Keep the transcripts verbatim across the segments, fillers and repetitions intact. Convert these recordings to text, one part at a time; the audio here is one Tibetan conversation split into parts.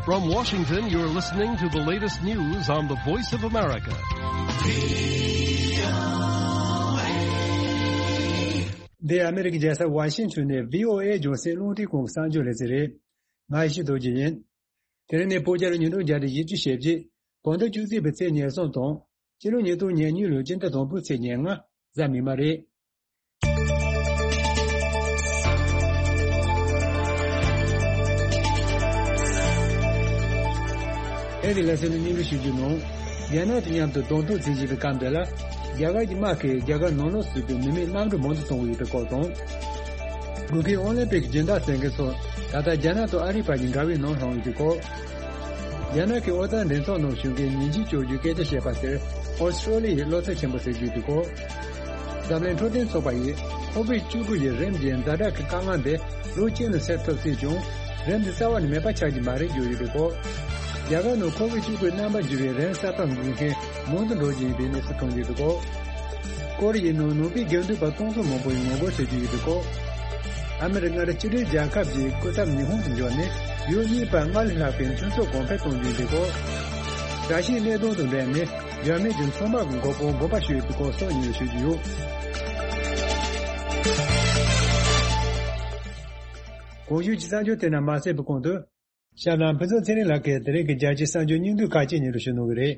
From Washington, you're listening to the latest news on the Voice of America. འདི་ཨ་མི་རི་ཀའི་རྒྱལ་ས་ཝ་ཤིང་ཊོན་ནས་བྷི་ཨོ་ཨེ་རྒྱང་སྲིང་རླུང་འཕྲིན་ཁང་གི་གསར་འགྱུར་ལས་ཚན་རེད། ང་ཡེ་ཤེས་རྡོ་རྗེ་ཡིན། དེ་རིང་ནི་ཕོ་རྒྱལ་ཉིས་སྟོང་བརྒྱ་དང་བཞི་བཅུ་ཞེ་བརྒྱད། བོད་ཟླ་བཅུ་གཅིག་པའི་ཚེས་ཉེར་གསུམ་དང་། སྤྱི་ལོ་ཉིས་སྟོང་ཉེར་གཉིས་ལོའི་སྤྱི་ཟླ་དང་པོའི་ཚེས་ཉེར་ལྔ། གཟའ་མིག་དམར་རེད། ཨེ་ཝི་ལ་སེ་ནི་སྙན་སྒྲོན་ཞུ་རྒྱུ་ནང་། རྒྱ་ནག་དང་མཉམ་དུ་གདོང་ཐུག་འཛིང་བཞིན་པའི་སྐབས་འདི་ལ། རྒྱ་གར་གྱི་དམག་གིས་རྒྱ་གར་ནང་ལོགས་སུ་ཡོད་པའི་མི་མེད་གནམ་གྲུ་མང་དུ་གཏོང་གི་ཡོད་པའི་སྐོར་དང་། དགུན་ཁའི་ཨོ་ལིམ་པིག་སྦྱིན་བདག་ཟེར་མཁན་ཚོ་ད་ལྟ་རྒྱ་ནག་དང་ཨ་རིའི་བར་གྱི་འགལ་བའི་ནང་ལྷུང་ཡོད་པའི་སྐོར། རྒྱ་ནག་གི་ཨོ་རྩལ་འགྲན་ཚོགས་ནང་ཞུགས་མཁན་ཉིན་གཅིག་འཇོག་རྒྱུའི་སྐད་ཆ་བཤད་པ་དེར་ཨོ་སི་ཀྲོ་ལི་ཡའི་བློ་འཚབ་ཆེན་པོ་ཟེར་རྒྱུ་ཡོད་པའི་སྐོར། འཛམ་གླིང་འཕྲོད་བསྟེན་ཚོགས་པ་ཡིས་ཁོ་བིད་བཅུ་དགུ་ཡི་རིམས་ཀྱི་ཛ་དྲག་གི་དཀའ་ངལ་འདི་ལོ་གཅིག་ནང་སེལ་ཐུབ་སྲིད་ཀྱང་། རིམས་འདི་རྩ་བ་ནས་མེད་པ་ཆགས་ཀྱི་མ་རེད་བརྗོད་ཡོད་པའི་སྐོར། རྒྱ་གར་ནང་ཁོ་བིད་བཅུ་དགུའི་རྣམ་པ་འགྱུར་བའི་རིམས་གསར་པ་འགོས་མཁན་མང་དུ་འགྲོ་བཞིན་ཡོད་པའི་གནས་ཚུལ་ཐོན་ཡོད་པའི་སྐོར། ཀོ་རི་ཡའི་ནང་ནང་པའི་དགེ་འདུན་པ་སྟོང་ཚོ་མང་པོ་ཡིས་ངོ་རྒོལ་བྱེད་ཀྱི་ཡོད་པའི་སྐོར། ཨ་མི་རི་ཀ་མངའ་སྡེ་གཅིག་སྒྲིལ་རྒྱལ་ཁབ་ཀྱི་སྐུ་ཚབ་ཉི་ཧོང་དུ་འབྱོར་ནས་ཡུལ་གཉིས་བར་སྔར་ལས་ལྷག་པའི་མཐུན་ཚོགས་གོང་འཕེལ་གཏོང་རྒྱུ་ཡིན་པའི་སྐོར། དགྲ་ཤེས་གནད་དོན་དང་འབྲེལ་ནས་འཇར་མན་གྱི་མཚོ་དམག་གི་མགོ་དཔོན་དགོངས་པ་ཞུས་ཡོད་པའི་སྐོར་སོགས་སྙན་སྒྲོན་ཞུ་རྒྱུ་ཡོད། གོང་ཞུས་ཀྱི་གསར་འགྱུར་དེ་རྣམས་མ་ཟད་པའི་གོང་དུ། ཞབས་ལམ་ཕུན་ཚོགས་ཚེ་རིང་ལགས་ཀྱིས་དེ་རིང་གི་རྒྱལ་སྤྱིའི་གསར་འགྱུར་སྙིང་བསྡུས་ཁག་ཅིག་སྙན་སྒྲོན་ཞུ་གནང་གི་རེད།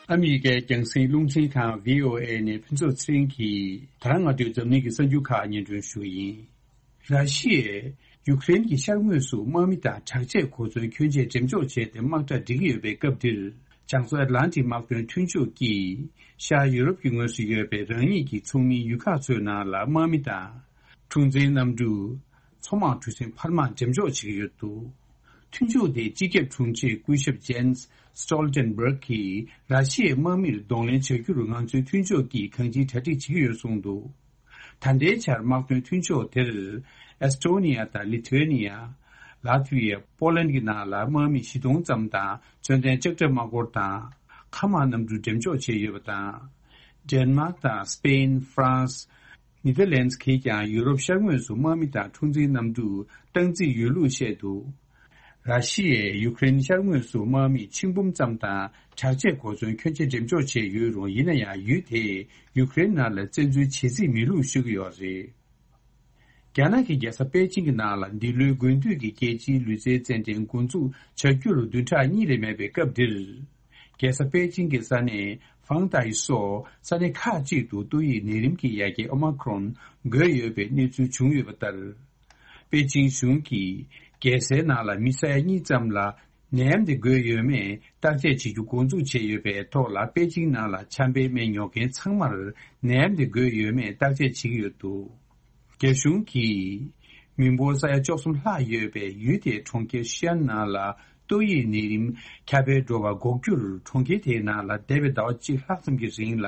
ཨ་མི་རི་ཀའི་རྒྱང་སྲིང་རླུང་འཕྲིན་ཁང་བྷི་ཨོ་ཨེ་ནས་ཕུན་ཚོགས་ཚེ་རིང་གིས་ད་རང་སྔ་དྲོའི་འཛམ་གླིང་གི་གསར་འགྱུར་ཁག་སྙན་སྒྲོན་ཞུ་གི་ཡིན། ར་ཤི་ཡས་ཡུཀ་རེན་གྱི་ཤར་ངོས་སུ་དམག་མི་དང་དྲག་ཆས་གོ་མཚོན་ཁྱོན་ཆེ་འགྲེམས་འཇོག་བྱས་ཏེ་དམག་གྲ་སྒྲིག་གི་ཡོད་པའི་སྐབས་འདིར། བྱང་མཚོ་ཨེཊ་ལན་ཊིག་དམག་དོན་མཐུན་ཕྱོགས་ཀྱིས་ཤར་ཡུ་རོབ་ཀྱི་ངོས་སུ་ཡོད་པའི་རང་ཉིད་ཀྱི་ཚོགས་མིའི་ཡུལ་ཁག་ཚོའི་ནང་ལ་དམག་མི་དང་། འཁྲུག་འཛིང་གནམ་གྲུ། མཚོ་དམག་གྲུ་གཟིངས་འཕར་དམག་འགྲེམས་འཇོག་བྱེད་ཀྱི་ཡོད་འདུག་མཐུན་ཕྱོགས་དེའི་སྤྱི་ཁྱབ་དྲུང་ཆེ་སྐུ་ཞབས་ཇེན་སི་སི་ཊོལ་ཊེན་བྷརག་གིས་ར་ཤི་ཡའི་དམག་མིར་གདོང་ལེན་བྱ་རྒྱུར་ང་ཚོའི་མཐུན་ཕྱོགས་ཀྱིས་གང་ཅིའི་གྲ་སྒྲིག་བྱེད་ཀྱི་ཡོད་གསུངས་འདུག་ད་ལྟའི་ཆར་དམག་དོན་མཐུན་ཕྱོགས་དེར་ཨེ་སི་ཊོ་ནི་ཡ་དང་ལི་ཐུ་ཝེ་ནི་ཡ། ལ་ཐི་ཝི་ཡ། པོ་ལན་གྱི་ནང་ལ་དམག་མི་བཞི་སྟོང་ཙམ་དང་མཚོན་ལྡན་ལྕགས་ཁྲབ་དམག་འཁོར་དང་། མཁའ་དམག་གནམ་གྲུ་འགྲེམས་འཇོག་བྱས་ཡོད་པ་དང་། ཌེན་མཱག་དང་སི་པེན། ཧྥ་རན་སི། ནེ་དར་ལན་སི་གིས་ཀྱང་ཡུ་རོབ་ཤར་ངོས་སུ་དམག་མི་དང་འཁྲུག་འཛིང་གནམ་གྲུ་སྟངས་འཛིན་ཡོད་ལུགས་བཤད་འདུག་ར་ཤི་ཡས་ཡུཀ་རེན་ཤར་ངོས་སུ་དམག་མི་ཆིག་འབུམ་ཙམ་དང་དྲག་ཆས་གོ་མཚོན་ཁྱོན་ཆེ་འགྲེམས་འཇོག་བྱས་ཡོད་རུང་། ཡིན་ན་ཡང་ཡུལ་དེས་ཡུཀ་རེན་ནང་ལ་བཙན་འཛུལ་བྱེད་རྩིས་མེད་ལུགས་ཞུ་གི་ཡོད་རེད། རྒྱ་ནག་གི་རྒྱལ་ས་པེ་ཅིང་གི་ནང་ལ་འདི་ལོའི་དགུན་དུས་ཀྱི་རྒྱལ་སྤྱིའི་ལུས་རྩལ་རྩེད་འགྲན་འགོ་འཛུགས་བྱ་རྒྱུར་བདུན་ཕྲག་གཉིས་ལས་མེད་པའི་སྐབས་འདིར། རྒྱལ་ས་པེ་ཅིང་གི་ས་གནས་ཧྥང་ཏའི་སོགས་ས་གནས་ཁག་ཅིག་ཏུ་ཏོག་དབྱིབས་ནད་རིམས་ཀྱི་ཡ་གྱལ་ཨོ་མ་ཁྲོན་འགོས་ཡོད་པའི་གནས་ཚུལ་བྱུང་ཡོད་པ་ལྟར། པེ་ཅིང་གཞུང་གིས་རྒྱལ་སའི་ནང་ལ་མི་ས་ཡ་གཉིས་ཙམ་ལ་ནད་ཡམས་དེ་འགོས་ཡོད་མེད་བརྟག་དཔྱད་བྱེད་རྒྱུ་འགོ་འཛུགས་བྱས་ཡོད་པའི་ཐོག་ལ། པེ་ཅིང་ནང་ལ་ཆམ་པའི་སྨན་ཉོ་མཁན་ཚང་མར་ནད་ཡམས་དེ་འགོས་ཡོད་མེད་བརྟག་དཔྱད་བྱེད་ཀྱི་ཡོད་འདུག་རྒྱ་གཞུང་གིས་མི་འབོར་ས་ཡ་བཅུ་གསུམ་ལྷག་ཡོད་པའི་ཡུལ་དེའི་གྲོང་ཁྱེར་ཤི་ཨན་ནང་ལ་ཏོག་དབྱིབས་ནད་རིམས་ཁྱབ་སྤེལ་འགྲོ་བ་འགོག་རྒྱུར། གྲོང་ཁྱེར་དེའི་ནང་ལ་འདས་པའི་ཟླ་བ་གཅིག་ལྷག་ཙམ་གྱི་རིང་ལ་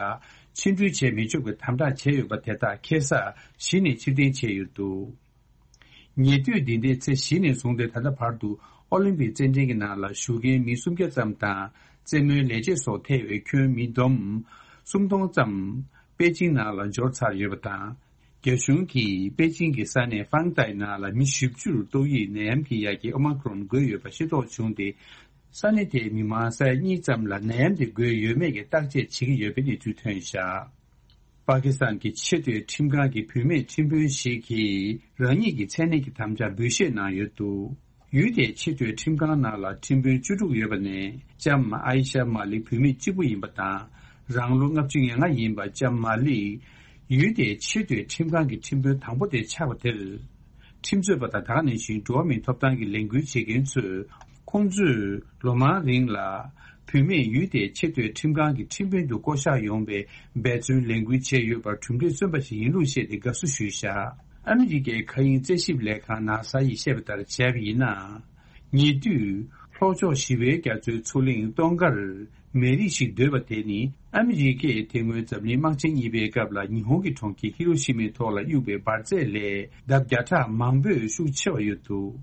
ཕྱི་འགྲུལ་བྱེད་མི་ཆོག་པའི་དམ་དྲག་བྱས་ཡོད་པ་དེ་དག་ཁ་སང་གཞི་ནས་ཕྱིར་འཐེན་བྱས་ཡོད་འདུག་ཉེ་དུས་འདི་ཟླའི་ཚེས་བཞི་ནས་བཟུང་སྟེ་ད་ལྟ་བར་དུ་ཨོ་ལིམ་པིག་རྩེད་འགྲན་གྱི་ནང་ལ་ཞུགས་མཁན་མི་སུམ་བརྒྱ་ཙམ་དང་། རྩེད་མོའི་ལས་བྱེད་སོགས་ཐེ་བའི་ཁྱོན་མི་བསྡོམས་སུམ་སྟོང་ཙམ་པེ་ཅིང་ནང་ལ་འབྱོར་ཚར་ཡོད་པ་དང་། རྒྱ་གཞུང་གིས་པེ་ཅིང་གི་ས་གནས་ཧྥང་ཏའི་ནང་ལ་མི་བཞི་བཅུར་ཏོག་དབྱིབས་ནད་ཡམས་ཀྱི་ཡ་གྱལ་ཨོ་མ་ཁྲོན་འགོས་ཡོད་པ་ཤེས་རྟོགས་བྱུང་སྟེ། ས་གནས་དེའི་མི་མང་ས་ཡ་གཉིས་ཙམ་ལ་ནད་ཡམས་དེ་འགོས་ཡོད་མེད་ཀྱི་བརྟག་དཔྱད་བྱེད་ཀྱི་ཡོད་པའི་གནས་ཚུལ་ཐོན་བཞག་པ་ཀི་སི་ཐན་གྱི་ཆེས་མཐོའི་ཁྲིམས་ཁང་གི་བུད་མེད་ཁྲིམས་དཔོན་ཞིག་གིས་རང་ཉིད་ཀྱི་མཚན་གནས་ཀྱི་དམ་བཅའ་འབུལ་བཞེས་གནང་ཡོད་འདུག་ཡུལ་དེའི་ཆེས་མཐོའི་ཁྲིམས་ཁང་ནང་ལ་ཁྲིམས་དཔོན་བཅུ་དྲུག་ཡོད་པ་ནས་ལྕམ་ཨའི་ཤ་མ་ལིག་བུད་མེད་གཅིག་པུ་ཡིན་པ་དང་། རང་ལོ་ལྔ་བཅུ་ང་ལྔ་ཡིན་པ་ལྕམ་མ་ལིག་ཡུལ་དེའི་ཆེས་མཐོའི་ཁྲིམས་ཁང་གི་ཁྲིམས་དཔོན་དང་པོ་དེ་ཆགས་པ་དེར། ཁྲིམས་རྩོད་པ་དང་ད་ག་ནང་བཞིན་འགྲོ་བ་མིའི་ཐོབ་ཐང་གི་ལས་འགུལ་བྱེད་མཁན་ཚོས་ཁོང་ཚོས་ལོ་མང་རིང་ལ་བུད་མེད་ཡུལ་དེའི་ཆེས་མཐོའི་ཁྲིམས་ཁང་གི་ཁྲིམས་དཔོན་དུ་བསྐོ་གཞག་ཡོང་བའི་འབད་བརྩོན་ལས་འགུལ་བྱས་ཡོད་པར་གྲུབ་འབྲས་སོན་པ་ཞིག་ཡིན་ལུགས་བཤད་དེ་དགའ་བསུ་ཞུས་བཞག་ཨ་མི་རི་ཀའི་མཁའ་དབྱིངས་རྩད་ཞིབ་ལས་ཁང་ནཱ་སཱ་ཡིས་བཤད་པ་ལྟར་བྱས་པ་ཡིན་ན། ཉེ་དུས་ལྷོ་ཕྱོགས་ཞི་བའི་རྒྱ་མཚོའི་མཚོ་གླིང་སྟོན་ཁར་མེ་རི་ཞིག་བརྡོལ་བ་དེ་ནི་ཨ་མི་རི་ཀས་དེ་སྔོན་འཛམ་གླིང་དམག་ཆེན་གཉིས་པའི་སྐབས་ལ་ཉི་ཧོང་གི་གྲོང་ཁྱེར་ཧི་རོ་ཤི་མའི་ཐོག་ལ་གཡུགས་པའི་འབར་རྫས་ལས་ལྡབ་བརྒྱ་ཕྲག་མང་པོས་ཤུགས་ཆེ་བ་ཡོད་འདུག་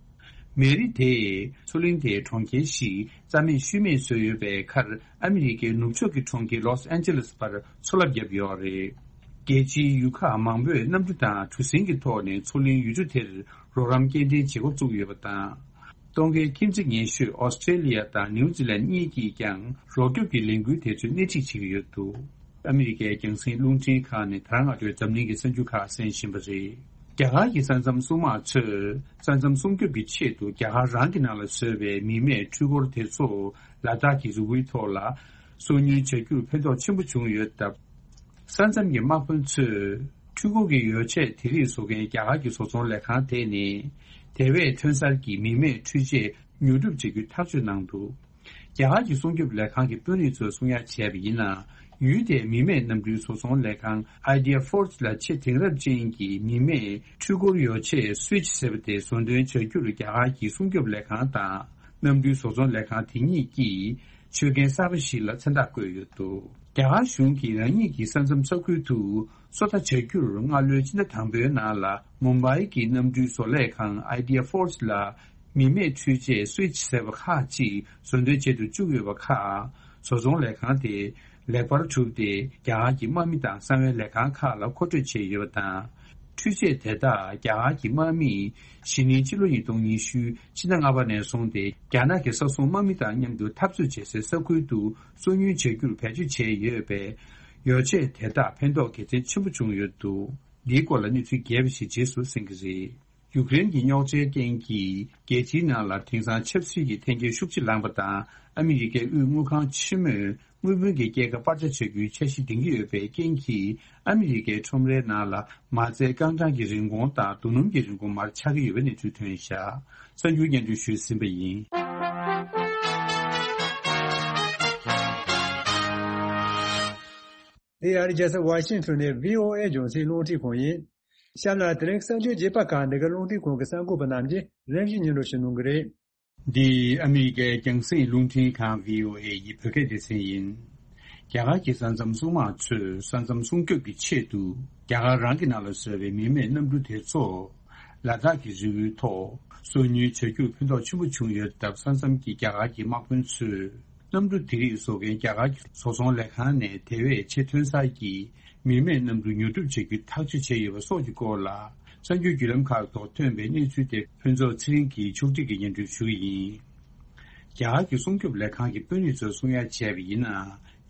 མེ་རི་དེས་མཚོ་གླིང་དེའི་གྲོང་ཁྱེར་ཞིག་རྩ་མེད་ཤུལ་མེད་བཟོས་ཡོད་པའི་ཁར། ཨ་མི་རི་ཀའི་ནུབ་ཕྱོགས་ཀྱི་གྲོང་ཁྱེར་ལོས་ཨན་ཇེ་ལེས་བར་མཚོ་རླབས་བརྒྱབ་ཡོད་རེད། རྒྱལ་སྤྱིའི་ཡུལ་ཁག་མང་པོས་གནམ་གྲུ་དང་གྲུ་གཟིངས་ཀྱི་ཐོག་ནས་མཚོ་གླིང་ཡུལ་གྲུ་དེར་རོགས་རམ་སྐྱེལ་འདྲེན་བྱེད་འགོ་བཙུགས་ཡོད་པ་དང་། སྟོན་ཁའི་ཁྱིམ་མཚེས་ཉེ་ཤོས་ཨོ་སི་ཀྲེ་ལི་ཡ་དང་ནིའུ་ཛི་ལན་གཉིས་ཀྱིས་ཀྱང་རོགས་སྐྱོབ་ཀྱི་ལས་འགུལ་དེ་ཚོའི་སྣེ་ཁྲིད་བྱེད་ཀྱི་ཡོད་འདུག་ཨ་མི་རི་ཀའི་རྒྱང་སྲིང་རླུང་འཕྲིན་ཁང་ནས་ད་རང་སྔ་དྲོའི་འཛམ་གླིང་གི་གསར་འགྱུར་ཁག་གསན་བཞིན་པ་རེད། རྒྱ་གར་གྱི་ས་མཚམས་སྲུང་དམག་ཚོས་ས་མཚམས་སྲུང་སྐྱོབ་ཀྱི་ཆེད་དུ་རྒྱ་གར་རང་གི་ནང་ལ་བཟོས་པའི་མི་མེད་འཕྲུལ་འཁོར་དེ་ཚོ་ལ་དྭགས་ཀྱི་རི་བོའི་ཐོག་ལ་སོ་ཉུལ་བྱ་རྒྱུར་ཕན་ཐོགས་ཆེན་པོ་བྱུང་ཡོད་སྟབས། ས་མཚམས་ཀྱི་དམག་དཔོན་ཚོས་འཕྲུལ་འཁོར་གྱི་ཡོ་བྱད་དེ་རིགས་བཟོ་མཁན་རྒྱ་གར་གྱི་བཟོ་ཚོང་ལས་ཁང་དེ་ནས་དེ་བས་ཐོན་གསར་གྱི་མི་མེད་འཕྲུལ་ཆས་ཉོ་སྒྲུབ་བྱེད་རྒྱུའི་ཐག་གཅོད་གནང་འདུག་རྒྱ་གར་གྱི་སྲུང་སྐྱོབ་ལས་ཁང་གི་དཔོན་རིགས་ཚོས་གསུང་ཡ་བྱས་པ་ཡིན་ན། ཡུལ་དེའི་མི་མེད་གནམ་གྲུའི་བཟོ་ཚོང་ལས་ཁང་Idea Forge ལ་ཆེས་དེང་རབས་ཅན་གྱི་མི་མེད་འཕྲུལ་འཁོར་ཡོ་ཆས་Switch ཟེར་བ་དེ་བཟོ་འདོན་བྱ་རྒྱུར་རྒྱ་གར་གྱི་སྲུང་སྐྱོབ་ལས་ཁང་དང་གནམ་གྲུའི་བཟོ་ཚོང་ལས་ཁང་དེ་གཉིས་ཀྱིས་ཆོད་མཁན་གསར་པ་ཞིག་ལ་མཚན་རྟགས་བཀོད་ཡོད་འདུག་རྒྱ་གར་གཞུང་གིས་རང་ཉིད་ཀྱི་ས་མཚམས་ས་ཁུལ་དུ་སོ་ལྟ་བྱ་རྒྱུར་སྔ་ལོའི་ཕྱི་ཟླ་དང་པོའི་ནང་ལ་མུམ་བྷའི་གི་གནམ་གྲུའི་བཟོ་ལས་ཁང་Idea Forge ལ་མི་མེད་འཕྲུལ་ཆས་Switch ཟེར་བ་ཁག་ཅིག་བཟོ་འདོན་བྱེད་དུ་བཅུག་ཡོད་པ་ཁག་བཟོ་ཚོང་ལས་ཁང་དེ་ལེགས་པར་གྲུབ་སྟེ་རྒྱ་གར་གྱི་དམག་མི་དང་གསང་བའི་ལས་ཁང་ཁག་ལ་མཁོ་སྤྲོད་བྱས་ཡོད་པ་དང་། འཕྲུལ་ཆས་དེ་དག་རྒྱ་གར་གྱི་དམག་མིས་གཞེས་ནིང་ཕྱི་ལོ་ཉིས་སྟོང་ཉི་ཤུ་ཕྱི་ཟླ་ལྔ་པ་ནས་བཟུང་སྟེ་རྒྱ་ནག་གི་ས་སྲུང་དམག་མི་དང་མཉམ་དུ་འཐབ་རྩོད་བྱེད་སའི་ས་ཁུལ་དུ་སོ་ཉུལ་བྱ་རྒྱུར་བེད་སྤྱོད་བྱས་ཡོད་པས། ཡོ་ཆས་དེ་དག་ཕན་ཐོགས་དགེ་མཚན་ཆེན་པོ་བྱུང་ཡོད་འདུག་འདིའི་སྐོར་ལ་གནས་ཚུལ་རྒྱས་པ་ཞིག་རྗེས་སུ་གསན་གྱི་རེད། ཡུཀ་རེན་གྱི་རྙོག་དྲའི་རྐྱེན་གྱིས་རྒྱལ་སྤྱིའི་ནང་ལ་དེང་སང་ཆབ་སྲིད་ཀྱི་འཐེན་འཁྱེར་ཤུགས་ཆེ་ལངས་པ་དང་། ཨ་མི་རི་ཀའི་དབུས་དངུལ་ཁང་ཆེན་མོས་དངུལ་བུན་གྱི་སྐྱེད་ཀ་སྤར་ཆ་བྱ་རྒྱུའི་འཆར་གཞི་འདིང་གི་ཡོད་པའི་རྐྱེན་གྱིས། ཨ་མི་རི་ཀའི་ཁྲོམ་རའི་ནང་ལ་མ་རྩའི་རྐང་གྲངས་ཀྱི་རིན་གོང་དང་རྡོ་སྣུམ་གྱི་རིན་གོང་མར་ཆག་གི་ཡོད་པའི་གནས་ཚུལ་ཐོན་བཞག་གསར་འགྱུར་སྙན་སྒྲོན་ཞུས་ཟིན་པ་ཡིན། འདི་ཨ་རིའི་རྒྱལ་ས་ཝ་ཤིང་ཊོན་ནས་བྷི་ཨོ་ཨེ་རྒྱང་སྲིང་རླུང་འཕྲིན་ཁང་ཡིན། གཤམ་ལ་དེ་རིང་གསར་འགྱུར་རྒྱས་པ་ཁག་འདི་ག་རླུང་འཕྲིན་ཁང་གི་གསར་འགོད་པ་རྣམས་ཀྱིས་རིམ་བཞིན་སྙན་སྒྲོན་ཞུ་གནང་གི་རེད། འདི་ཨ་མི་རི་ཀའི་རྒྱང་སྲིང་རླུང་འཕྲིན་ཁང་བྷི་ཨོ་ཨེ་ཡི་བོད་སྐད་སྡེ་ཚན་ཡིན། རྒྱ་གར་གྱི་ས་མཚམས་སྲུང་དམག་ཚོས་ས་མཚམས་སྲུང་སྐྱོབ་ཀྱི་ཆེད་དུ་རྒྱ་གར་རང་གི་ནང་ལ་བཟོས་པའི་མི་མེད་གནམ་གྲུ་དེ་ཚོ་ལ་དྭགས་ཀྱི་རི་བོའི་ཐོག་སོ་ཉུལ་བྱ་རྒྱུར་ཕན་ཐོགས་ཆེན་པོ་བྱུང་ཡོད་སྟབས། ས་མཚམས་ཀྱི་རྒྱ་གར་གྱི་དམག་དཔོན་ཚོས་གནམ་གྲུ་དེ་རིགས་བཟོ་མཁན་རྒྱ་གར་གྱི་བཟོ་ཚོང་ལས་ཁང་ནས་དེ་བས་ཆེས་ཐོན་གསར་གྱི་མི་མེད་གནམ་གྲུ་ཉོ་སྒྲུབ་བྱ་རྒྱུ་ཐག་གཅོད་བྱས་ཡོད་པ་སོགས་ཀྱི་སྐོར་ལ། གསར་འགྱུར་བརྒྱུད་ལམ་ཁག་ཐོག་ཐོན་པའི་གནས་ཚུལ་དེ་ཕུན་ཚོགས་ཚེ་རིང་གིས་ཕྱོགས་སྒྲིག་གིས་སྙན་སྒྲོན་ཞུ་གི་ཡིན། རྒྱ་གར་གྱི་སྲུང་སྐྱོབ་ལས་ཁང་གི་དཔོན་རིགས་ཚོས་གསུང་ཡ་བྱས་པ་ཡིན་ན།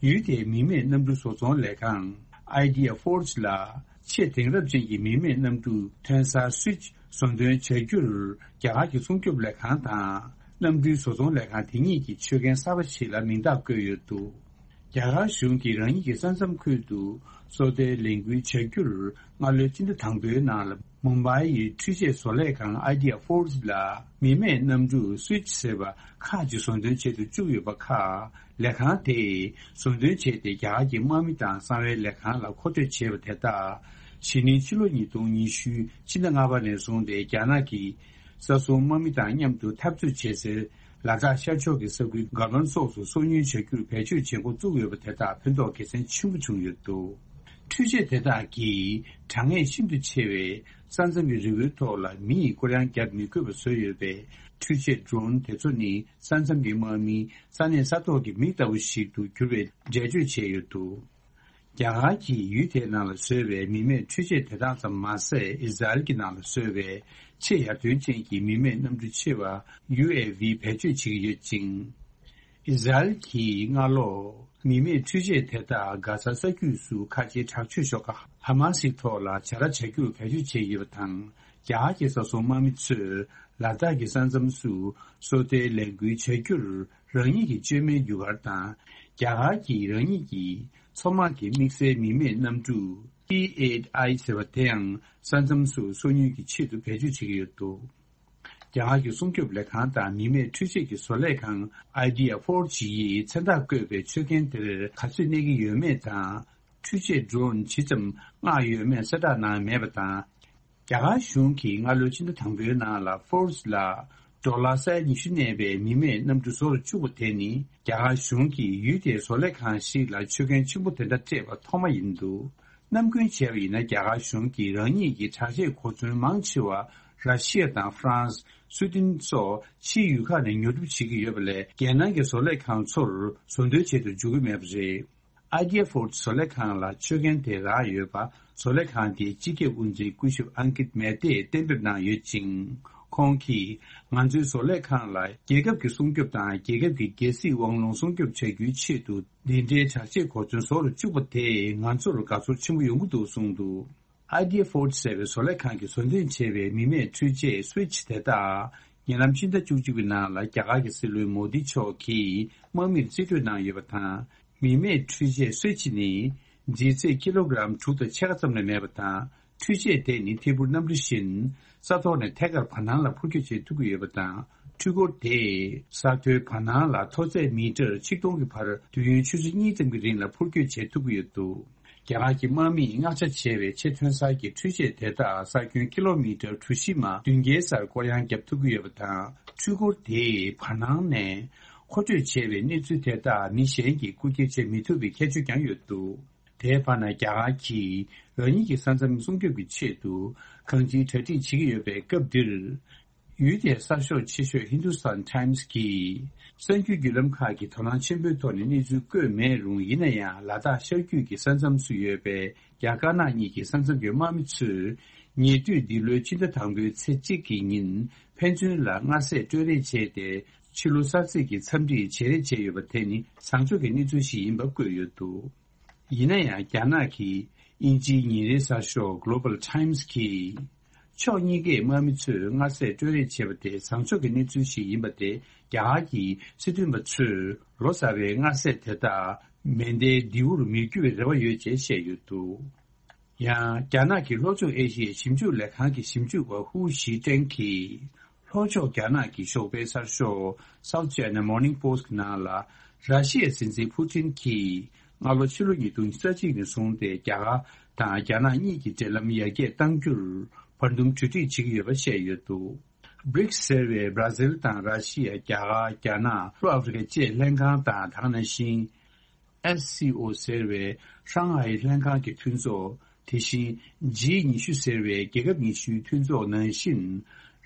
ཡུལ་དེའི་མི་མེད་གནམ་གྲུ་བཟོ་ཚོང་ལས་ཁང་Idea Forge ལ་ཆེས་དེང་རབས་ཅན་གྱི་མི་མེད་གནམ་གྲུ་ཐོན་གསར་Switch བཟོ་འདོན་བྱ་རྒྱུར་རྒྱ་གར་གྱི་སྲུང་སྐྱོབ་ལས་ཁང་དང་གནམ་གྲུའི་བཟོ་ཚོང་ལས་ཁང་དེ་གཉིས་ཀྱིས་ཆོད་མཁན་གསར་པ་ཞིག་ལ་མིང་རྟགས་བཀོད་ཡོད་འདུག་རྒྱ་གར་གཞུང་གིས་རང་ཉིད་ཀྱི་ས་མཚམས་ཁུལ་དུ་སོ་ལྟའི་ལས་འགུལ་བྱ་རྒྱུར་སྔ་ལོའི་ཕྱི་ཟླ་དང་པོའི་ནང་ལ་མུམ་བྷའི་ཡི་འཕྲུལ་ཆས་བཟོ་ལས་ཁང་Idea Forge ལ་མི་མེད་གནམ་གྲུ་Switch ཟེར་བ་ཁག་ཅིག་བཟོ་འདོན་བྱེད་དུ་བཅུག་ཡོད་པ་ཁག་ལས་ཁང་དེས་བཟོ་འདོན་བྱས་ཏེ་རྒྱ་གར་གྱི་དམག་མི་དང་གསང་བའི་ལས་ཁང་ལ་མཁོ་སྤྲོད་བྱས་པ་དེ་དག་གཞེས་ནིང་ཕྱི་ལོ་ཉིས་སྟོང་ཉི་ཤུ་ཕྱི་ཟླ་ལྔ་པ་ནས་བཟུང་སྟེ་རྒྱ་ནག་གི་ས་སྲུང་དམག་མི་དང་མཉམ་དུ་འཐབ་རྩོད་བྱེད་སའི་ལ་དྭགས་ཤར་ཕྱོགས་ཀྱི་ས་ཁུལ་ག་ལོན་སོགས་སུ་སོ་ཉུལ་བྱ་རྒྱུར་བེད་སྤྱོད་བྱེད་འགོ་བཙུགས་ཡོད་པ་དེ་དག་ཕན་ཐོགས་དགེ་མཚན་ཆེན་པོ་བྱུང་ཡོད་འདུག་འཕྲུལ་ཆས་དེ་དག་གིས་གྲང་ངར་ཤིན་ཏུ་ཆེ་བའི་ས་མཚམས་ཀྱི་རི་བོའི་ཐོག་ལ་མི་ཡིས་སྐོར་གཡང་བརྒྱབ་མི་དགོས་པ་བཟོས་ཡོད་པས། འཕྲུལ་ཆས་Drone དེ་ཚོ་ནི་ས་མཚམས་ཀྱི་དམག་མིས་ས་གནས་ས་ཐོག་གི་མི་ལྟ་བུ་ཞིག་ཏུ་གྱུར་བའི་འགྲེལ་བརྗོད་བྱས་ཡོད་འདུག་རྒྱ་གར་གྱིས་ཡུལ་དེའི་ནང་ལ་བཟོས་པའི་མི་མེད་འཕྲུལ་ཆས་དེ་དག་ཙམ་མ་ཟད། ཨི་ཟ་རེལ་གྱི་ནང་ལ་བཟོས་པའི་ཆེས་ཡར་ཐོན་ཅན་གྱི་མི་མེད་གནམ་གྲུ་ཆེ་བ་ཡུ་ཨེ་ཝི་བེད་སྤྱོད་བྱེད་ཀྱི་ཡོད་ཅིང་། ཨི་ཟ་རེལ་གྱིས་སྔ་ལོ་མི་མེད་འཕྲུལ་ཆས་དེ་དག་གྷ་ཟ་ས་རྒྱུད་སུ་ཁ་ཆེའི་དྲག་སྤྱོད་ཤོག་ཁག་ཧ་མ་སིའི་ཐོག་ལ་བྱ་ར་བྱ་རྒྱུར་བེད་སྤྱོད་བྱས་ཡོད་པ་དང་། རྒྱ་གར་གྱི་ས་སྲུང་དམག་མི་ཚོས་ལ་དྭགས་ཀྱི་ས་མཚམས་སུ་སོ་ལྟའི་ལས་འགུལ་བྱ་རྒྱུར། རང་ཉིད་ཀྱི་བཅོས་མའི་རྒྱུ་སྐར་དང་། རྒྱ་གར་གྱིས་རང་ཉིད་ཀྱི་མཚོ་དམག་གི་དམིགས་བསལ་མི་མེད་གནམ་གྲུ་P eight I ཟེར་བ་དེ་ཡང་ས་མཚམས་སུ་སོ་ཉུལ་གྱི་ཆེད་དུ་བེད་སྤྱོད་བྱེད་ཀྱི་ཡོད་འདུག་རྒྱ་གར་གྱི་སྲུང་སྐྱོབ་ལས་ཁང་དང་མི་མེད་འཕྲུལ་ཆས་ཀྱི་བཟོ་ལས་ཁང་Idea Forge ཡིས་མཚན་རྟགས་བཀོད་པའི་མཆོད་རྟེན་དེར་ག་ཚོད་གནས་ཀྱི་ཡོད་མེད་དང་། འཕྲུལ་ཆས་Drone ཇི་ཙམ་མངགས་ཡོད་མེད་གསལ་བསྒྲགས་གནང་མེད་པ་དང་། རྒྱ་གར་གཞུང་གིས་སྔ་ལོའི་ཕྱི་ཟླ་དང་པོའི་ནང་ལ་Forge ལ་ཌོ་ལར་ས་ཡ་ཉི་ཤུ་གནས་པའི་མི་མེད་གནམ་གྲུ་བཟོ་རུ་བཅུག་པ་དེ་ནི། རྒྱ་གར་གཞུང་གིས་ཡུལ་དེའི་བཟོ་ལས་ཁང་ཞིག་ལ་མཆོད་རྟེན་ཆེན་པོ་དེ་འདྲ་སྤྲད་པ་ཐོག་མ་ཡིན་འདུག་ནམ་རྒྱུན་བྱས་པ་ཡིན་ན། རྒྱ་གར་གཞུང་གིས་རང་ཉིད་ཀྱི་དྲག་ཆས་གོ་མཚོན་མང་ཆེ་བ་ར་ཤི་ཡ་དང་ཧྥ་རན་སི། སུའེ་ཏེན་སོགས་ཕྱིའི་ཡུལ་ཁག་ནས་ཉོ་སྒྲུབ་བྱེད་ཀྱི་ཡོད་པ་ལས། རྒྱལ་ནང་གི་བཟོ་ལས་ཁང་ཚོར་བཟོ་འདོན་བྱེད་དུ་འཇུག་གི་མེད་པ་རེད། ཨ་ཌི་ཨེ་ཕོར་ཌི་བཟོ་ལས་ཁང་ལ་ཆོད་མཁན་དེ་རག་ཡོད་པ། བཟོ་ལས་ཁང་དེའི་སྤྱི་ཁྱབ་དབུ་འཛིན་སྐུ་ཞབས་ཨང་ཀིད་མེ་ཏེས་གཏན་འབེབས་གནང་ཡོད་ཅིང་། ཁོང་གིས་ང་ཚོའི་བཟོ་ལས་ཁང་ལ་རྒྱལ་ཁབ་ཀྱི་སྲུང་སྐྱོབ་དང་རྒྱལ་ཁབ་ཀྱི་རྒྱལ་སྲིད་དབང་ལུང་སྲུང་སྐྱོབ་བྱ་རྒྱུའི་ཆེད་དུ་འདི་འདྲའི་དྲག་ཆས་གོ་མཚོན་བཟོ་རུ་བཅུག་པ་དེས་ང་ཚོར་དགའ་ཚོར་ཆེན་པོ་ཡོང་གི་འདུག་གསུངས་འདུག་ཨ་ཌི་ཨེ་ཕོར་ཌི་ཟེར་བའི་བཟོ་ལས་ཁང་གིས་བཟོ་འདོན་བྱས་པའི་མི་མེད་འཕྲུལ་ཆས་སུའི་ཆི་དེ་དག་ཉེ་ལམ་ཕྱི་ཟླ་བཅུ་གཅིག་པའི་ནང་ལ་རྒྱ་གར་གྱི་སྲིད་བློན་མོ་དི་མཆོག་གིས་དམག་མིར་རྩིས་སྤྲོད་གནང་ཡོད་པ་དང་། མི་མེད་འཕྲུལ་ཆས་སུའི་ཆི་ནི་ལྗིད་ཚད་ཀི་ལོ་གྲམ་དྲུག་དང་ཕྱེད་ཀ་ཙམ་ལས་མེད་པ་དང་། འཕྲུལ་ཆས་དེ་ནི་ཐད་འཕུར་གནམ་གྲུ་བཞིན་ས་ཐོག་ནས་ཐད་ཀར་བར་སྣང་ལ་འཕུར་སྐྱོད་བྱེད་ཐུབ་ཀྱི་ཡོད་པ་དང་། འཕྲུལ་འཁོར་དེས་ས་མཐོའི་བར་སྣང་ལ་མཐོ་ཚད་མི་ཊར་ཆིག་སྟོང་གི་བར་དུས་ཡུན་ཆུ་ཚོད་གཉིས་ཙམ་གྱི་རིང་ལ་འཕུར་སྐྱོད་བྱེད་ཐུབ་ཀྱི་ཡོད་འདུག་རྒྱ་གར་གྱི་དམག་མིས་མངགས་ཆ་བྱས་པའི་ཆེས་ཐོན་གསར་གྱི་འཕྲུལ་ཆས་དེ་དག་ས་ཁྱོན་ཀི་ལོ་མི་ཊར་གྲུ་བཞི་མ་བདུན་བརྒྱའི་སར་སྐོར་གཡང་བརྒྱབ་ཐུབ་ཀྱི་ཡོད་པ་དང་། འཕྲུལ་འཁོར་དེས་བར་སྣང་ནས་མཁོ་སྤྲོད་བྱས་པའི་གནས་ཚུལ་དེ་དག་མི་གཞན་གྱིས་རྐུ་འཁྱེར་བྱེད་མི་ཐུབ་པའི་ཁྱད་ཆོས་ཀྱང་ཡོད་འདུག་དེའི་བར་ན་རྒྱ་གར་གྱིས་རང་ཉིད་ཀྱི་ས་མཚམས་སྲུང་སྐྱོབ་ཀྱི་ཆེད་དུ་གང་ཅིའི་གྲ་སྒྲིག་བྱེད་ཀྱི་ཡོད་པའི་སྐབས་འདིར། ཡུལ་དེའི་གསར་ཤོག་ཆེ་ཤོས་Hindustan Times་གིས་གསར་འགྱུར་བརྒྱུད་ལམ་ཁག་གིས་དོ་སྣང་ཆེན་པོའི་ཐོག་ནས་གནས་ཚུལ་བཀོད་མེད་རུང་། ཡིན་ན་ཡང་ལ་དྭགས་ཤར་རྒྱུད་ཀྱི་ས་མཚམས་སུ་ཡོད་པའི་རྒྱ་དཀར་ནག་གཉིས་ཀྱི་ས་མཚམས་ཀྱི་དམག་མི་ཚོས་ཉེ་དུས་འདི་ལོའི་ཕྱི་ཟླ་དང་པོའི་ཚེས་གཅིག་གི་ཉིན་ཕན་ཚུན་ལ་མངར་ཟས་སྤྲོད་རེས་བྱས་ཏེ། ཕྱི་ལོ་གསར་ཚེས་ཀྱི་འཚམས་འདྲི་བྱེད་རེས་བྱས་ཡོད་པ་དེ་ནི་བཟང་ཕྱོགས་ཀྱི་གནས་ཚུལ་ཞིག་ཡིན་པ་བཀོད་ཡོད་འདུག་ཡིན་ན་ཡང་རྒྱ་ནག་གི་དབྱིན་ཇིའི་ཉིན་རེའི་གསར་ཤོག་Global Times་གིས། ཕྱོགས་གཉིས་ཀས་དམག་མི་ཚོས་མངར་ཟས་སྤྲོད་རེས་བྱས་པ་དེ་བཟང་ཕྱོགས་ཀྱི་གནས་ཚུལ་ཞིག་ཡིན་པ་དེ་རྒྱ་གར་གྱི་སྲིད་དོན་པ་ཚོས་ལོ་གསར་བའི་མངར་ཟས་དེ་དག་མེ་མདའི་མདེའུར་མི་འགྱུར་བའི་རེ་བ་ཡོད་ཅེས་བཤད་ཡོད་འདུག་ཡང་རྒྱ་ནག་གི་ལྷོ་ཕྱོགས་ཨེ་ཤི་ཡའི་ཞིབ་འཇུག་ལས་ཁང་གི་ཞིབ་འཇུག་པ་ཧུའུ་ཞི་ཀྲེང་གིས། ལྷོ་ཕྱོགས་རྒྱ་ནག་གི་ཞོགས་པའི་གསར་ཤོག་South China Morning Post་ནང་ལ། ར་ཤི་ཡའི་སྲིད་འཛིན་ཕུ་ཏིན་གྱིས་སྔ་ལོ་ཕྱི་ལོ་ཉིས་སྟོང་ཉི་ཤུ་རྩ་གཅིག་ནས་བཟུང་སྟེ་རྒྱ་གར་དང་རྒྱ་ནག་གཉིས་ཀྱི་འབྲེལ་ལམ་ཡར་རྒྱས་གཏང་རྒྱུར་བར་འདུམ་གྲོས་འགྲིག་བྱེད་ཀྱི་ཡོད་པ་བཤད་ཡོད་འདུག་བྷི་རིགས་ཟེར་བའི་བྷ་ར་ཟིལ་དང་ར་ཤི་ཡ། རྒྱ་གར། རྒྱ་ནག་ལྷོ་ཨ་ཧྥེ་རི་ཁ་བཅས་ལྷན་ཁང་དང་། དེ་ནང་བཞིན། ཨེས་སི་ཨོ་ཟེར་བའི་ཧྲང་ཧའེ་ལྷན་ཁང་གི་མཐུན་ཚོགས། དེ་བཞིན་ཇི་ཉི་ཤུ་ཟེར་བའི་རྒྱལ་ཁབ་ཉི་ཤུའི་མཐུན་ཚོགས་ནང་བཞིན།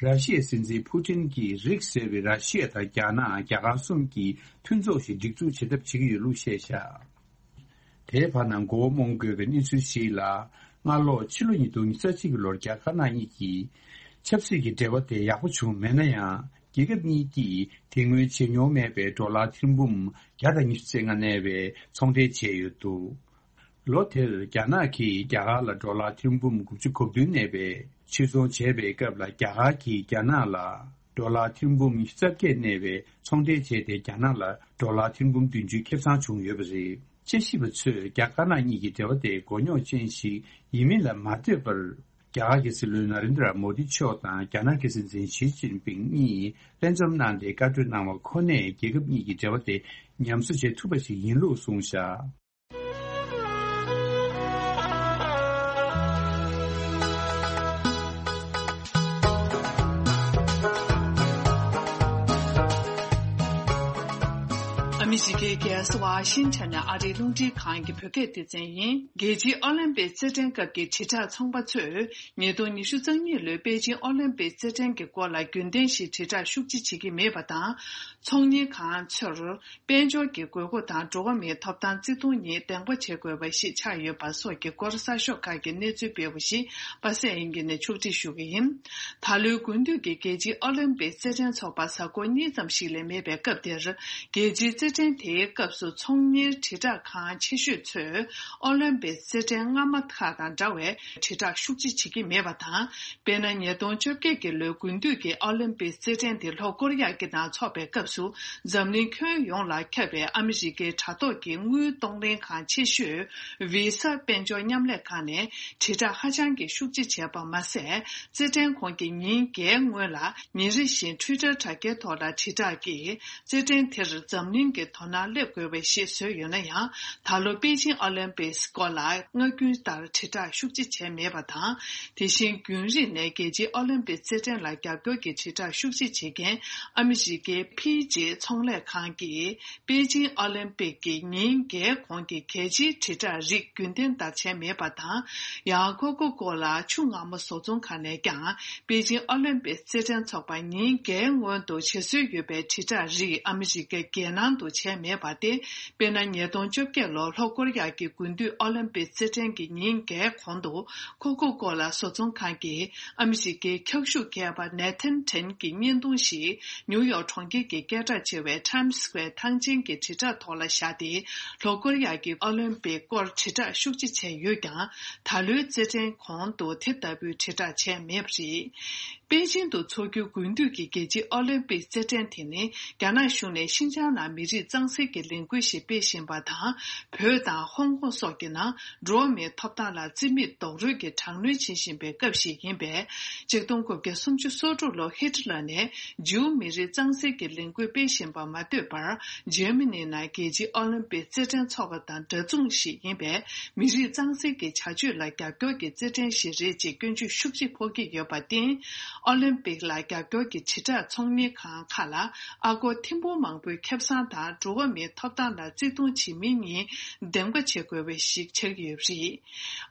ར་ཤི་ཡའི་སྲིད་འཛིན་ཕུ་ཏིན་གྱིས་རིགས་ཟེར་བའི་ར་ཤི་ཡ་དང་རྒྱ་ནག་རྒྱ་གར་གསུམ་གྱི་མཐུན་ཚོགས་ཤིག་སྒྲིག་འཛུགས་བྱེད་ཐབས་བྱེད་ཀྱི་ཡོད་ལུགས་བཤད་བཞག་དེའི་བར་ན་མགོ་བོ་རྨོངས་དགོས་པའི་གནས་ཚུལ་ཞིག་ལ། སྔ་ལོ་ཕྱི་ལོ་ཉིས་སྟོང་ཉི་ཤུ་རྩ་གཅིག་གི་ལོར་རྒྱ་དཀར་ནག་གཉིས་ཀྱི་ཆབ་སྲིད་ཀྱི་འབྲེལ་བ་དེ་ཡག་པོ་བྱུང་མེད་ན་ཡང་། རྒྱལ་ཁབ་གཉིས་ཀྱིས་དེ་སྔོན་བྱེད་མྱོང་མེད་པའི་ཌོ་ལར་ཐེར་འབུམ་བརྒྱ་དང་ཉི་ཤུ་རྩ་ལྔ་གནས་པའི་ཚོང་འབྲེལ་བྱས་ཡོད་འདུག་ལོ་དེར་རྒྱ་ནག་གིས་རྒྱ་གར་ལ་ཌོ་ལར་ཐེར་འབུམ་དགུ་བཅུ་གོ་བདུན་གནས་པའི་ཕྱིར་ཚོང་བྱས་པའི་སྐབས་ལ། རྒྱ་གར་གྱིས་རྒྱ་ནག་ལ་ཌོ་ལར་ཐེར་འབུམ་ཉི་ཤུ་རྩ་བརྒྱད་གནས་པའི་ཚོང་འབྲེལ་བྱས་ཏེ། རྒྱ་ནག་ལ་ཌོ་ལར་ཐེར་འབུམ་བདུན་ཅུ་ཁེ་བཟང་བྱུང་ཡོད་པ་རེད། དཔྱད་ཞིབ་པ་ཚོས་རྒྱ་དཀར་ནག་གཉིས་ཀྱི་འབྲེལ་བ་དེ་མགོ་རྙོག་ཅན་ཞིག་ཡིན་མིན་ལ་མ་ལྟོས་པར། རྒྱ་གར་གྱི་སྲིད་བློན་ན་རེན་དྲ་མོ་དི་མཆོག་དང་རྒྱ་ནག་གི་སྲིད་འཛིན་ཞི་ཅིན་ཕིང་གཉིས་ལྷན་འཛོམས་གནང་སྟེ་བཀའ་གྲོས་གནང་བ་ཁོ་ནས་རྒྱལ་ཁབ་གཉིས་ཀྱི་འབྲེལ་བ་དེ་ཉམས་གསོ་བྱེད་ཐུབ་པ་ཞིག་ཡིན་ལུགས་གསུངས་བཞག་ཨ་མི་རི་ཀའི་རྒྱལ་ས་ཝ་ཤིང་ཊོན་ནས་ཨ་རིའི་རླུང་འཕྲིན་ཁང་གི་བོད་སྐད་སྡེ་ཚན་ཡིན། རྒྱལ་སྤྱིའི་ཨོ་ལིམ་པིག་རྩེད་འགྲན་སྐབས་ཀྱི་དྲིལ་བསྒྲགས་ཚོང་པ་ཚོས། ཉིས་སྟོང་ཉི་ཤུ་རྩ་གཉིས་ལོའི་པེ་ཅིང་ཨོ་ལིམ་པིག་རྩེད་འགྲན་གྱི་སྐོར་ལ་རྒྱུན་ལྡན་བཞིན་དྲིལ་བསྒྲགས་ཤུགས་ཆེ་བྱེད་ཀྱི་མེད་པ་དང་། ཚོང་གཉེར་ཁང་ཚོར་དཔལ་འབྱོར་གྱི་དགོས་མཁོ་དང་འགྲོ་བ་མིའི་ཐོབ་ཐང་བརྩི་མཐོང་གཉིས་གདེང་པ་བྱེད་དགོས་པ་ཞིག་ཆགས་ཡོད་པ་སོགས་ཀྱི་སྐོར་གསར་ཤོག་ཁག་གིས་གནས་ཚུལ་སྤེལ་བ་ཞིག་པ་སངས་དབྱངས་སྐྱིད་ནས་ཕྱོགས་སྒྲིག་ཞུ་གི་ཡིན། ད་ལོའི་དགུན་དུས་ཀྱི་རྒྱལ་སྤྱིའི་ཨོ་ལིམ་པིག་རྩེད་འགྲན་འཚོགས་པར་གཟའ་འཁོར་གཉིས་ཙམ་ཞིག་ལས་མེད་པའི་སྐབས་དེར། རྒྱལ་སྤྱིའི་རྩེད་འགྲན་དེའི་སྐབས་སུ་ཚོང་གཉེར་དྲིལ་བསྒྲགས་ཁང་ཆེ་ཤོས་ཚོས་ཨོ་ལིམ་པིག་རྩེད་འགྲན་སྔ་མ་ཁག་དང་འདྲ་བའི་དྲིལ་བསྒྲགས་ཤུགས་ཆེ་བྱེད་ཀྱི་མེད་པ་དང་། དཔེར་ན། ཉིས་སྟོང་བཅོ་བརྒྱད་ཀྱི་ལོའི་དགུན་དུས་ཀྱི་ཨོ་ལིམ་པིག་རྩེད་འགྲན་དེ་ལྷོ་ཀོ་རི་ཡ་གི་ནང་འཚོགས་པའི་སྐབས་སུ། འཛམ་གླིང་ཁྱོན་ཡོངས་ལ་ཁྱབ་པའི་ཨ་མི་རི་ཀའི་དྲ་ཐོག་གི་དངུལ་གཏོང་ལེན་ཁང་ཆེ་ཤོས་Visa་དཔལ་འབྱོར་མཉམ་ལས་ཁང་ནས་དྲིལ་བསྒྲགས་ཧ་ཅང་གི་ཤུགས་ཆེ་བྱས་པ་མ་ཟད། རྩེད་འགྲན་གོང་གི་ཉིན་བརྒྱད་སྔོན་ལ་ཉིན་རེ་བཞིན་Twitter་དྲ་རྒྱའི་ཐོག་ལ་དྲིལ་བསྒྲགས་ཀྱིས། རྩེད་འགྲན་དེར་འཛམ་གླིང་གི་དོ་སྣང་སླེབས་དགོས་པ་ཞིག་བཟོས་ཡོད་ན་ཡང་། ད་ལོ་པེ་ཅིང་ཨོ་ལིམ་པིག་སྐོར་ལ་སྔ་རྒྱུན་ལྟར་དྲིལ་བསྒྲགས་ཤུགས་ཆེ་བྱས་མེད་པ་དང་། དེ་བཞིན་རྒྱུན་རིང་ནས་རྒྱལ་སྤྱིའི་ཨོ་ལིམ་པིག་རྩེད་འགྲན་ལ་རྒྱབ་སྐྱོར་གྱི་དྲིལ་བསྒྲགས་ཤུགས་ཆེ་བྱེད་མཁན་ཨ་མི་རི་ཀའི་ཕི་ཇི་ཚོང་ལས་ཁང་གིས་པེ་ཅིང་ཨོ་ལིམ་པིག་གི་ཉིན་བརྒྱད་གོང་གི་གལ་ཆེའི་དྲིལ་བསྒྲགས་རིགས་རྒྱུན་ལྡན་ལྟར་བྱས་མེད་པ་དང་། ཡང་ཀོ་ཀོ་ཀོ་ལ་ཆུ་མངར་མོ་བཟོ་ཚོང་ཁང་ནས་ཀྱང་པེ་ཅིང་ཨོ་ལིམ་པིག་རྩེད་འགྲན་འཚོགས་པར་ཉིན་བརྒྱད་སྔོན་དུ་བྱེད་སྲོལ་ཡོད་པའི་དྲིལ་བསྒྲགས་རིགས་ཨ་མི་རི་ཀའི་རྒྱལ་ནང་དུ་ བྱས་མེད་པ་སྟེ། དཔེར་ན། ཉིས་སྟོང་བཅོ་བརྒྱད་ལོར་ལྷོ་ཀོ་རི་ཡ་གི་དགུན་དུས་ཨོ་ལིམ་པིག་རྩེད་འགྲན་གྱི་ཉིན་བརྒྱད་གོང་དུ། ཀོ་ཀོ་ཀོ་ལ་བཟོ་ཚོང་ཁང་གིས་ཨ་མི་རི་ཀའི་འཁྱག་ཤུགས་མཁས་པ་ནེ་ཐན་ཁྲེན་གྱི་བརྙན་ཐུང་ཞིག་ཉིའུ་ཡོག་གྲོང་ཁྱེར་གྱི་སྐད་གྲགས་ཆེ་བའི་Times Square་ཐང་ཆེན་གྱི་དྲིལ་བསྒྲགས་ཐོག་ལ་བཞག་སྟེ། ལྷོ་ཀོ་རི་ཡ་གིས་ཨོ་ལིམ་པིག་སྐོར་དྲིལ་བསྒྲགས་ཤུགས་ཆེ་བྱས་ཡོད་ཀྱང་། ད་ལོའི་རྩེད་འགྲན་གོང་དུ་དེ་ལྟ་བུའི་དྲིལ་བསྒྲགས་བྱས་མེད་པ་རེད། པེ་ཅིང་དུ་འཚོགས་རྒྱུའི་དགུན་དུས་ཀྱི་རྒྱལ་སྤྱིའི་ཨོ་ལིམ་པིག་རྩེད་འགྲན་དེ་ནི། རྒྱ་ནག་གཞུང་ནས་ཤིན་ཅང་ནང་མི་རིགས་གཙང་སེལ་གྱི་ལས་འགུལ་ཞིག་སྤེལ་བཞིན་པ་དང་། བོད་དང་ཧོང་ཀོང་སོགས་ཀྱི་ནང་འགྲོ་བ་མིའི་ཐོབ་ཐང་ལ་རྩིས་མེད་རྡོག་རོལ་གྱིས་དྲག་གནོན་བྱེད་བཞིན་པའི་སྐབས་ཤིག་ཡིན་པས། ཆིག་སྟོང་དགུ་བརྒྱ་སུམ་ཅུ་སོ་དྲུག་ལོར་ཧི་ཊི་ལར་ནས་ཇིའུ་མི་རིགས་གཙང་སེལ་གྱི་ལས་འགུལ་སྤེལ་བཞིན་པ་མ་ལྟོས་པར། འཇར་མ་ནི་ནང་རྒྱལ་སྤྱིའི་ཨོ་ལིམ་པིག་རྩེད་འགྲན་འཚོགས་པ་དང་འདྲ་མཚུངས་ཤིག་ཡིན་པས། མི་རིགས་གཙང་སེལ་གྱི་བྱ་སྤྱོད་ལ་རྒྱབ་སྐྱོར་གྱི་རྩེད་འགྲན་ཞིག་རེད་ཅེས་སྐྱོན་བརྗོད་ཤུགས་ཆེ་ཕོག་གི་ཡོད་པར་བརྟེན། ཨོ་ལིམ་པིག་ལ་རྒྱབ་སྐྱོར་གྱི་དྲིལ་བསྒྲགས་ཚོང་གཉེར་ཁང་ཁག་ལ་ཨ་སྒོར་ཐེར་འབུམ་མང་པོའི་ཁེ་བཟང་དང་འགྲོ་བ་མིའི་ཐོབ་ཐང་ལ་བརྩི་མཐོང་བྱེད་མིན་གཉིས་འདེམས་ཀ་བྱེད་དགོས་པ་ཞིག་ཆགས་ཀྱི་ཡོད་པ་རེད།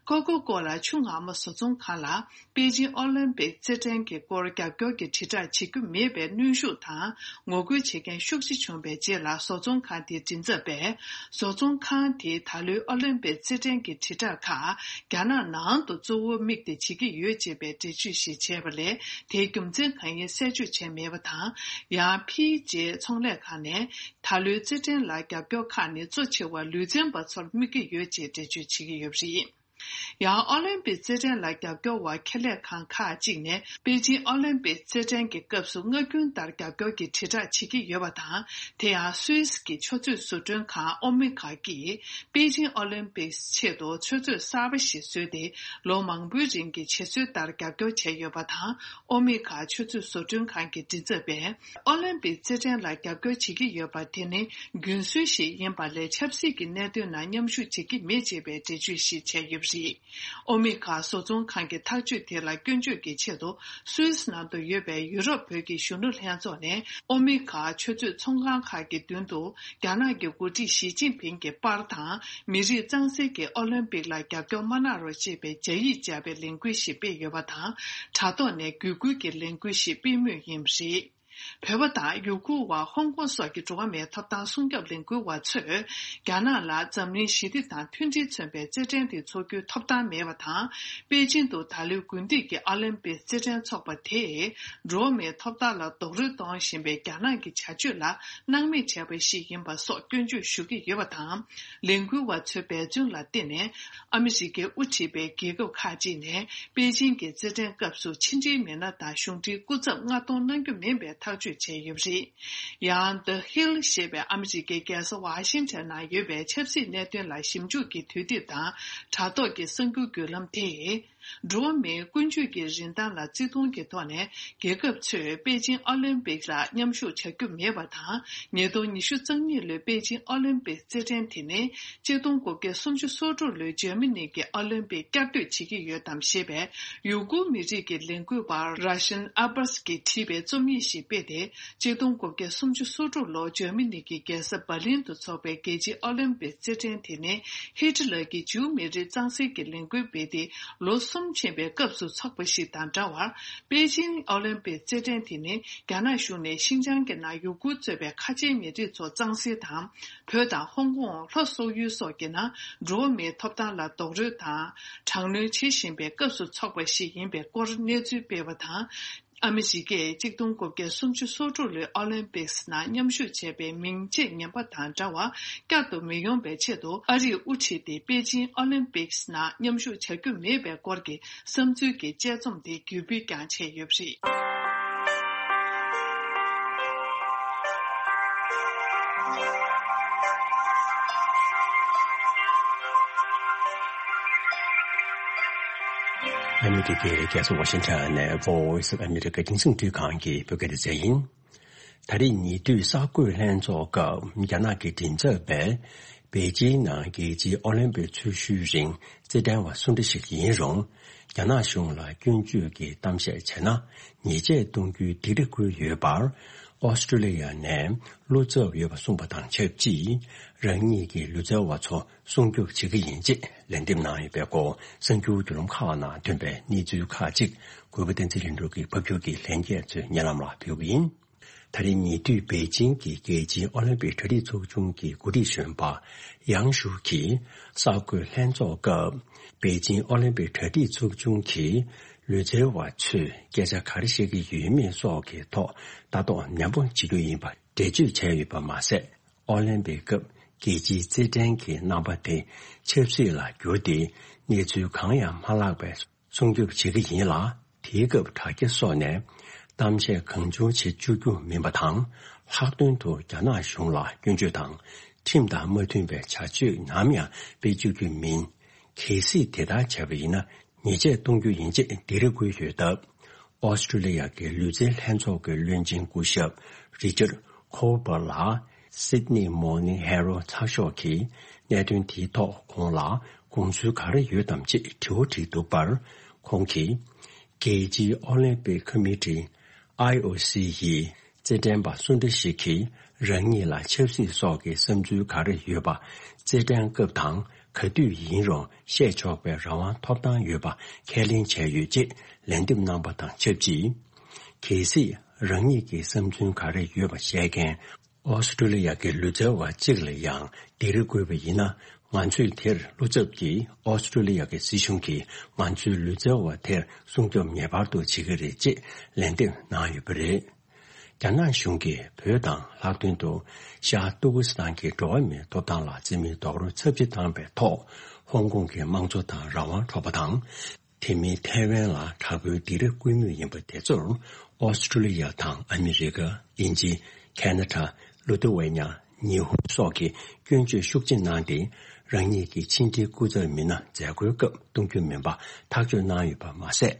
ཀོ་ཀོ་ཀོ་ལ་ཆུ་ངར་མ་བཟོ་ཚོང་ཁང་ལ། པེ་ཅིང་ཨོ་ལིམ་པིག་རྩེད་འགྲན་གྱི་སྐོར་རྒྱབ་སྐྱོར་གྱི་དྲིལ་བསྒྲགས་བྱེད་རྒྱུ་མེད་པའི་གནོན་ཤུགས་དང་ངོ་རྒོལ་བྱེད་མཁན་ཤུགས་ཆེ་བྱུང་བའི་རྗེས་ལ། བཟོ་ཚོང་ཁང་དེའི་མགྲིན་ཚབ་པས། བཟོ་ཚོང་ཁང་དེས་ད་ལོའི་ཨོ་ལིམ་པིག་རྩེད་འགྲན་གྱི་དྲིལ་བསྒྲགས་ཁག་རྒྱ་ནག་ནང་དུ་གཙོ་བོར་དམིགས་ཏེ་བྱེད་ཀྱི་ཡོད་ཅེས་པའི་འགྲེལ་བརྗོད་ཞིག་བྱས་པ་ལས། དེའི་རྒྱུ་མཚན་གང་ཡིན་གསལ་བརྗོད་བྱས་མེད་པ་དང་། ཡང་། ཕིའི་ཇེ་ཚོང་ལས་ཁང་ནས། ད་ལོའི་རྩེད་འགྲན་ལ་རྒྱབ་སྐྱོར་ཁག་ནི་གཙོ་ཆེ་བ་ལུས་རྩལ་པ་ཚོར་དམིགས་ཀྱི་ཡོད་ཅེས་འགྲེལ་བརྗོད་བྱེད་ཀྱི་ཡོད་པ་རེད། ཡང་། ཨོ་ལིམ་པིག་རྩེད་འགྲན་ལ་རྒྱབ་སྐྱོར་བ་ཁེ་ལས་ཁང་ཁག་ཅིག་ནས། པེ་ཅིང་ཨོ་ལིམ་པིག་རྩེད་འགྲན་གྱི་སྐབས་སུ་སྔ་རྒྱུན་ལྟར་རྒྱབ་སྐྱོར་གྱི་དྲིལ་བསྒྲགས་བྱེད་ཀྱི་ཡོད་པ་དང་། དེ་ཡང་། སུད་སི་གི་ཆུ་མཛོད་བཟོ་སྐྲུན་ཁང་ཨོ་མི་ཁ་གིས། པེ་ཅིང་ཨོ་ལིམ་པིག་ཆེད་དུ་ཆུ་མཛོད་གསར་པ་ཞིག་བཟོས་ཏེ། ལོ་མང་པོའི་རིང་གི་བྱེད་སྲོལ་ལྟར་རྒྱབ་སྐྱོར་བྱས་ཡོད་པ་དང་། ཨོ་མི་ཁ་ཆུ་མཛོད་བཟོ་སྐྲུན་ཁང་གི་མགྲིན་ཚབ་པས། ཨོ་ལིམ་པིག་རྩེད་འགྲན་ལ་རྒྱབ་སྐྱོར་བྱེད་ཀྱི་ཡོད་པ་དེ་ནི་རྒྱུན་སྲོལ་ཞིག་ཡིན་པ་ལས། ཆབ་སྲིད་ཀྱི་གནད་དོན་ནང་མཉམ་ཞུགས་བྱེད་ཀྱི་མེད་ཅེས་པའི་འགྲེལ་བརྗོད་ཞིག་བྱས་ཡོད་པ་རེད། ཨོ་མི་ཁ་བཟོ་ཚོང་ཁང་གི་ཐག་གཅོད་དེ་ལ་སྐྱོན་བརྗོད་ཀྱི་ཆེད་དུ། སུད་སི་ནང་དུ་ཡོད་པའི་ཡུ་རོབ་བོད་ཀྱི་གཞོན་ནུ་ལྷན་ཚོགས་ནས། ཨོ་མི་ཁ་ཆུ་མཛོད་ཚོང་ཁང་ཁག་གི་མདུན་དུ། རྒྱ་ནག་གི་འགོ་ཁྲིད་ཞི་ཅིན་ཕིང་གི་པར་དང་། མི་རིགས་གཙང་སེལ་གྱི་ཨོ་ལིམ་པིག་ལ་རྒྱབ་སྐྱོར་མ་གནང་རོགས་ཅེས་པའི་སྦྱར་ཡིག་སྦྱར་བའི་ལས་འགུལ་ཞིག་སྤེལ་ཡོད་པ་དང་། དྲ་ཐོག་ནས་བརྒྱུད་སྐུལ་གྱི་ལས་འགུལ་ཞིག་སྤེལ་མུས་ཡིན་པ་རེད། བོད་པ་དང་ཡུ་གུར་བ། ཧོང་ཀོང་སོགས་ཀྱི་འགྲོ་བ་མིའི་ཐོབ་ཐང་སྲུང་སྐྱོབ་ལས་འགུལ་བ་ཚོས། རྒྱ་ནག་ལ་འཛམ་གླིང་ཞི་བདེ་དང་མཐུན་སྒྲིལ་མཚོན་པའི་རྩེད་འགྲན་དེ་འཚོགས་རྒྱུའི་ཐོབ་ཐང་མེད་པ་དང་། པེ་ཅིང་དུ་ད་ལོའི་དགུན་དུས་ཀྱི་ཨོ་ལིམ་པིག་རྩེད་འགྲན་འཚོགས་པ་དེས། འགྲོ་བ་མིའི་ཐོབ་ཐང་ལ་རྡོག་རོལ་གཏོང་བཞིན་པའི་རྒྱ་ནག་གི་བྱ་སྤྱོད་ལ་སྣང་མེད་བྱས་པ་ཞིག་ཡིན་པ་སོགས་སྐྱོན་བརྗོད་ཞུ་གི་ཡོད་པ་དང་། ལས་འགུལ་བ་ཚོའི་འབད་བརྩོན་ལ་བརྟེན་ནས། ཨ་མི་རི་ཀས་དབུ་ཁྲིད་པའི་རྒྱལ་ཁབ་ཁག་ཅིག་ནས། པེ་ཅིང་གི་རྩེད་འགྲན་སྐབས་སུ་ཕྱི་འབྲེལ་མི་སྣ་དང་གཞུང་འབྲེལ་སྐུ་ཚབ་མངགས་གཏོང་གནང་རྒྱུ་མིན་པའི་ཐག་གཅོད་བྱས་ཡོད་པ་རེད། ཡང་། The Hill ཞེས་པའི་ཨ་མི་རི་ཀའི་རྒྱལ་ས་ཝ་ཤིང་ཊོན་ནང་ཡོད་པའི་ཆབ་སྲིད་གནད་དོན་ལ་ཞིབ་འཇུག་གི་དུས་དེབ་དང་། དྲ་ཐོག་གི་གསར་འགྱུར་བརྒྱུད་ལམ་དེས། འགྲོ་བ་མིའི་ཀུན་སྤྱོད་ཀྱི་རིན་ཐང་ལ་བརྩི་མཐོང་གི་ཐོག་ནས། རྒྱལ་ཁབ་ཚོས་པེ་ཅིང་ཨོ་ལིམ་པིག་ལ་མཉམ་ཞུགས་བྱ་རྒྱུ་མེད་པ་དང་། ཉིས་སྟོང་ཉི་ཤུ་རྩ་གཉིས་ལོའི་པེ་ཅིང་ཨོ་ལིམ་པིག་རྩེད་འགྲན་དེ་ནི། ཆིག་སྟོང་དགུ་བརྒྱ་སུམ་ཅུ་སོ་དྲུག་ལོའི་འཇར་མ་ནི་གི་ཨོ་ལིམ་པིག་བསྐྱར་ཟློས་བྱེད་ཀྱི་ཡོད་དམ་ཞེས་པའི། ཡུ་གུར་མི་རིགས་ཀྱི་ལས་འགུལ་བ་ར་ཤན་ཨ་བྷ་སི་གིས་བྲིས་པའི་རྩོམ་ཡིག་ཞིག་སྤེལ་ཏེ། ཆིག་སྟོང་དགུ་བརྒྱ་སུམ་ཅུ་སོ་དྲུག་ལོར་འཇར་མ་ནི་གི་རྒྱལ་ས་འབར་ལིན་དུ་འཚོགས་པའི་རྒྱལ་སྤྱིའི་ཨོ་ལིམ་པིག་རྩེད་འགྲན་དེ་ནི། ཧི་ཊི་ལར་གྱིས་ཇིའུ་མི་རིགས་གཙང་སེལ་གྱི་ལས་འགུལ་སྤེལ་ཏེ། ལོ་གསུམ་ཕྱིན་པའི་སྐབས་སུ་འཚོགས་པ་ཞིག་དང་འདྲ་བར། པེ་ཅིང་ཨོ་ལིམ་པིག་རྩེད་འགྲན་དེ་ནི། རྒྱ་ནག་གཞུང་ནས་ཤིན་ཅང་གི་ནང་ཡུ་གུར་གཙོས་པའི་ཁ་ཆེའི་མི་རིགས་ཚོ་གཙང་སེལ་དང་། བོད་དང་ཧོང་ཀོང་། ལྷོ་སོག་ཡུལ་སོགས་ཀྱི་ནང་འགྲོ་བ་མིའི་ཐོབ་ཐང་ལ་རྡོག་རོལ་དང་། དྲག་གནོན་བྱེད་བཞིན་པའི་སྐབས་སུ་འཚོགས་པ་ཞིག་ཡིན་པའི་སྐོར་གནས་ཚུལ་སྤེལ་བ་དང་། ཨ་མི་རི་ཀས་ཆིག་སྟོང་དགུ་བརྒྱ་སུམ་ཅུ་སོ་དྲུག་ལོའི་ཨོ་ལིམ་པིག་སི་ནང་མཉམ་ཞུགས་བྱས་པའི་མིང་ཆད་ངན་པ་དང་འདྲ་བ་བསྐྱར་དུ་མི་ཡོང་བའི་ཆེད་དུ། ཨ་རིས་དབུ་ཁྲིད་དེ་པེ་ཅིང་ཨོ་ལིམ་པིག་སི་ནང་མཉམ་ཞུགས་བྱ་རྒྱུ་མེད་པའི་སྐོར་གྱི་བསམ་ཚུལ་གྱི་དཔྱད་རྩོམ་དེ་བརྒྱུད་སྤེལ་ཀྱང་བྱས་ཡོད་པ་རེད། ཨ་མི་རི་ཀའི་རྒྱལ་ས་ཝ་ཤིང་ཊོན་ནས་Voice of America་རྒྱང་སྲིང་བརྒྱུད་ཁང་གི་བོད་སྐད་སྡེ་ཚན་ཡིན། ད་རེས་ཉེ་དུས་གསར་འགོད་ལྷན་ཚོགས་སྐབས་རྒྱ་ནག་གི་མགྲིན་ཚབ་པས། པེ་ཅིང་ནང་རྒྱལ་སྤྱིའི་ཨོ་ལིམ་པིག་ཚོགས་ཞུགས་རིང་རྩེད་འགྲན་བ་སུ་འདྲ་ཞིག་ཡིན་རུང་། རྒྱ་ནག་གཞུང་ལ་སྐྱོན་བརྗོད་ཀྱི་གཏམ་བཤད་བྱས་ན། ཉེས་ཆད་གཏོང་རྒྱུའི་སྡིགས་ར་བསྐུལ་ཡོད་པར། ཨོ་སི་ཀྲོ་ལི་ཡ་ནས་བློ་འཚབ་ཡོད་པ་གསུངས་པ་དང་ཆབས་ཅིག་རང་ཉིད་ཀྱི་ལུས་རྩལ་བ་ཚོ་སྲུང་སྐྱོབ་བྱེད་ཀྱི་ཡིན་ཅེས་ལན་འདེབས་གནང་ཡོད་པའི་སྐོར་གསར་འགྱུར་བརྒྱུད་ལམ་ཁག་ནང་ཐོན་པའི་གནས་ཚུལ་ཁག་ཅིག་གུས་པ་བསྟན་འཛིན་ལྷུན་གྲུབ་ཀྱིས་ཕབ་སྒྱུར་གྱིས་ལྷན་རྒྱས་ཚོའི་སྙན་ལམ་ལ་ཕུལ་གྱི་ཡིན། ད་རེས་ཉེ་དུས་པེ་ཅིང་གི་རྒྱལ་སྤྱིའི་ཨོ་ལིམ་པིག་གྲ་སྒྲིག་ཚོགས་ཆུང་གི་འགོ་ཁྲིད་གཞོན་པ་ཡང་ཞུ་གིས་གསར་འགོད་ལྷན་ཚོགས་སྐབས། པེ་ཅིང་ཨོ་ལིམ་པིག་གྲ་སྒྲིག་ཚོགས་ཆུང་གི་ལུས་རྩལ་བ་ཚོས་སྐད་ཆ་ག་རེ་བཤད་ཀྱི་ཡོད་མེད་སོགས་ཀྱི་ཐོག་ལྟ་རྟོག་ནན་པོ་བྱེད་རྒྱུ་ཡིན་པ་འགྲེལ་བརྗོད་བྱས་ཡོད་པ་མ་ཟད། ཨོ་ལིམ་པིག་སྐབས་རྒྱལ་སྤྱིའི་རྩེད་འགྲན་གྱི་རྣམ་པ་དེ་ཆབ་སྲིད་ལ་བསྒྱུར་ཏེ། གནས་ཚུལ་གང་ཡང་མ་ལྷག་པའི་སྲུང་སྐྱོབ་བྱེད་ཀྱི་ཡིན་ལ། དེའི་སྐབས་དྲ་རྒྱ་སོགས་ནས་གཏམ་བཤད་གང་བྱུང་བྱེད་བཅུག་རྒྱུ་མིན་པ་དང་། ལྷག་དོན་དུ་རྒྱ་ནག་གཞུང་ལ་སྐྱོན་བརྗོད་དང་ཁྲིམས་དང་མ་མཐུན་པའི་བྱ་སྤྱོད་ནམ་ཡང་སྤེལ་བཅུག་རྒྱུ་མིན། གལ་སྲིད་དེ་ལྟར་བྱས་པ་ཡིན་ན། ཉེས་ཆད་གཏོང་རྒྱུ་ཡིན་ཅེས་སྡིགས་ར་བསྐུལ་ཡོད་སྟབས། ཨོ་སི་ཀྲུ་ལི་ཡ་གི་ལུས་རྩལ་ལྷན་ཚོགས་ཀྱི་བློན་ཆེན་སྐུ་ཞབས་རི་ཅར་ཁོ་པར་ལ་Sydney Morning Herald་ཚགས་ཤོག་གིས་གནད་དོན་དེའི་ཐོག་ཁོང་ལ་དགོངས་ཚུལ་ག་རེ་ཡོད་དམ་ཅེས་དྲི་བ་དྲིས་འདུག་པར། ཁོང་གིས། རྒྱལ་སྤྱིའི་ཨོ་ལིམ་པིག་ཁོ་མི་ཊི་ཨའི་ཨོ་སི་ཡིས་རྩེད་འགྲན་པ་སུ་འདྲ་ཞིག་གིས་རང་ཉིད་ལ་ཆབ་སྲིད་སོགས་ཀྱི་བསམ་ཚུལ་ག་རེ་ཡོད་པ། རྩེད་འགྲན་སྐབས་དང་ག་དུས་ཡིན་རུང་བཤད་ཆོག་པའི་རང་དབང་ཐོབ་ཐང་ཡོད་པ་ཁས་ལེན་བྱས་ཡོད་ཅེས་ལན་འདེབས་གནང་པ་དང་ཆབས་ཅིག། གལ་སྲིད་རང་ཉིད་ཀྱི་བསམ་ཚུལ་ག་རེ་ཡོད་པ་བཤད་མཁན་ཨོ་སི་ཀྲུ་ལི་ཡ་གི་ལུས་རྩལ་བ་གཅིག་ལ་ཡང་སྡིགས་ར་བསྐུལ་བ་ཡིན་ན། ང་ཚོས་དེར་བློ་འཚབ་ཀྱིས། ཨོ་སི་ཀྲུ་ལི་ཡ་གི་སྲིད་གཞུང་གིས་ང་ཚོའི་ལུས་རྩལ་བ་དེར་སྲུང་སྐྱོབ་ངེས་པར་དུ་བྱེད་ཀྱི་རེད་ཅེས་ལན་འདེབས་གནང་ཡོད་པ་རེད། རྒྱ་ནག་གཞུང་གིས་བོད་དང་ལྷག་དོན་དུ་ཤར་ཏུར་ཀི་སི་ཐན་གྱི་འགྲོ་བ་མིའི་ཐོབ་ཐང་ལ་བརྩི་མེད་རྡོག་རོལ་ཚབས་ཆེ་བཏང་བའི་ཐོག་ཧོང་ཀོང་གི་དམངས་གཙོ་དང་རང་དབང་འཕྲོག་པ་དང་། དེ་མིན་ཐའེ་ཝན་ལ་དྲག་པོའི་སྡིགས་ར་བསྐུལ་མུས་ཡིན་པ་དེ་ཚོར། ཨོ་སི་ཀྲུ་ལི་ཡ་དང་ཨ་མི་རི་ཀ། དབྱིན་ཇི། ཁ་ན་ཌ། ལི་ཐུ་ཝེ་ཉ། ཉི་ཧོང་སོགས་ཀྱིས་སྐྱོན་བརྗོད་ཤུགས་ཆེ་གནང་སྟེ། རང་ཉིད་ཀྱི་ཕྱི་འབྲེལ་སྐུ་ཚབ་མི་སྣ་མཛད་སྒོའི་སྐབས་གཏོང་རྒྱུ་མིན་པ་ཐག་གཅོད་གནང་ཡོད་པ་མ་ཟད།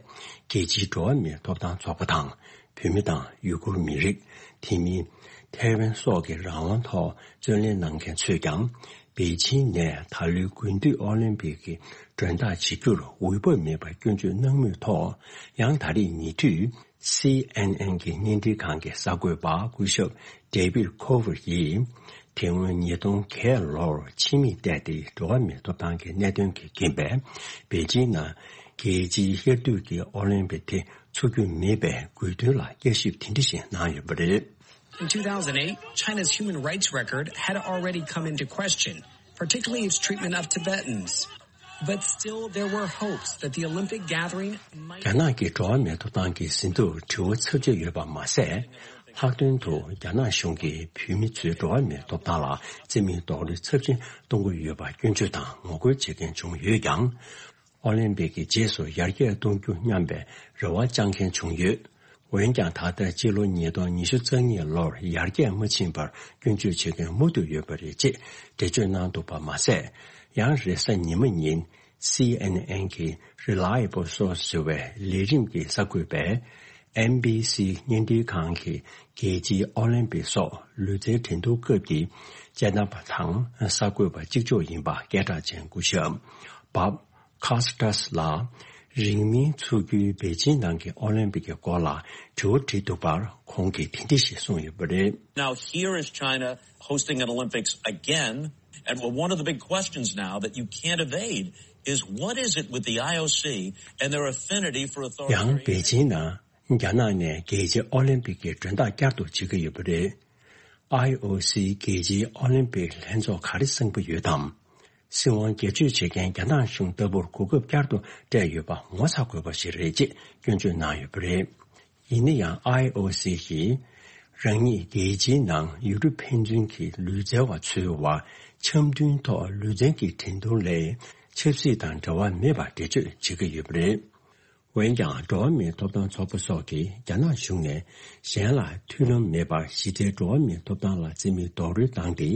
རྒྱལ་སྤྱིའི་འགྲོ་བ་མིའི་ཐོབ་ཐང་ཚོགས་པ་དང་། བོད་མི་དང་ཡུ་གུར་མི་རིགས། དེ་མིན་ཐའེ་ཝན་སོགས་ཀྱི་རང་དབང་ཐོག་བརྩོན་ལེན་གནང་མཁན་ཚོས་ཀྱང་། པེ་ཅིང་ནས་ད་ལོའི་དགུན་དུས་ཨོ་ལིམ་པིག་གི་མགྲོན་བདག་བྱེད་རྒྱུར་འོས་བབ་མེད་པར་སྐྱོན་བརྗོད་གནང་མུས་ཐོག་ཡང་ད་རེས་ཉེ་དུས། སི་ཨེན་ཨེན་གྱི་བརྙན་འཕྲིན་ཁང་གི་གསར་འགོད་པ་སྐུ་ཞབས་David Cover་ཡིས། དེ་སྔོན་ཉིས་སྟོང་བརྒྱད་ལོར་ཕྱི་མིག་བལྟས་ཏེ། འགྲོ་བ་མིའི་ཐོབ་ཐང་གི་གནད་དོན་གྱི་རྐྱེན་པས། པེ་ཅིང་ནང་རྒྱལ་སྤྱིའི་དབྱར་དུས་ཀྱི་ཨོ་ལིམ་པིག་དེ་འཚོགས་རྒྱུ་མེད་པའི་དགོས་འདུན་ལ་བསྐྱར་ཞིབ་དེ་འདྲ་ཞིག་གནང་ཡོད་པ་རེད། In two thousand eight, China's human rights record had already come into question, particularly its treatment of Tibetans. But still, there were hopes that the Olympic gathering might རྒྱ་ནག་གི་འགྲོ་བ་མིའི་ཐོབ་ཐང་གི་ཟིན་ཐོར་དྲི་བ་ཚབས་ཆེ་ཡོད་པ་མ་ཟད། ལྷག་དོན་དུ་རྒྱ་ནག་གཞུང་གིས་བོད་མི་ཚོའི་འགྲོ་བ་མིའི་ཐོབ་ཐང་ལ་བརྩི་མེད་རྡོག་རོལ་ཚབས་ཆེན་གཏོང་གི་ཡོད་པར་སྐྱོན་བརྗོད་དང་ངོ་རྒོལ་བྱེད་མཁན་བྱུང་ཡོད་ཀྱང་། ཨོ་ལིམ་པིག་གི་རྗེས་སུ་ཡར་རྒྱས་གཏོང་རྒྱུ་སྙམ་པའི་རེ་བ་བཅང་མཁན་བྱུང་ཡོད། འོན་ཀྱང་། ད་ལྟ་སྤྱི་ལོ་ཉིས་སྟོང་ཉི་ཤུ་རྩ་གཉིས་ལོར་ཡར་རྒྱས་མ་ཕྱིན་པར་སྐྱོན་བརྗོད་བྱེད་མཁན་མུ་མཐུད་ཡོད་པ་རེད་ཅེས་འགྲེལ་བརྗོད་གནང་འདུག་པ་མ་ཟད། ཡང་རེས་གཟའ་ཉི་མ་ཉིན། སི་ཨེན་ཨེན་གྱི་Reliable Source་ཟེར་བའི་ལས་རིམ་གྱི་གསར་འགོད་པས། ཨེན་བྷི་སི་བརྙན་འཕྲིན་ཁང་གི་རྒྱལ་སྤྱིའི་ཨོ་ལིམ་པིག་སོགས་ལུས་རྩལ་འགྲན་བསྡུར་སྐབས་ཀྱི་དཔྱད་རྣམ་པ་དང་གསར་འགོད་པ་གཅིག་ལྕོགས་ཡིན་པ་སྐད་གྲགས་ཅན་སྐུ་ཞབས་Bob Costas་ལ། རིང་མིན་འཚོགས་རྒྱུའི་པེ་ཅིང་ནང་གི་ཨོ་ལིམ་པིག་གི་སྐོར་ལ་དྲི་བ་དྲིས་འདུག་པར། ཁོང་གིས་དེ་འདྲ་ཞིག་གསུངས་ཡོད་པ་རེད། Now here is China hosting an Olympics again, and one of the big questions now that you can't evade is what is it with the I O C and their affinity for authoritarian ཡང་པེ་ཅིང་ནང་རྒྱ་ནག་ནས་རྒྱལ་སྤྱིའི་ཨོ་ལིམ་པིག་གི་མགྲོན་བདག་བསྐྱར་དུ་བྱེད་ཀྱི་ཡོད་པ་རེད། ཨའི་ཨོ་སི་རྒྱལ་སྤྱིའི་ཨོ་ལིམ་པིག་ལྷན་ཚོགས་ག་རེ་གསུང་གི་ཡོད་དམ། སྲིད་དབང་སྒེར་གཅོད་བྱེད་མཁན་རྒྱ་ནག་གཞུང་ལྟ་བུར་གོ་སྐབས་བསྐྱར་དུ་སྤྲད་ཡོད་པ་ངོ་ཚ་དགོས་པ་ཞིག་རེད་ཅེས་སྐྱོན་བརྗོད་གནང་ཡོད་པ་རེད། ཡིན་ན་ཡང་། ཨའི་ཨོ་སི་ཡིས་རང་ཉིད་རྒྱལ་སྤྱིའི་ནང་ཡུ་རོབ་ཕན་ཚུན་གྱི་ལུས་རྩལ་བ་ཚོའི་དབར་འཆམ་མཐུན་ཐོག་ལུས་རྩལ་གྱི་འགྲན་བསྡུར་ལས་ཆབ་སྲིད་དང་འབྲེལ་བ་མེད་པར་འགྲེལ་བརྗོད་བྱེད་ཀྱི་ཡོད་པ་རེད། འོན་ཀྱང་། འགྲོ་བ་མིའི་ཐོབ་ཐང་ཚོགས་པ་སོགས་ཀྱིས་རྒྱ་ནག་གཞུང་ནས་གཞན་ལ་མཐུན་ལམ་མེད་པར་ཞི་བདེའི་འགྲོ་བ་མིའི་ཐོབ་ཐང་ལ་བརྩི་མེད་རྡོག་རོལ་བཏང་སྟེ།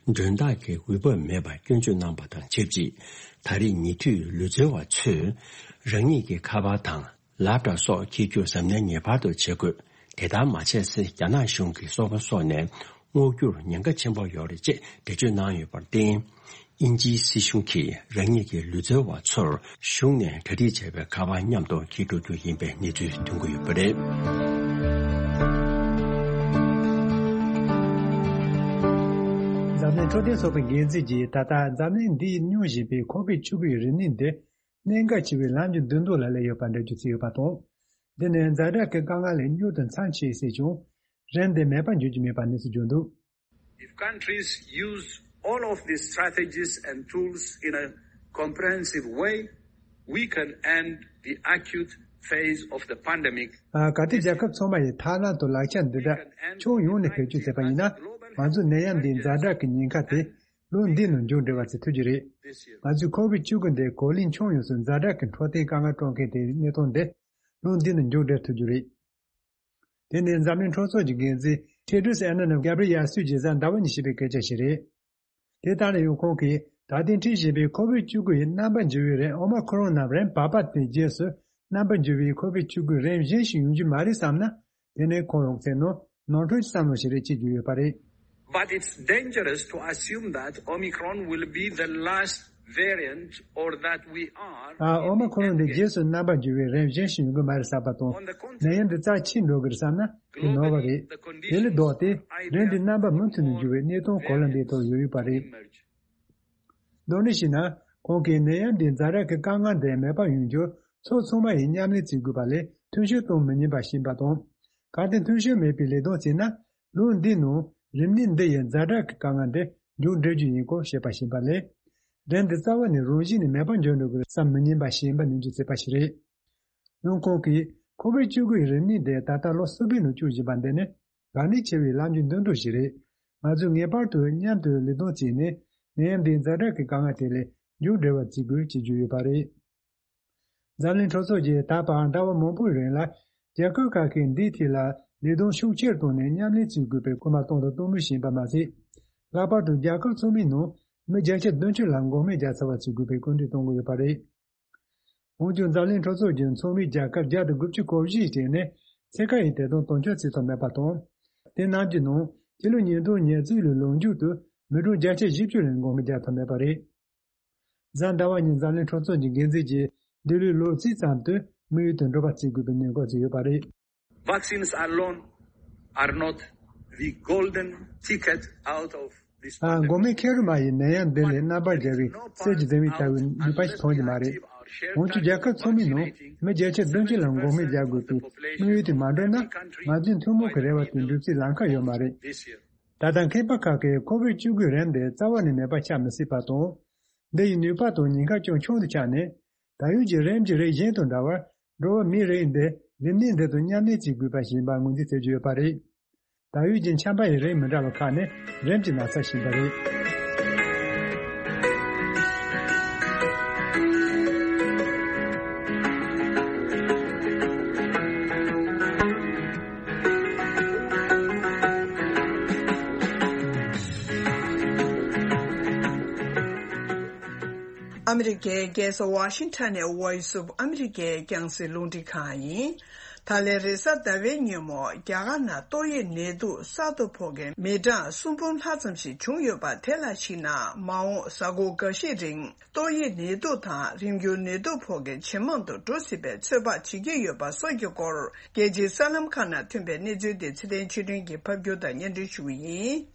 མགྲོན་བདག་གི་འོས་བབ་མེད་པར་སྐྱོན་བརྗོད་གནང་པ་དང་ཆབས་ཅིག། ད་རེས་ཉེ་དུས་ལུས་རྩལ་བ་ཚོས་རང་ཉིད་ཀྱི་ཁ་པར་དང་ལེབ་ཊོབ་སོགས་འཁྱེར་རྒྱུ་གཟབ་ནན་ངེས་པར་དུ་བྱེད་དགོས། དེ་ལྟར་མ་བྱས་ཚེ་རྒྱ་ནག་གཞུང་གི་སོ་པ་སོགས་ནས་སྔོག་རྒྱུར་ཉེན་ཁ་ཆེན་པོ་ཡོད་རེད་ཅེས་འགྲེལ་བརྗོད་གནང་ཡོད་པར་བརྟེན། དབྱིན་ཇིའི་སྲིད་གཞུང་གིས་རང་ཉིད་ཀྱི་ལུས་རྩལ་བ་ཚོར་གཞུང་ནས་གྲ་སྒྲིག་བྱས་པའི་ཁ་པར་མཉམ་དུ་འཁྱེར་འགྲོ་རྒྱུ་ཡིན་པའི་གནས་ཚུལ་ཐོན་གྱི་ཡོད་པ་རེད། འཛམ་གླིང་འཕྲོད་བསྟེན་ཚོགས་པའི་འགན་འཛིན་གྱིས་ད་ལྟ་འཛམ་གླིང་འདིའི་སྙུང་བཞིན་པའི་ཁོ་ཕིཌ་བཅུ་དགུ་ཡི་རིམས་ནད་འདི་གནད་འགག་ཆེ་བའི་ལམ་གྱི་མདུན་ཐོག་ལ་སླེབས་ཡོད་པ་འགྲེལ་བརྗོད་བྱས་ཡོད་པ་དང་། འདི་ནི་ཛ་དྲག་གི་དཀའ་ངལ་ལས་མྱུར་དུ་མཚམས་ཆད་སྲིད་ཀྱང་། རིམས་དེ་མེད་པར་འགྱུར་གྱི་མེད་པ་གནས་ཚུལ་བརྗོད་འདུག། If countries use all of these strategies and tools in a comprehensive way, we can end the acute phase of the pandemic. ཨ། གལ་ཏེ་རྒྱལ་ཁབ་ཚང་མ་ཡིས་ཐབས་ལམ་དང་ལག་ཆ་འདི་དག་ཕྱོགས་ཡོངས་ནས་བེད་སྤྱོད་བྱས་པ་ཡིན་ན། ང་ཚོས་ནད་ཡམས་འདིའི་ཛ་དྲག་གི་ཉེན་ཁ་དེ་ལོ་འདིའི་ནང་མཇུག་སྒྲིལ་བ་བྱེད་ཐུབ་ཀྱི་རེད། ང་ཚོས་ཁོ་བིད་བཅུ་དགུ་འདི་གོ་ལའི་ཁྱོན་ཡོངས་སུ་ཛ་དྲག་གི་འཕྲོད་བསྟེན་དཀའ་ངལ་སྤྲོད་མཁན་དེའི་གནས་སྟངས་འདི་ལོ་འདིའི་ནང་མཇུག་སྒྲིལ་ཐུབ་ཀྱི་རེད། དེ་ནི་འཛམ་གླིང་གྲོས་ཚོགས་ཀྱི་འགན་འཛིན་Tedros Adhanom Ghebreyesus གྱིས་གཟའ་ཟླ་བ་ཉིན་བཤད་པའི་སྐད་ཆ་ཞིག་རེད། དེ་ལྟར་ན་ཡང་ཁོང་གིས་ད་ཐེངས་འཁྲིད་བཞིན་པའི་ཁོ་བིད་བཅུ་དགུ་ཡི་རྣམ་པ་འགྱུར་བའི་རིམས་ཨོ་མ་ཁོ་རོན་ནམ་རིམས་བར་པ་དེའི་རྗེས་སུ་རྣམ་པ་འགྱུར་བའི་ཁོ་བིད་བཅུ་དགུ་རིམས་གཞན་ཞིག་ཡོང་རྒྱུ་མ་རེད་བསམ་ན། དེ་ནི་ཁོང་རང་བཙན་ནང་ནོར་འཁྲུལ་གྱི་བསམ་བློ་ཞིག་རེད་ཅེས་བརྗོད་ཡོད་པ་རེད། But it's dangerous to assume that Omicron will be the last variant or that we are ཨ། ཨོ་མ་ཁོ་རོན་འདི་རྗེས་སུ་རྣམ་པ་འགྱུར་བའི་རིམས་གཞན་ཞིག་ཡོང་གི་མ་རེད་བསམ་པ་དང་། ནད་ཡམས་འདི་རྩ་ཆད་འགྲོ་གི་རེད་བསམ་ན་དེ་ནོར་བ་རེད། དེ་ལས་ལྡོག་སྟེ་རིམས་འདི་རྣམ་པ་མུ་མཐུད་ནས་འགྱུར་བའི་གནས་སྟངས་གོ་ལ་འདིའི་ཐོག་ཡོད་ཡོད་པ་རེད། མདོར་ན་བཤད་ན། ཁོང་གིས་ནད་ཡམས་འདིའི་ཛ་དྲག་གི་དཀའ་ངལ་འདི་མེད་པ་ཡོང་རྒྱུར་ཕྱོགས་ཚང་མ་ཡིས་མཉམ་ལས་བྱེད་དགོས་པ་ལས་མཐུན་ཤོས་གཏོང་མི་ཉན་པ་ཞིག་ཡིན་པ་དང་། གལ་ཏེ་མཐུན་ཤོས་མེད་པའི་ལས་དོན་བྱས་ན། ལོ་འདིའི་ནང་རིམས་ནད་འདི་ཡི་ཛ་དྲག་གི་དཀའ་ངལ་འདི་མཇུག་སྒྲིལ་རྒྱུ་ཡིན་སྐོར་བཤད་པ་ཞིག་ཡིན་པ་ལས། རིམས་འདི་རྩ་བ་ནས་རང་བཞིན་ནས་མེད་པར་འགྱུར་འགྲོ་གི་རེད་བསམ་མི་ཉན་པ་ཞིག་ཡིན་པ་ནན་བརྗོད་བྱས་པ་ཞིག་རེད། ཡང་ཁོང་གིས་ཁོ་བིད་བཅུ་དགུ་ཡི་རིམས་ནད་འདི་ད་ལྟ་ལོ་གསུམ་པའི་ནང་བཅུག་བཞིན་པ་འདི་ནི་གལ་གནད་ཆེ་བའི་ལམ་རྒྱུས་མདུན་སྐྱོད་ཞིག་རེད། ང་ཚོས་ངེས་པར་དུ་མཉམ་དུ་ལས་དོན་བྱས་ནས་ནད་ཡམས་འདིའི་ཛ་དྲག་གི་དཀའ་ངལ་དེ་ལས་མཇུག་སྒྲིལ་བར་བྱེད་དགོས་ཅེས་བརྗོད་ཡོད་པ་རེད། འཛམ་གླིང་གྲོས་ཚོགས་ཀྱིས་ད་བར་ཟླ་བ་མང་པོའི་རིང་ལ་རྒྱལ་ཁབ་ཁག་གིས་འདིའི་ཐད་ལ་ལས་དོན་ཤུགས་ཆེར་བཏང་ནས་མཉམ་ལས་བྱེད་དགོས་པའི་སྐུལ་མ་བཏང་དང་གཏོང་མུས་ཤིག་ཡིན་པ་མ་ཟད། ལྷག་པར་དུ་རྒྱལ་ཁབ་ཚང་མའི་ནང་མི་བརྒྱ་ཆ་བདུན་ཅུ་ལ་འགོག་སྨན་རྒྱག་ཚར་བ་བྱེད་དགོས་པའི་སྐུལ་འདེད་གཏོང་གི་ཡོད་པ་རེད། འོན་ཀྱང་འཛམ་གླིང་གྲོས་ཚོགས་ཀྱི་ཚོགས་མི་རྒྱལ་ཁབ་བརྒྱ་དང་དགུ་བཅུ་གོ་བཞི་ཡི་གྲས་ནས་ཚད་བཀག་ཡི་ཐད་དུ་དོན་འཁྱོལ་བྱེད་ཐུབ་མེད་པ་དང་། དེ་རྣམས་ཀྱི་ནང་ཕྱི་ལོ་ཉིས་སྟོང་ཉེར་གཅིག་ལོའི་ལོ་མཇུག་ཏུ་མི་གྲངས་བརྒྱ་ཆ་བཞི་བཅུ་ལས་འགོག་སྨན་རྒྱག་ཐུབ་མེད་པ་རེད། གཟའ་ཟླ་བ་ཉིན་འཛམ་གླིང་གྲོས་ཚོགས་ཀྱི་འགན་འཛིན་གྱིས་འདི་ལོའི་ལོ་རྩིས་ཙམ་དུ་དམིགས་ཡུལ་དུ་འགྲོ་བ་བྱེད་དགོས་པའི་ནན་སྐུལ་བྱས་ཡོད་པ་རེད། Vaccines alone are not the golden ticket out of this ཨ། འགོག་སྨན་ཁེར་མ་ཡིས་ནད་ཡམས་འདི་ལས་རྣམ་པར་རྒྱལ་བའི་གསེར་གྱི་འཛིན་མའི་ལྟ་བུའི་ནུས་པ་ཞིག་ཐོན་གྱི་མ་རེད། འོན་ཀྱང་རྒྱལ་ཁབ་ཚང་མའི་ནང་མི་བརྒྱ་ཆ་བདུན་ཅུ་ལ་འགོག་སྨན་རྒྱག་དགོས་པའི་དམིགས་ཡུལ་དེ་མ་འགྲུབ་ན། ང་ཚོའི་ཐུན་མོང་གི་རེ་བ་དེ་འགྲུབ་སའི་ལམ་ཁ་ཡོད་མ་རེད། ད་ལྟ་མཁས་པ་ཁག་གིས་ཁོ་བིད་བཅུ་དགུའི་རིམས་དེ་རྩ་བ་ནས་མེད་པ་ཆགས་མི་སྲིད་པ་དང་། འདི་ཡི་ནུས་པ་དང་ཉེན་ཁ་ཅུང་ཆུང་དུ་ཆགས་ནས། ད་ཡོད་ཀྱི་རིམས་ཀྱི་རིགས་གཞན་དང་འདྲ་བར། འགྲོ་བ་མིའི་རིགས་འདི་རིམས་ནད་འདི་དང་མཉམ་གནས་བྱེད་དགོས་པ་ཞིག་ཡིན་པ་ངོས་འཛིན་བྱེད་ཀྱི་ཡོད་པ་རེད། ད་ཡོད་ཀྱི་ཆམ་པ་ཡི་རིགས་མི་འདྲ་བ་ཁག་ནི་རིམས་ཀྱི་ན་ཚ་ཞིག་ཡིན་པ་རེད། ཨ་མི་རི་ཀའི་རྒྱལ་ས་ཝ་ཤིང་ཊོན་ནས་Voice of America་རྒྱང་སྲིང་རླུང་འཕྲིན་ཁང་ཡིན། ད་ལན་རེས་གཟའ་ཟླ་བའི་ཉིན་མོ་རྒྱ་གར་ནང་ཏོག་དབྱིབས་ནད་དུག་གསར་དུ་ཕོག་མཁན་མི་གྲངས་སུམ་འབུམ་ལྷག་ཙམ་ཞིག་བྱུང་ཡོད་པ་དེ་ལ་གཞིགས་ན། མ་འོངས་གཟའ་འཁོར་འགའ་ཤས་རིང་ཏོག་དབྱིབས་ནད་དུག་དང་རིམས་འགྱུར་ནད་དུག་ཕོག་མཁན་ཇེ་མང་དུ་འགྲོ་སྲིད་པའི་ཚོད་དཔག་བྱེད་ཀྱི་ཡོད་པ་སོགས་ཀྱི་སྐོར། རྒྱལ་སྤྱིའི་གསར་ལམ་ཁག་ནང་ཐོན་པའི་གནས་ཚུལ་དེ་ཚེ་བརྟན་ཆོས་སྒྲོན་གྱིས་ཕབ་སྒྱུར་དང་སྙན་སྒྲོན་ཞུ་གི་ཡིན།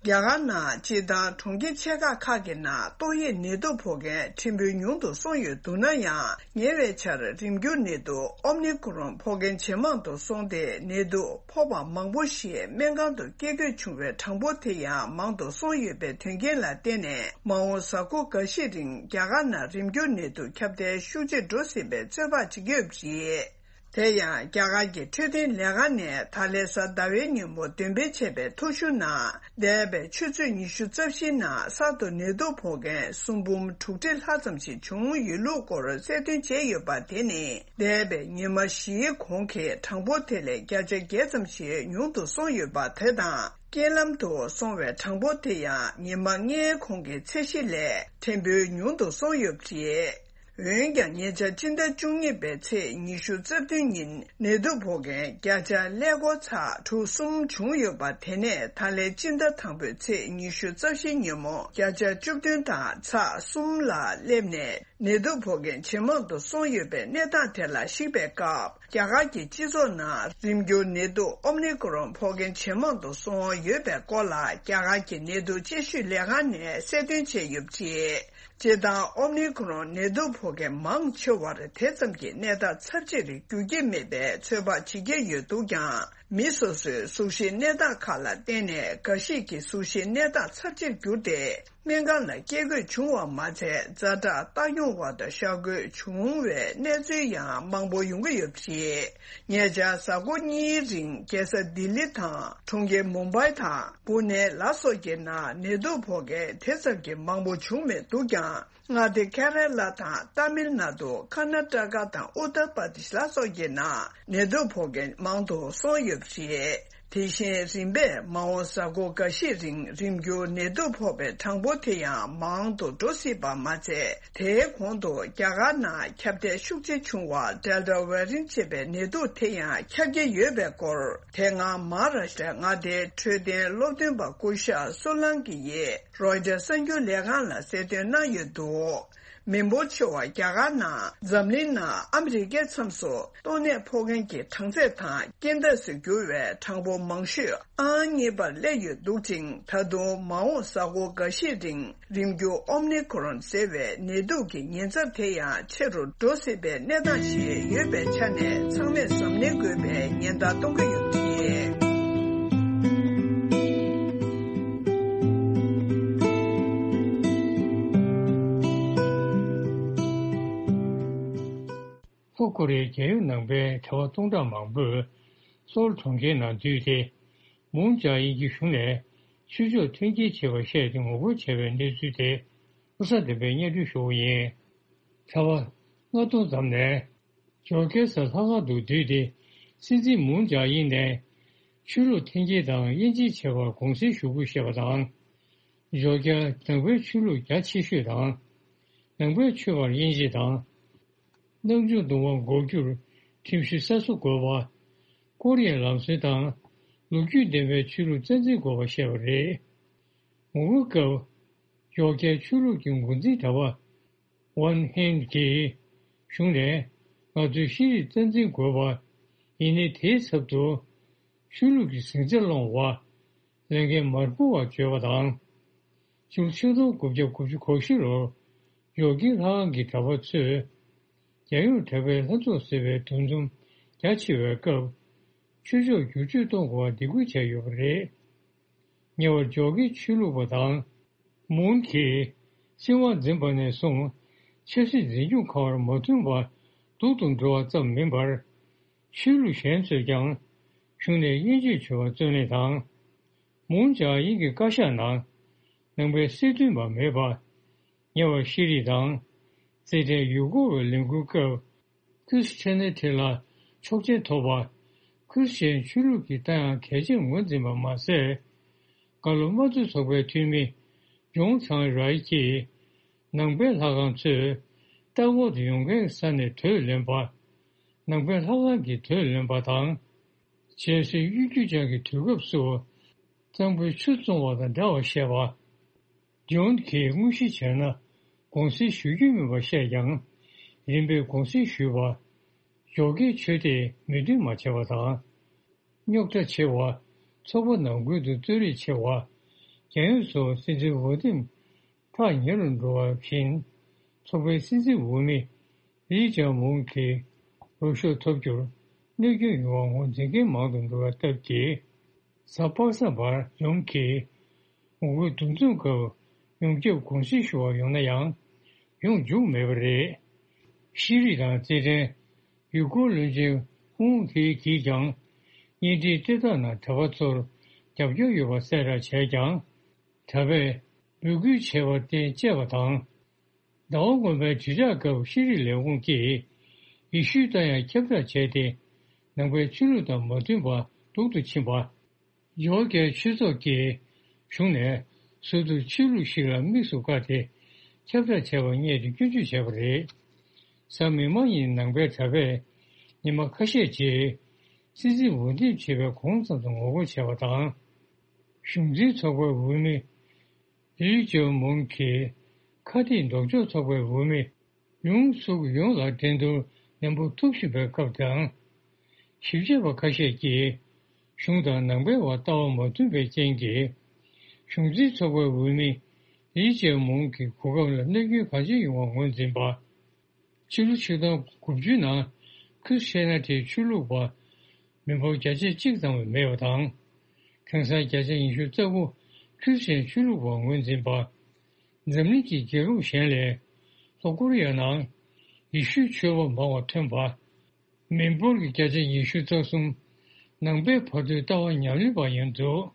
རྒྱ་གར་ནང་སྤྱིར་བཏང་གྲོང་ཁྱེར་ཆེ་ཁག་ཁག་གི་ནང་ཏོག་དབྱིབས་ནད་དུག་ཕོག་མཁན་ཕྲན་བུ་ཉུང་དུ་སོང་ཡོད་འདུག་ན་ཡང་། ཉེ་བའི་ཆར་རིམས་འགྱུར་ནད་དུག་ཨོ་མི་ཀོ་རོན་ཕོག་མཁན་ཇེ་མང་དུ་སོང་སྟེ། ནད་དུག་ཕོག་པ་མང་པོ་ཞིག་སྨན་ཁང་དུ་སྐྱེལ་དགོས་བྱུང་བའི་གྲངས་འབོར་དེ་ཡང་མང་དུ་སོང་ཡོད་པའི་དོན་རྐྱེན་ལ་བརྟེན་ནས། མ་འོངས་གཟའ་འཁོར་འགའ་ཤས་རིང་རྒྱ་གར་ནང་རིམས་འགྱུར་ནད་དུག་ཁྱབ་གདལ་ཤུགས་ཆེར་འགྲོ་སྲིད་པའི་ཚོད་དཔག་བྱེད་ཀྱི་ཡོད་པ་རེད། དེ་ཡང་རྒྱ་གར་གྱི་འཕྲོད་བསྟེན་ལས་ཁང་ནས་ད་ལན་གཟའ་ཟླ་བའི་ཉིན་མོ་འདོན་སྤེལ་བྱས་པའི་ཐོ་གཞུང་ནང་། འདས་པའི་ཆུ་ཚོད་ཉི་ཤུ་རྩ་བཞིའི་ནང་གསར་དུ་ནད་དུག་ཕོག་མཁན་སུམ་འབུམ་དྲུག་ཁྲི་ལྷག་ཙམ་ཞིག་བྱུང་ཡོད་ལུགས་སྐོར་གསལ་སྟོན་བྱས་ཡོད་པ་དེ་ནི། འདས་པའི་ཉི་མ་བཞིའི་གོང་གི་གྲངས་འབོར་དེ་ལས་བརྒྱ་ཆ་བརྒྱད་ཙམ་ཞིག་ཉུང་དུ་སོང་ཡོད་པ་དེ་དང་། རྐྱེན་ལམ་དུ་སོང་བའི་གྲངས་འབོར་དེ་ཡང་ཉི་མ་ལྔའི་གོང་གི་ཚད་གཞི་ལས་ཕྲན་བུ་ཉུང་དུ་སོང་ཡོད་པ་རེད། འོན་ཀྱང་ཉེ་ཆར་སྤྱི་ཟླ་བཅུ་གཉིས་པའི་ཚེས་ཉི་ཤུ་རྩ་བདུན་ཉིན་ནད་དུག་ཕོག་མཁན་བརྒྱ་ཆ་ཀླད་ཀོར་ཚེག་དྲུག་གསུམ་བྱུང་ཡོད་པ་དེ་ནས་ད་ལན་སྤྱི་ཟླ་དང་པོའི་ཚེས་ཉི་ཤུ་རྩ་བཞི་ཉིན་མོ་བརྒྱ་ཆ་བཅུ་བདུན་དང་ཚེག་གསུམ་ལ་སླེབས་ནས་ནད་དུག་ཕོག་མཁན་ཇེ་མང་དུ་སོང་ཡོད་པའི་གནས་སྟངས་དེ་ལ་གཞིགས་པའི་སྐབས། རྒྱ་གར་གྱི་སྤྱི་ཚོགས་ནང་རིམས་འགྱུར་ནད་དུག་ཨོ་མི་ཀོ་རོན་ཕོག་མཁན་ཇེ་མང་དུ་སོང་ཡོད་པའི་སྐོར་ལ་རྒྱ་གར་གྱི་ནད་དུག་དཔྱད་ཞིབ་ལས་ཁང་ནས་གསལ་སྟོན་བྱས་ཡོད་པ་རེད། སྤྱིར་བཏང་ཨོ་མི་ཁོ་རོན་ནད་དུག་ཕོག་མཁན་མང་ཆེ་བར་དེ་ཙམ་གྱི་གནས་སྟངས་ཚབས་ཆེར་འགྱུར་གྱི་མེད་པའི་ཚོད་དཔག་བྱེད་ཀྱི་ཡོད་འདུག་ཀྱང་། མི་སོ་སོའི་གཟུགས་གཞིའི་གནས་སྟངས་ཁག་ལ་བརྟེན་ནས་འགའ་ཞིག་གི་གཟུགས་གཞིའི་གནས་སྟངས་ཚབས་ཆེར་གྱུར་ཏེ། སྨན་ཁང་ལ་སྐྱེལ་དགོས་བྱུང་བ་མ་ཚད། ཛ་དྲག་རྟགས་ཡོང་བ་དང་ཤ་འགོས་བྱུང་བའི་གནས་ཚུལ་ཡང་མང་པོ་ཡོང་གི་ཡོད་པ་རེད། ཉེ་ཆར་གཟའ་འཁོར་གཉིས་རིང་རྒྱལ་ས་ལྡི་ལི་དང་། གྲོང་ཁྱེར་མུམ་བྷའི་དང་པུ་ནེ་ལ་སོགས་ཀྱི་ནང་ནད་དུག་ཕོག་མཁན་དེ་ཙམ་གྱིས་མང་པོ་བྱུང་མེད་འདུག་ཀྱང་། མངའ་སྡེ་ཁེ་ར་ལ་དང་ཏཱ་མིལ་ནཱ་ཏུ། ཀར་ནཱ་ཊ་ཀ་དང་ཨུ་ཏར་པར་དེཤ་ལ་སོགས་ཀྱི་ནང་ནད་དུག་ཕོག་མཁན་མང་དུ་སོང་ཡོད་པ་རེད། དེ་བཞིན་རིམ་པས་མ་འོངས་གཟའ་འཁོར་འགའ་ཤས་རིང་རིམ་འགྱུར་ནད་དུག་ཕོག་པའི་གྲངས་འབོར་དེ་ཡང་མང་དུ་འགྲོ་སྲིད་པ་མ་ཚད། དེའི་གོང་དུ་རྒྱ་གར་ནང་ཁྱབ་གདལ་ཤུགས་ཆེ་བྱུང་བ་ཌེལ་ཊ་ཝེ་རི་ཡན་ཊི་ཅེས་པའི་ནད་དུག་དེ་ཡང་ཁྱབ་ཀྱི་ཡོད་པའི་སྐོར། དེ་སྔ་མ་ཧཱ་རཱ་ཤི་ཊ་མངའ་སྡེའི་འཕྲོད་བསྟེན་སློབ་སྟོན་པ་སྐུ་ཞབས་སུ་ལང་གི་ཡིས་རོའི་ཊར་གསར་འགྱུར་ལས་ཁང་ལ་གསལ་སྟོན་གནང་ཡོད་འདུག་མི་འབོར་ཆེ་བ་རྒྱ་གར་ནང་འཛམ་གླིང་ནང་ཨ་མི་རི་ཀའི་མཚམས་སུ་ཏོག་ནད་ཕོག་མཁན་གྱི་གྲངས་ཚད་དང་རྐྱེན་འདས་སུ་གྱུར་བའི་གྲངས་འབོར་མང་ཤོས་ཨང་གཉིས་པར་སླེབས་ཡོད་འདུག་ཅིང་། ད་དུང་མ་འོངས་གཟའ་འཁོར་འགའ་ཤས་རིང་རིམ་འགྱུར་ཨོ་མི་ཁོ་རོན་ཟེར་བའི་ནད་དུག་གི་ཉེན་ཚབས་དེ་ཡང་ཆེ་རུ་འགྲོ་སྲིད་པའི་གནས་སྟངས་ཤིག་ཡོད་པའི་ཆ་ནས་ཚང་མས་གཟབ་ནན་དགོས་པའི་ཉེན་བརྡ་གཏོང་གི་ཡོད་པ་རེད། ལྷོ་ཀོ་རི་ཡའི་རྒྱལ་ཡོངས་ནང་པའི་གྲྭ་པ་སྟོང་ཕྲག་མང་པོས་སོལ་གྲོང་ཁྱེར་ནང་འདུས་ཏེ། མུན་ཅཱ་ཡིན་གྱིས་གཞུང་ནས་ཆོས་ཕྱོགས་མཐུན་རྐྱེན་བྱས་པར་བཤད་དེ་ངོ་རྒོལ་བྱས་པའི་གནས་ཚུལ་དེ་ལོ་གསར་བདུན་པའི་སྙན་སྒྲོན་ཞུ་བ་ཡིན། གྲྭ་པ་ལྔ་སྟོང་ཙམ་ནས་ཇོར་ཇི་ས་ལྷག་དཀར་དུ་བསྡུས་ཏེ། སྲིད་འཛིན་མུན་ཅཱ་ཡིན་ནས་ཆོས་ལུགས་འཐེན་འཁྱེར་དང་དབྱེ་འབྱེད་བྱས་པར་དགོངས་སེལ་ཞུ་དགོས་བཤད་པ་དང་། ཇོར་ཇི་ཡ་ནང་པའི་ཆོས་ལུགས་རྒྱ་ཆེ་ཤོས་དང་། ནང་པའི་ཆོས་པར་དབྱེ་འབྱེད་དང་། རྣམ་འབྱོར་གདུང་བ་འགོག་རྒྱུར་ཁྲིམས་གཞི་གསར་བཟོ་དགོས་པ། ཀོ་རི་ཡའི་ལམ་སྲོལ་དང་ལོ་རྒྱུས་ལྡན་པའི་ཆོས་ལུགས་རྩ་འཛིན་དགོས་པ་བཤད་པ་རེད། ངོ་རྒོལ་སྐབས་ཇོར་ཇི་ཡའི་ཆོས་ལུགས་ཀྱི་འགོ་འཛིན་གྲྭ་པ་ཝན་ཧན་གྱིས་གཞུང་ནས་ང་ཚོས་ཤེས་རིག་རྩ་འཛིན་དགོས་པ། ཡིན་ནའི་དེའི་ཚབ་ཏུ་ཆོས་ལུགས་ཀྱི་ཟིང་ཆ་སློང་བ། ལས་འགན་མ་འཁུར་བར་བརྗོད་པ་དང་། ཕྱི་ལོ་ཆིག་སྟོང་དགུ་བརྒྱ་དགུ་བཅུ་གོ་བཞི་ལོར་ཇོར་ཇི་ལྷ་ཁང་གི་གྲྭ་པ་ཚོས་རྒྱལ་ཡོངས་གྲྭ་པའི་ལྷན་ཚོགས་ཟེར་བའི་འདུ་འཛོམས་རྒྱ་ཆེ་བའི་སྐབས། ཆོས་ཕྱོགས་བསྒྱུར་བཅོས་གཏོང་དགོས་པར་འདེད་སྐུལ་བྱས་ཡོད་པ་རེད། ཉེ་བར་ཇོར་ཇི་ཆོས་ལུགས་པ་དང་། མུན་གྱིས་སྲིད་དབང་འཛིན་པ་ནས་བཟུང་ཆབ་སྲིད་འཛིན་སྐྱོང་ཁག་དབར་མོས་མཐུན་པ་སྡུག་ཏུ་འགྲོ་བ་ཙམ་མིན་པར། ཆོས་ལུགས་གཞན་ཚོས་ཀྱང་གཞུང་ནས་དབྱེ་འབྱེད་བྱེད་པར་བརྩོན་ལེན་དང་། མུན་ཅཱ་ཡིན་གྱི་བཀའ་ཤག་ནང་ནང་པའི་སྲིད་དོན་པ་མེད་པ། ཉེ་བར་ཤེས་རིག་དང་། རྩེད་འགྲན་ཡུལ་སྐོར་བའི་ལས་འགུལ་སྐབས། ཁི་རིས་ཆེ་ནེ་ཊི་ལ་ཆོག་མཆན་ཐོབ་པ། ཁི་རིས་ཆེན་ཆོས་ལུགས་ཀྱི་རྟ་དབྱངས་གལ་ཆེར་ངོས་འཛིན་པ་མ་ཟད། གྷ་ལོ་དམངས་གཙོ་ཚོགས་པའི་འཐུས་མི་ཇོང་ཚང་རའི་ཀྱིས། ནང་པའི་ལྷ་ཁང་ཚོས་ལྟ་སྐོར་དུ་ཡོང་མཁན་གྱི་ས་ནས་དྲོད་ལེན་པ། ནང་པའི་ལྷ་ཁང་གི་དྲོད་ལེན་པ་དང་། རྗེས་སུ་གཡུལ་རྒྱུ་ཅན་གྱི་དུས་སྐབས་སུ་གཙང་པོའི་ཆུ་བཙོང་བ་དང་འདྲ་བར་བཤད་པ། ཇོན་གྱིས་དངོས་གཞི་བྱས་ན་དགོངས་སེལ་ཞུ་རྒྱུ་མིན་པར་བཤད་ཀྱང་། རིམ་པས་དགོངས་སེལ་ཞུས་པ། ཇོ་ཀའི་ཆོས་དད་མོས་མཐུན་མ་བྱས་པ་དང་། རྙོག་དྲ་ཆེ་བ། ཚོགས་པ་ནང་ཁུལ་དུ་རྩོད་རིགས་ཆེ་བ། རྒྱལ་ཡོངས་སུ་སྲིད་འཛིན་ཝུ་ཏིན་ཐག་ཉེ་རུ་འགྲོ་བ་བཞིན། ཚོགས་པའི་སྲིད་འཛིན་འོས་མི་ལི་ཅཱ་མུང་གིས་འོས་ཤོག་ཐོབ་རྒྱུར་གནོད་སྐྱོན་ཡོང་བ་ངོས་འཛིན་མཁན་མང་དུ་འགྲོ་བའི་སྟབས་ཀྱིས། གཟའ་པ་སངས་པར་ཇོན་གྱིས་ངོ་རྒོལ་འདུ་འཛོམས་སྐབས་ཡོངས་ཁྱབ་དགོངས་སེལ་ཞུ་བར་ཡོང་ན་ཡང་ཡོང་འཇུག་མེད་པ་རེད། ཤེས་རིག་དང་རྩེད་འགྲན། ཡུལ་སྐོར་བློན་ཆེན་ཧུང་ཧེ་གིས་ཀྱང་བརྙན་འཕྲིན་སྤྲད་སྟངས་ནང་གྲྭ་པ་ཚོར་རྒྱབ་སྐྱོར་ཡོད་པ་གསལ་བསྒྲགས་བྱས་ཀྱང་། གྲྭ་པས་འབོད་སྐུལ་བྱས་པར་བརྟེན་བཅད་པ་དང་། ཟླ་བ་སྔོན་མའི་དྲིལ་བསྒྲགས་སྐབས་ཤེས་རིག་ལས་ཁུངས་ཀྱིས་ཡེ་ཤུའི་རྟ་དབྱངས་ཁྱབ་བསྒྲགས་བྱས་ཏེ། ནང་པའི་ཆོས་ལུགས་དང་མ་མཐུན་པ་སྡུག་ཏུ་ཕྱིན་པ། ཇོར་ཇི་ཡའི་ཆོས་ཚོགས་ཀྱིས་གཞུང་ནས་ཟུར་དུ་ཆོས་ལུགས་ཤིག་ལ་དམིགས་སུ་བཀར་ཏེ་ཁྱབ་བསྒྲགས་བྱས་པར་བསྙད་དེ་སྐྱོན་བརྗོད་བྱས་པ་རེད། གཟའ་མིག་དམར་ཉིན་ནང་པའི་གྲྭ་པས་ཉི་མ་ཁ་ཤས་རྗེས་སྲིད་འཛིན་འོས་འདེམས་བྱེད་པའི་གོང་ཙམ་དུ་ངོ་རྒོལ་བྱས་པ་དང་། གཞུང་འཛིན་ཚོགས་པའི་འོས་མི་ལི་ཅོ་མུང་གིས་ཁ་གཏད་ལྡོག་ཕྱོགས་ཚོགས་པའི་འོས་མི་ཡུང་སུག་ཡུང་ལ་འགྲན་བསྡུར་ནན་པོ་ཐུབ་བཞིན་པའི་སྐབས་དང་། ཞིབ་དཔྱད་པ་ཁ་ཤས་ཀྱིས་གཞུང་དང་ནང་པའི་བར་ལྟ་བ་མ་མཐུན་པའི་རྐྱེན་གྱིས། གཞུང་འཛིན་ཚོགས་པའི་འོས་མི་ ཡིད་ཅན་མུང་གི་གོ་སྐབས་ལ་གནོད་སྐྱོན་གང་ཆེ་ཡོང་བར་ངོས་འཛིན་པ། ཕྱི་ལོ་ཆིག་སྟོང་དགུ་བཅུའི་ནང་ཁུལ་ཤེ་ན་ཏིའི་ཆོས་ལུགས་པ་མི་འབོར་བརྒྱ་ཆ་གཅིག་ཙམ་ལས་མེད་པ་དང་། དེང་སང་བརྒྱ་ཆ་ཉི་ཤུ་རྩ་དགུ་ཁུལ་ཆེན་ཆོས་ལུགས་པར་ངོས་འཛིན་པ། འཛམ་གླིང་གི་རྒྱལ་ཁབ་གཞན་ལས་ལྷོ་ཀོ་རི་ཡ་ནང་ཡེ་ཤུའི་ཆོས་པ་མང་བ་ཐོན་པ། མི་འབོར་གྱི་བརྒྱ་ཆ་ཉི་ཤུ་རྩ་གསུམ་ནང་པའི་བར་དོའི་ལྟ་བ་ཉམས་ལེན་པ་ཡིན་འདུག་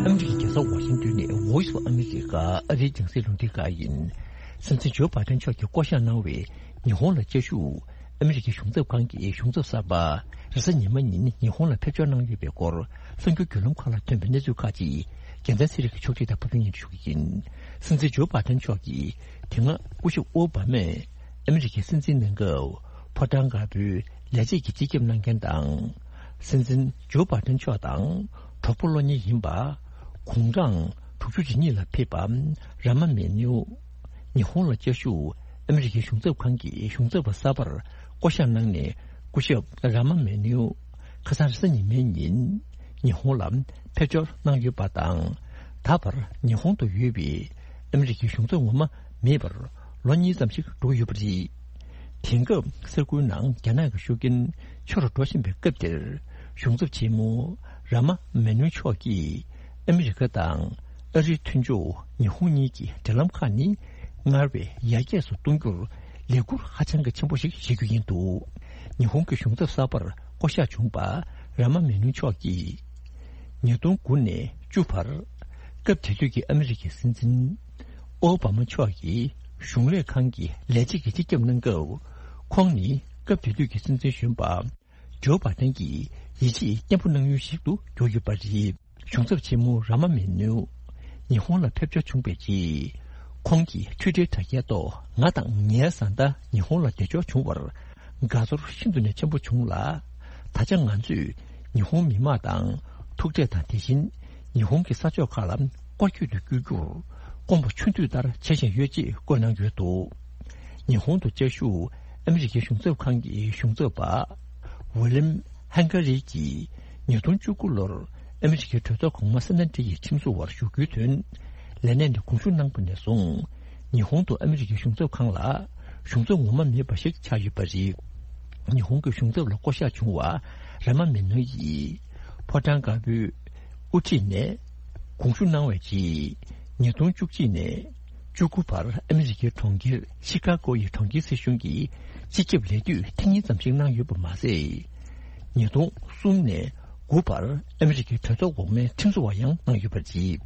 ཨ་མི་རི་ཀའི་རྒྱལ་ས་ཝ་ཤིང་ཏོན་ནས་Voice of America ཨ་རིའི་རྒྱང་སྲིང་རླུང་འཕྲིན་ཁང་ཡིན། སྲིད་འཛིན་ཇོ་བྷའི་ཏན་མཆོག་གིས་བསྐོ་བཞག་གནང་བའི་ཉི་ཧོང་ལ་བཅའ་བཞུགས་ཨ་མི་རི་ཀའི་གཞུང་ཚབ་ཁང་གི་གཞུང་ཚབ་གསར་པ་རེས་གཟའ་ཉི་མ་ཉིན་ཉི་ཧོང་ལ་ཕེབས་འབྱོར་གནང་ཡོད་པའི་སྐོར་གསར་འགྱུར་བརྒྱུད་ལམ་ཁག་ལ་ཐོན་པའི་གནས་ཚུལ་ཁག་ཅིག་རྒྱལ་མཚན་ཚེ་རིང་གིས་ཕྱོགས་སྒྲིག་དང་ཕབ་སྒྱུར་སྙན་སྒྲོན་ཞུ་གི་ཡིན། སྲིད་འཛིན་ཇོ་བྷའི་ཏན་མཆོག་གིས་དེ་སྔ་སྐུ་ཞབས་ཨོ་བྷ་མས་ཨ་མི་རི་ཀའི་སྲིད་འཛིན་གནང་སྐབས་ཕོ་བྲང་དཀར་པོའི་ལས་བྱེད་ཀྱི་སྤྱི་ཁྱབ་གནང་མཁན་དང་། སྲིད་འཛིན་ཇོ་བྷའི་ཏན་མཆོག་དང་གྲོགས་པོ་བློ་ཉེ་ཡིན་པ། དགུང་གྲངས་དྲུག་ཅུ་རེ་གཉིས་ལ་ཕེབས་པ་ར་མ་མེ་ནིའུ། ཉི་ཧོང་ལ་བཅའ་བཞུགས་ཨ་མི་རི་ཀའི་གཞུང་ཚབ་ཁང་གི་གཞུང་ཚབ་པ་གསར་པར་བསྐོ་བཞག་གནང་ནས་སྐུ་ཞབས་ར་མ་མེ་ནིའུ་ཁ་སང་རེས་གཟའ་ཉི་མའི་ཉིན་ཉི་ཧོང་ལ་ཕེབས་འབྱོར་གནང་ཡོད་པ་དང་། ད་བར་ཉི་ཧོང་དུ་ཡོད་པའི་ཨ་མི་རི་ཀའི་གཞུང་ཚབ་ངོ་མ་མེད་པར་ལོ་གཉིས་ཙམ་ཞིག་འགྲོ་གི་ཡོད་པ་རེད། དེང་སྐབས་ས་ཁུལ་ནང་རྒྱ་ནག་གི་ཤུགས་རྐྱེན་ཆེ་རུ་འགྲོ་བཞིན་པའི་སྐབས་འདིར། གཞུང་ཚབ་ཆེན་མོ་ར་མ་མེ་ནུ་མཆོག་གིས་ཨ་མི་རི་ཀ་དང་ཨ་རིའི་མཐུན་ཕྱོགས་ཉི་ཧོང་གཉིས་ཀྱི་འབྲེལ་ལམ་ཁག་ནི་སྔར་བས་ཡར་རྒྱས་སུ་གཏོང་རྒྱུར་ལས་འགུལ་ཧ་ཅང་གི་ཆེན་པོ་ཞིག་བྱེད་རྒྱུ་ཡིན་འདུག་ཉི་ཧོང་གི་གཞུང་ཚབ་གསར་པར་བསྐོ་གཞག་བྱུང་པ་ར་མ་མེ་ནུ་མཆོག་གིས། ཉིས་སྟོང་དགུ་ནས་བཅུ་བར། སྐབས་དེ་དུས་ཀྱི་ཨ་མི་རི་ཀའི་སྲིད་འཛིན་ཨོ་བྷ་མ་མཆོག་གིས་གཞུང་ལས་ཁང་གི་ལས་བྱེད་ཀྱི་སྤྱི་ཁྱབ་གནང་སྐབས། ཁོང་ནི་སྐབས་དེ་དུས་ཀྱི་སྲིད་འཛིན་གཞོན་པ་ཇོ་བྷ་ཏན་གྱིས་ཡིད་ཆེས་བརྟན་པོ་གནང་ཡུལ་ཞིག་ཏུ་གྱུར་ཡོད་པ་རེད། གཞུང་ཚབ་ཆེན་མོ་ར་མ་མེ་ནུ་ཉི་ཧོང་ལ་ཕེབས་འབྱོར་བྱུང་བའི་རྗེས། ཁོང་གིས་ཊུའི་ཊར་དྲ་རྒྱའི་ཐོག་ང་དང་ངའི་བཟའ་ཟླ་ཉི་ཧོང་ལ་བདེ་འབྱོར་བྱུང་བར་དགའ་ཚོར་ཤིན་ཏུ་ནས་ཆེན་པོ་བྱུང་ལ། ད་ཆ་ང་ཚོས་ཉི་ཧོང་མི་དམངས་དང་ཐུག་འཕྲད་དང་། དེ་བཞིན་ཉི་ཧོང་གི་ས་ཕྱོགས་ཁག་ལ་སྐོར་སྐྱོད་དུ་བསྐྱོད་རྒྱུར་དགོངས་པ་ཆུང་དུས་ལྟར་བྱེད་བཞིན་ཡོད་ཅེས་བཀོད་གནང་ཡོད་འདུག་ཉི་ཧོང་དུ་བཅའ་བཞུགས་ཨ་མི་རི་ཀའི་གཞུང་ཚབ་ཁང་གི་གཞུང་ཚབ་པ་ཝི་ལིམ་ཧན་གྷ་རི་གིས་ཉིས་སྟོང་བཅུ་དགུ་ལོར་ཨ་མི་རི་ཀའི་གྲོས་ཚོགས་གོང་མ་སེ་ན་ཏི་ཡི་ཁྲིམས་བཟོ་བར་ཞུགས་རྒྱུའི་དོན་ལས་གནས་ནས་དགོངས་ཞུ་གནང་པ་ནས་བཟུང་། ཉི་ཧོང་དུ་ཨ་མི་རི་ཀའི་གཞུང་ཚབ་ཁང་ལ་གཞུང་ཚབ་ངོ་མ་མེད་པ་ཞིག་ཆགས་ཡོད་པ་རེད། ཉི་ཧོང་གི་གཞུང་ཚབ་ལ་བསྐོ་གཞག་བྱུང་བ་ར་མ་མེ་ནོ་ཡིས་ཕོ་བྲང་དཀར་པོའི་དབུ་ཁྲིད་ནས་དགོངས་ཞུ་གནང་བའི་རྗེས། ཉིས་སྟོང་བཅུ་གཅིག་ནས་བཅུ་དགུ་བར་ཨ་མི་རི་ཀའི་གྲོང་ཁྱེར་ཤི་ཀ་གོ་ཡི་གྲོང་ཁྱེར་སྲིད་གཞུང་གི་སྤྱི་ཁྱབ་ལས་དུས་ཐེངས་གཉིས་ཙམ་ཞིག་གནང་ཡོད་པ་མ་ཟད། ཉིས་སྟོང་གསུམ་ནས་དགུ་བར་ཨ་མི་རི་ཀའི་གྲོས་ཚོགས་འོག་མའི་ཁྲིམས་བཟོ་བ་ཡང་གནང་ཡོད་པ་རེད།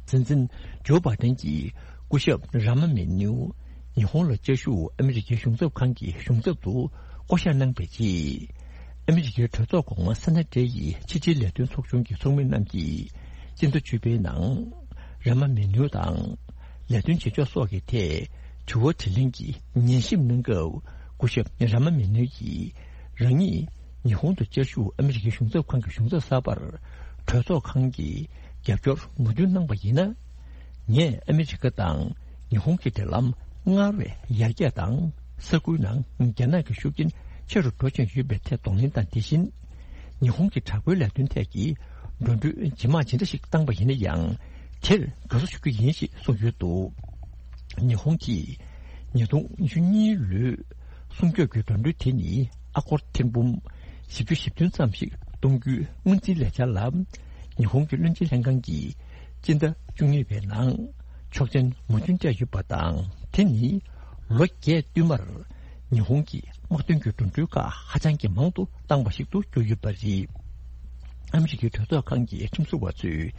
སྲིད་འཛིན་ཇོ་བྷ་ཏན་གྱིས་སྐུ་ཞབས་ར་མ་མེ་ནིའུ་ཉི་ཧོང་ལ་བཅའ་བཞུགས་ཨ་མི་རི་ཀའི་གཞུང་ཚབ་ཁང་གི་གཞུང་ཚབ་ཏུ་བསྐོ་གཞག་གནང་པའི་རྗེས། ཨ་མི་རི་ཀའི་གྲོས་ཚོགས་གོང་མ་སེ་ན་ཏི་ཡི་ཕྱི་དྲིལ་ལས་དོན་ཚོགས་ཆུང་གི་ཚོགས་མི་རྣམས་ཀྱིས་སྤྱི་ཟླ་བཅུ་པའི་ནང་ར་མ་མེ་ནུ་དང་ལས་དོན་བྱེད་ཕྱོགས་སོགས་ཀྱི་ཐད་དྲི་བ་དྲིས་ལན་གྱི་ཉན་ཞིབ་གནང་སྐབས། སྐུ་ཞབས་ར་མ་མེ་ནུ་ཡིས་རང་ཉིད་ཉི་ཧོང་དུ་བཅའ་བཞུགས་ཨ་མི་རི་ཀའི་གཞུང་ཚབ་ཁང་གི་གཞུང་ཚབ་གསར་པར་གྲོས་ཚོགས་ཁང་གི་རྒྱབ་སྐྱོར་མོས་མཐུན་གནང་པ་ཡིན་ན། ངས་ཨ་མི་རི་ཀ་དང་ཉི་ཧོང་གི་འབྲེལ་ལམ་སྔར་བས་ཡར་རྒྱས་དང་། ས་ཁུལ་ནང་རྒྱ་ནག་གི་ཤུགས་རྐྱེན་ཆེ་རུ་འགྲོ་བཞིན་ཡོད་པའི་ཐད་གདོང་ལེན་དང་། དེ་བཞིན་ཉི་ཧོང་གི་དྲག་པོའི་ལས་དོན་ཐད་ཀྱི་འགྲོ་གྲོན་ཇེ་མང་ཇི་འདྲ་ཞིག་བཏང་པ་ཡིན་ན་ཡང་། དེར་དགའ་བསུ་ཞུ་རྒྱུ་ཡིན་ཞེས་གསུངས་ཡོད་འདུག་ཉི་ཧོང་གིས་ཉིས་སྟོང་ཉི་ཤུ་གཉིས་ལོའི་སྲུང་སྐྱོབ་ཀྱི་འགྲོ་གྲོན་དེ་ནི་ཨ་སྒོར་ཐེར་འབུམ་བཞི་བཅུ་ཞེ་བདུན་ཙམ་ཞིག་གཏོང་རྒྱུའི་སྔོན་རྩིས་ལས་འཆར་ལ། ཉི་ཧོང་གི་བློན་ཆེན་ལྷན་ཁང་གིས་སྤྱི་ཟླ་བཅུ་གཉིས་པའི་ནང་ཆོག་མཆན་མོས་མཐུན་སྤྲད་ཡོད་པ་དང་། དེ་ནི་ལོ་བརྒྱད་བསྟུད་མར་ཉི་ཧོང་གི་དམག་དོན་གྱི་འགྲོ་གྲོན་ཁག་ཧ་ཅང་གི་མང་དུ་བཏང་བ་ཞིག་ཏུ་གྱུར་ཡོད་པ་རེད། ཨ་མི་རི་ཀའི་གྲོས་ཚོགས་ཁང་གི་ཁྲིམས་བཟོ་བ་ཚོས་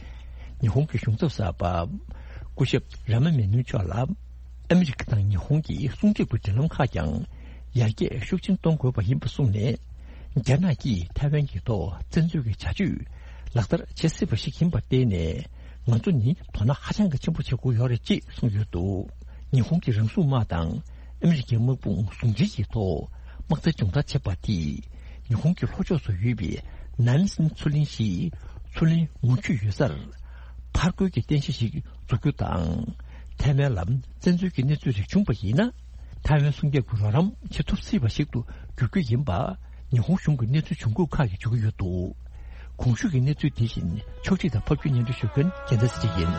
ཉི་ཧོང་གི་གཞུང་ཚབ་གསར་པ་སྐུ་ཞབས་ར་མ་མེ་ནུ་མཆོག་ལ། ཨ་མི་རི་ཀ་དང་ཉི་ཧོང་གི་སྲུང་སྐྱོབ་ཀྱི་འབྲེལ་ལམ་ཁག་ཀྱང་ཡར་རྒྱས་ཤུགས་ཆེན་གཏོང་དགོས་པ་ཡིན་པ་གསུངས་ནས། རྒྱ་ནག་གིས་ཐའེ་ཝན་གྱི་ཐོག་བཙན་འཛུལ་གྱི་བྱ་སྤྱོད་ལག་བསྟར་བྱེད་སྲིད་པ་ཞིག་ཡིན་པར་བརྟེན་ནས། ང་ཚོ་ནི་དོ་སྣང་ཧ་ཅང་གི་ཆེན་པོ་བྱེད་དགོས་ཡོད་རེད་ཅེས་གསུངས་ཡོད་འདུག་ཉི་ཧོང་གི་རང་སྲུང་དམག་དང་ཨ་མི་རི་ཀའི་དམག་དཔུང་ཟུང་འབྲེལ་གྱི་ཐོག་དམག་རྩལ་སྦྱོང་བརྡར་བྱས་པ་དེས། ཉི་ཧོང་གི་ལྷོ་ཕྱོགས་སུ་ཡོད་པའི་ནན་སིན་མཚོ་གླིང་ཞེས་མཚོ་གླིང་ངོ་བཅུད་ཡོད་སར། ཕར་རྒོལ་གྱི་རྟེན་གཞི་ཞིག་འཛུགས་རྒྱུ་དང་། ཐའེ་ཝན་ལ་བཙན་འཛུལ་གྱི་གནས་ཚུལ་རིགས་བྱུང་བ་ཡིན་ན། ཐའེ་ཝན་སྲུང་སྐྱོབ་ཀྱི་རོགས་རམ་བྱེད་ཐུབ་སྲིད་པ་ཞིག་ཏུ་འགྱུར་རྒྱུ་ཡིན་པ། ཉི་ཧོང་གཞུང་གི་གནས་ཚུལ་བྱུང་ཁུངས་ཁག་གིས་བརྗོད་ཀྱི་ཡོད་འདུག་གོང་ཞུས་ཀྱི་གནས་ཚུལ་དེ་བཞིན་ཕྱོགས་སྒྲིག་དང་ཕབ་སྒྱུར་སྙན་སྒྲོན་ཞུ་མཁན་རྒྱལ་མཚན་ཚེ་རིང་ཡིན།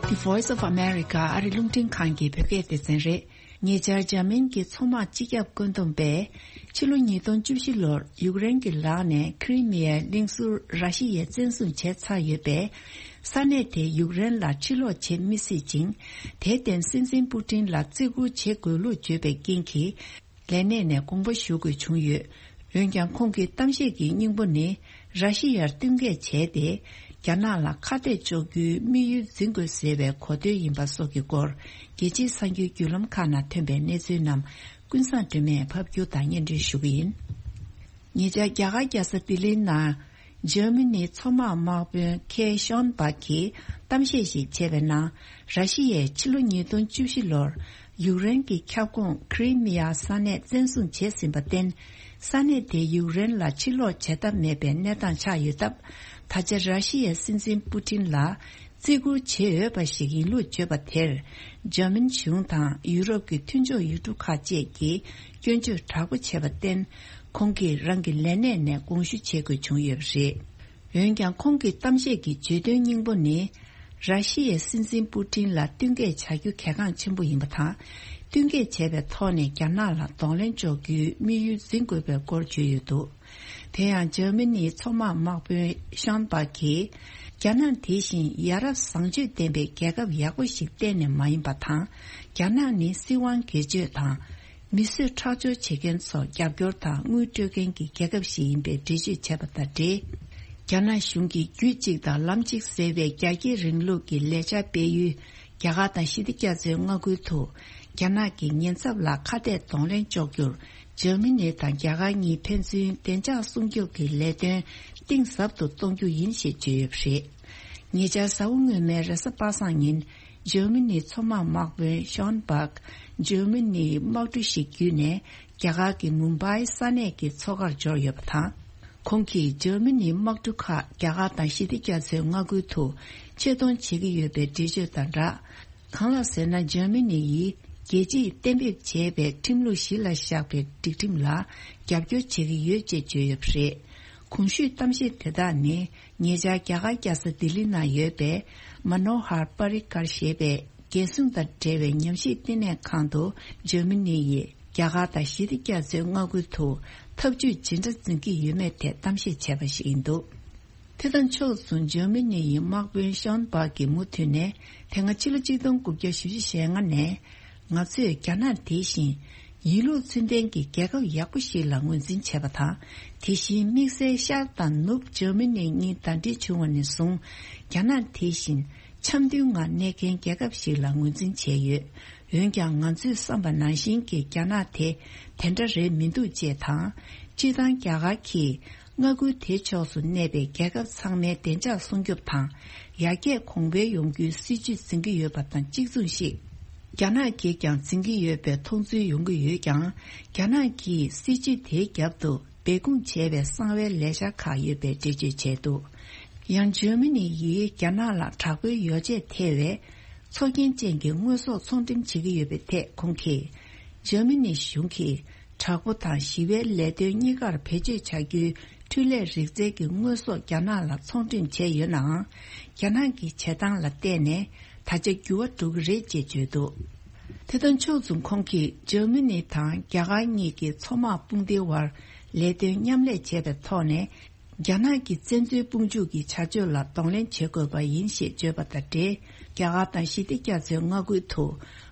The Voice of America ཨ་རི་རླུང་འཕྲིན་ཁང་གི་བོད་སྐད་སྡེ་ཚན་རེད། ཉེ་ཆར་འཇར་མན་གྱི་མཚོ་དམག་སྤྱི་ཁྱབ་བཀོད་འདོམས་པས་ཕྱི་ལོ་ཉིས་སྟོང་བཅུ་བཞི་ལོར་ཡུཀ་རེན་གྱི་ལག་ནས་ཁི་རི་མི་ཡའི་གླིང་ཟུར་ར་ཤི་ཡས་བཙན་བཟུང་བྱས་ཚར་ཡོད་པས། ས་གནས་དེ་ཡུཀ་རེན་ལ་ཕྱིར་སློག་བྱེད་མི་སྲིད་ཅིང་། དེར་བརྟེན་སྲིད་འཛིན་པུ་ཏིན་ལ་བརྩི་བཀུར་བྱེད་དགོས་ལུགས་བརྗོད་པའི་རྐྱེན་གྱིས། ལས་གནས་ནས་དགོངས་པ་ཞུ་དགོས་བྱུང་ཡོད། འོན་ཀྱང་ཁོང་གི་གཏམ་བཤད་ཀྱི་སྙིང་པོ་ནི། ར་ཤི་ཡར་བསྟུན་མཁས་བྱས་ཏེ། རྒྱ་ནག་ལ་ཁ་གཏད་གཅོག་རྒྱུའི་དམིགས་ཡུལ་འཛིན་དགོས་ཟེར་བའི་གོ་དོན་ཡིན་པ་སོགས་ཀྱི་སྐོར། རྒྱལ་སྤྱིའི་གསར་འགྱུར་བརྒྱུད་ལམ་ཁག་ནང་ཐོན་པའི་གནས་ཚུལ་རྣམས་ཀུན་བཟང་སྒྲོལ་མས་ཕབ་སྒྱུར་དང་སྙན་སྒྲོན་ཞུ་གི་ཡིན། ཉེ་ཆར་རྒྱ་གར་རྒྱལ་ས་ལྡི་ལིའི་ནང་འཇར་མ་ནིའི་མཚོ་དམག་དམག་དཔོན་ཁེ་ཤོན་པག་གིས་གཏམ་བཤད་ཞིག་བྱས་པའི་ནང་། ར་ཤི་ཡས་ཕྱི་ལོ་ཉིས་སྟོང་བཅུ་བཞི་ལོར་ཡུཀ་རེན་གྱི་ཁྱབ་ཁོངས་ཁི་རི་མི་ཡ་ས་གནས་བཙན་བཟུང་བྱས་ཟིན་པར་བརྟེན། ས་གནས་དེ་ཡུཀ་རེན་ལ་ཕྱིར་སློག་བྱེད་ཐབས་མེད་པའི་གནས་སྟངས་ཆགས་ཡོད་སྟབས། ད་ཆ་ར་ཤི་ཡའི་སྲིད་འཛིན་པུ་ཏིན་ལ་བརྩི་བཀུར་བྱེད་འོས་པ་ཞིག་ཡིན་ལུགས་བརྗོད་པ་དེར། འཇར་མན་གཞུང་དང་ཡུ་རོབ་ཀྱི་མཐུན་ཕྱོགས་ཡུལ་གྲུ་ཁག་བཅས་ཀྱིས་སྐྱོན་བརྗོད་དྲག་པོ་བྱས་པར་བརྟེན། ཁོང་གིས་རང་གི་ལས་གནས་ནས་དགོངས་ཞུ་བྱེད་དགོས་བྱུང་ཡོད་པ་རེད། འོན་ཀྱང་ཁོང་གི་གཏམ་བཤད་ཀྱི་བརྗོད་དོན་སྙིང་པོ་ནི། ར་ཤི་ཡའི་སྲིད་འཛིན་པུ་ཏིན་ལ་བསྟུན་མཁས་བྱ་རྒྱུ་གལ་འགངས་ཆེན་པོ་ཡིན་པ་དང་། བསྟུན་མཁས་བྱས་པའི་ཐོག་ནས་རྒྱ་ནག་ལ་གདོང་ལེན་གཅོག་རྒྱུའི་དམིགས་ཡུལ་འཛིན་དགོས་པའི་སྐོར་བརྗོད་ཡོད་འདུག་དེ་ཡང་འཇར་མ་ནིའི་མཚོ་དམག་དམག་དཔོན་ཤོན་པག་གིས། རྒྱ་ནག་དེ་བཞིན་ཡ་རབས་བཟང་སྤྱོད་ལྡན་པའི་རྒྱལ་ཁབ་ཡག་པོ་ཞིག་གཏན་ནས་མ་ཡིན་པ་དང་། རྒྱ་ནག་ནི་སྲིད་དབང་སྒེར་གཅོད་དང་། མི་གསོད་ཁྲག་སྦྱོར་བྱེད་མཁན་ཚོར་རྒྱབ་སྐྱོར་དང་དངུལ་སྤྲོད་མཁན་གྱི་རྒྱལ་ཁབ་ཞིག་ཡིན་པའི་འགྲེལ་བརྗོད་བྱས་པ་དང་འབྲེལ། རྒྱ་ནག་གཞུང་གིས་རྒྱུད་གཅིག་དང་ལམ་གཅིག་ཟེར་བའི་རྒྱ་སྐྱེད་རིང་ལུགས་ཀྱི་ལས་འཆར་སྤེལ་ཡུལ། རྒྱ་གར་དང་ཞི་བདེ་རྒྱ་མཚོའི་མངའ་ཁུལ་དུ། རྒྱ་ནག་གི་ཉེན་ཚབས་ལ་ཁ་གཏད་གདོང་ལེན་གཅོག་རྒྱུར། འཇར་མ་ནི་དང་རྒྱ་གར་གཉིས་ཕན་ཚུན་བདེ་འཇགས་སྲུང་སྐྱོབ་ཀྱི་ལས་དོན་གཏིང་ཟབ་ཏུ་གཏོང་རྒྱུ་ཡིན་ཞེས་བརྗོད་ཡོད་པ་རེད། ཉེ་ཆར་གཟའ་འཁོར་སྔོན་མའི་རེས་གཟའ་པ་སངས་ཉིན། འཇར་མ་ནིའི་མཚོ་དམག་དམག་དཔོན་ཤོན་པག་འཇར་མ་ནིའི་དམག་གྲུ་ཞིག་བརྒྱུད་ནས། རྒྱ་གར་གྱི་མུམ་བྷའི་ས་གནས་ཀྱི་མཚོ་ཁར་འབྱོར་ཡོད་པ་དང་། ཁོང་གིས་འཇར་མ་ནིའི་དམག་གྲུ་ཁག་རྒྱ་གར་དང་ཞི་བདེ་རྒྱ་མཚོའི་མངའ་ཁུལ་དུ་ཆེད་གཏོང་བྱེད་ཀྱི་ཡོད་པའི་འགྲེལ་བརྗོད་དང་སྦྲགས། གང་ལགས་ཟེར་ན། འཇར་མ་ནི་ཡིས་རྒྱལ་སྤྱིས་གཏན་འབེབས་བྱས་པའི་ཁྲིམས་ལུགས་གཞི་ལ་བཞག་པའི་སྒྲིག་ཁྲིམས་ལ་རྒྱབ་སྐྱོར་བྱེད་ཀྱི་ཡོད་ཅེས་བརྗོད་ཡོད་པ་རེད། གོང་ཞུས་གཏམ་བཤད་དེ་དག་ནི། ཉེ་ཆར་རྒྱ་གར་རྒྱལ་ས་ལྡི་ལི་ནང་ཡོད་པའི་མ་ནོ་ཧར་པ་རི་ཀར་ཞེས་པའི་རྒྱལ་སྲུང་དང་འབྲེལ་བའི་ཉམས་ཞིབ་བསྟི་གནས་ཁང་དུ། འཇར་མ་ནི་ཡིས་རྒྱ་གར་དང་ཞི་བདེ་རྒྱ་མཚོའི་མངའ་ཁུལ་དུ་འཐབ་ཇུས་ཇི་འདྲ་འཛིན་གྱི་ཡོད་མེད་ཐད་གཏམ་བཤད་བྱས་པ་ཞིག་ཡིན་འདུག་དེ་དང་ཕྱོགས་མཚུངས། འཇར་མ་ནི་ཡི་དམག་དཔོན་ཤོན་པག་གིས་མུ་མཐུད་ནས། དེ་སྔ་ཕྱི་ལོ་གཅིག་སྟོང་དགུ་བརྒྱ་བཞི་བཅུ་ཞེ་ལྔ་ནས། ང་ཚོས་རྒྱ་ནག་དེ་བཞིན་ཡིན་ལུགས་ཚུལ་ལྡན་གྱི་རྒྱལ་ཁབ་ཡག་པོ་ཞིག་ལ་ངོས་འཛིན་བྱས་པ་དང་། དེ་བཞིན་དམིགས་བསལ་ཤར་དང་ནུབ་འཇར་མ་ནི་གཉིས་ཟླ་སྒྲིལ་བྱུང་བ་ནས་བཟུང་། རྒྱ་ནག་དེ་བཞིན་འཆམ་མཐུན་ངང་གནས་མཁན་རྒྱལ་ཁབ་ཞིག་ལ་ངོས་འཛིན་བྱས་ཡོད། འོན་ཀྱང་། ང་ཚོས་བསམ་པ་ནང་བཞིན་གྱི་རྒྱ་ནག་དེ་དེ་འདྲ་རེད་མི་འདུག་ཅེས་དང་། སྤྱིར་བཏང་རྒྱ་གར་གྱིས། མངའ་ཁུལ་དེའི་ཕྱོགས་སུ་གནས་པའི་རྒྱལ་ཁབ་ཚང་མའི་བདེ་འཇགས་སྲུང་སྐྱོབ་དང་། ཡར་རྒྱས་གོང་འཕེལ་ཡོང་རྒྱུའི་སྲིད་ཇུས་འཛིན་གྱི་ཡོད་པ་དང་གཅིག་མཚུངས་ཤིག་རྒྱ་ནག་གིས་ཀྱང་འཛིན་གྱི་ཡོད་པའི་མཐོང་ཚུལ་ཡོང་གི་ཡོད་ཀྱང་། རྒྱ་ནག་གིས་སྲིད་ཇུས་དེའི་རྒྱབ་ཏུ་སྦས་སྐུང་བྱས་པའི་གསང་བའི་ལས་འཆར་ཁག་ཡོད་པའི་འགྲེལ་བརྗོད་བྱས་འདུག་ཡང་འཇར་མ་ནི་ཡིས་རྒྱ་ནག་ལ་དྲག་པོའི་ཡོ་བྱད་ཐེ་བའི་ཚོགས་རྒྱན་ཅན་གྱི་དངོས་ཟོག་ཚོང་འགྲེམས་བྱེད་ཀྱི་ཡོད་པའི་ཐད་ཁོང་གིས། འཇར་མ་ནི་གཞུང་གིས། དྲག་པོ་དང་ཞི་བའི་ལས་དོན་གཉིས་ཀར་བེད་སྤྱོད་བྱ་རྒྱུའི་འཕྲུལ་ལས་རིག་རྩལ་གྱི་དངོས་ཟོག་རྒྱ་ནག་ལ་ཚོང་འགྲེམས་བྱས་ཡོད་ནའང་། རྒྱ་ནག་གི་བྱེད་སྟངས་ལ་བལྟས་ནས་ད་ཆ་འགྱུར་བ་འགྲོ་གི་རེད་ཅེས་བརྗོད་འདུག་དེ་དང་ཕྱོགས་མཚུངས། ཁོང་གིས་འཇར་མ་ནི་དང་རྒྱ་གར་གཉིས་ཀྱི་མཚོ་དམག་དཔུང་སྡེའི་དབར་ལས་དོན་མཉམ་ལས་བྱས་པའི་ཐོག་ནས། རྒྱ་ནག་གི་བཙན་འཛུལ་དཔུང་འཇུག་གི་བྱ་སྤྱོད་ལ་གདོང་ལེན་བྱེད་དགོས་པ་ཡིན་ཞེས་བརྗོད་པ་དང་འབྲེལ། རྒྱ་གར་དང་ཞི་བདེ་རྒྱ་མཚོའི་མངའ་ཁུལ་དུ་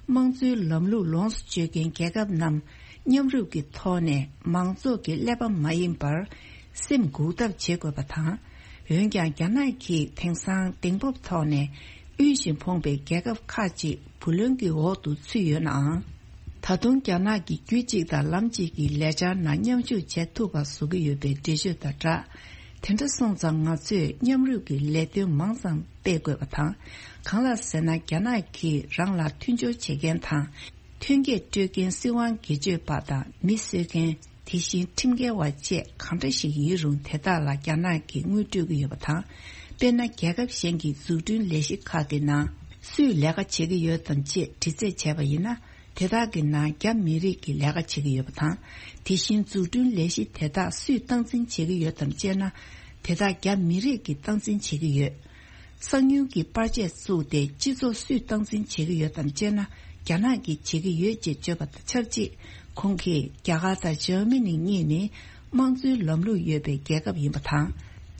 དམངས་གཙོའི་ལམ་ལུགས་ལོངས་སུ་སྤྱོད་མཁན་རྒྱལ་ཁབ་རྣམས་མཉམ་རུབ་ཀྱི་ཐོག་ནས་མང་ཚོགས་ཀྱི་ཀླད་པ་མ་ཡིན་པར་སེམས་འགུག་ཐབས་བྱེད་དགོས་པ་དང་། འོན་ཀྱང་། རྒྱ་ནག་གིས་དེང་སང་གདེང་སྤོབས་ཐོག་ནས་དབུལ་ཞིང་ཕོངས་པའི་རྒྱལ་ཁབ་ཁག་ཅིག་བུ་ལོན་གྱི་འོག་ཏུ་ཚུད་ཡོད་ནའང་། ད་དུང་རྒྱ་ནག་གིས་རྒྱུད་གཅིག་དང་ལམ་གཅིག་གི་ལས་འཆར་ནང་མཉམ་ཞུགས་བྱེད་ཐུབ་པ་བཟོ་གི་ཡོད་པའི་འགྲེལ་བརྗོད་དང་སྦྲགས། དེ་འདྲ་སོང་ཙང་ང་ཚོས་མཉམ་རུབ་ཀྱི་ལས་དོན་མང་ཙམ་སྤེལ་དགོས་པ་དང་། གང་ལགས་ཟེར་ན། རྒྱ་ནག་གིས་རང་ལ་མཐུན་སྦྱོར་བྱེད་མཁན་དང་། ཐོན་སྐྱེད་སྤྲོད་མཁན་སྲིད་དབང་སྒེར་གཅོད་པ་དང་མི་གསོད་མཁན། དེ་བཞིན་ཁྲིམས་འགལ་བ་བཅས་གང་འདྲ་ཞིག་ཡིན་རུང་དེ་དག་ལ་རྒྱ་ནག་གིས་དངུལ་སྤྲོད་ཀྱི་ཡོད་པ་དང་། དཔེར་ན། རྒྱལ་ཁབ་གཞན་གྱི་འཛུགས་སྐྲུན་ལས་གཞི་ཁག་གི་ནང་སུས་ལས་ཀ་བྱེད་ཀྱི་ཡོད་དམ་ཅེས་དྲི་རྩད་བྱས་པ་ཡིན་ན། དེ་དག་གི་ནང་རྒྱ་མི་རིགས་ཀྱིས་ལས་ཀ་བྱེད་ཀྱི་ཡོད་པ་དང་། དེ་བཞིན་འཛུགས་སྐྲུན་ལས་གཞི་དེ་དག་སུས་སྟངས་འཛིན་བྱེད་ཀྱི་ཡོད་དམ་ཅེ་ན། དེ་དག་རྒྱ་མི་རིགས་ཀྱིས་སྟངས་འཛིན་བྱེད་ཀྱི་ཡོད། གསང་ཉུལ་གྱི་པར་ཆས་བཙུགས་ཏེ་སྤྱི་ཚོགས་སུས་སྟངས་འཛིན་བྱེད་ཀྱི་ཡོད་དམ་ཅེ་ན། རྒྱ་ནག་གིས་བྱེད་ཀྱི་ཡོད་ཅེས་བརྗོད་པ་དང་ཆབས་ཅིག་ཁོང་གིས་རྒྱ་གར་དང་འཇར་མ་ནི་གཉིས་ནི་དམངས་གཙོའི་ལམ་ལུགས་ཡོད་པའི་རྒྱལ་ཁབ་ཡིན་པ་དང་།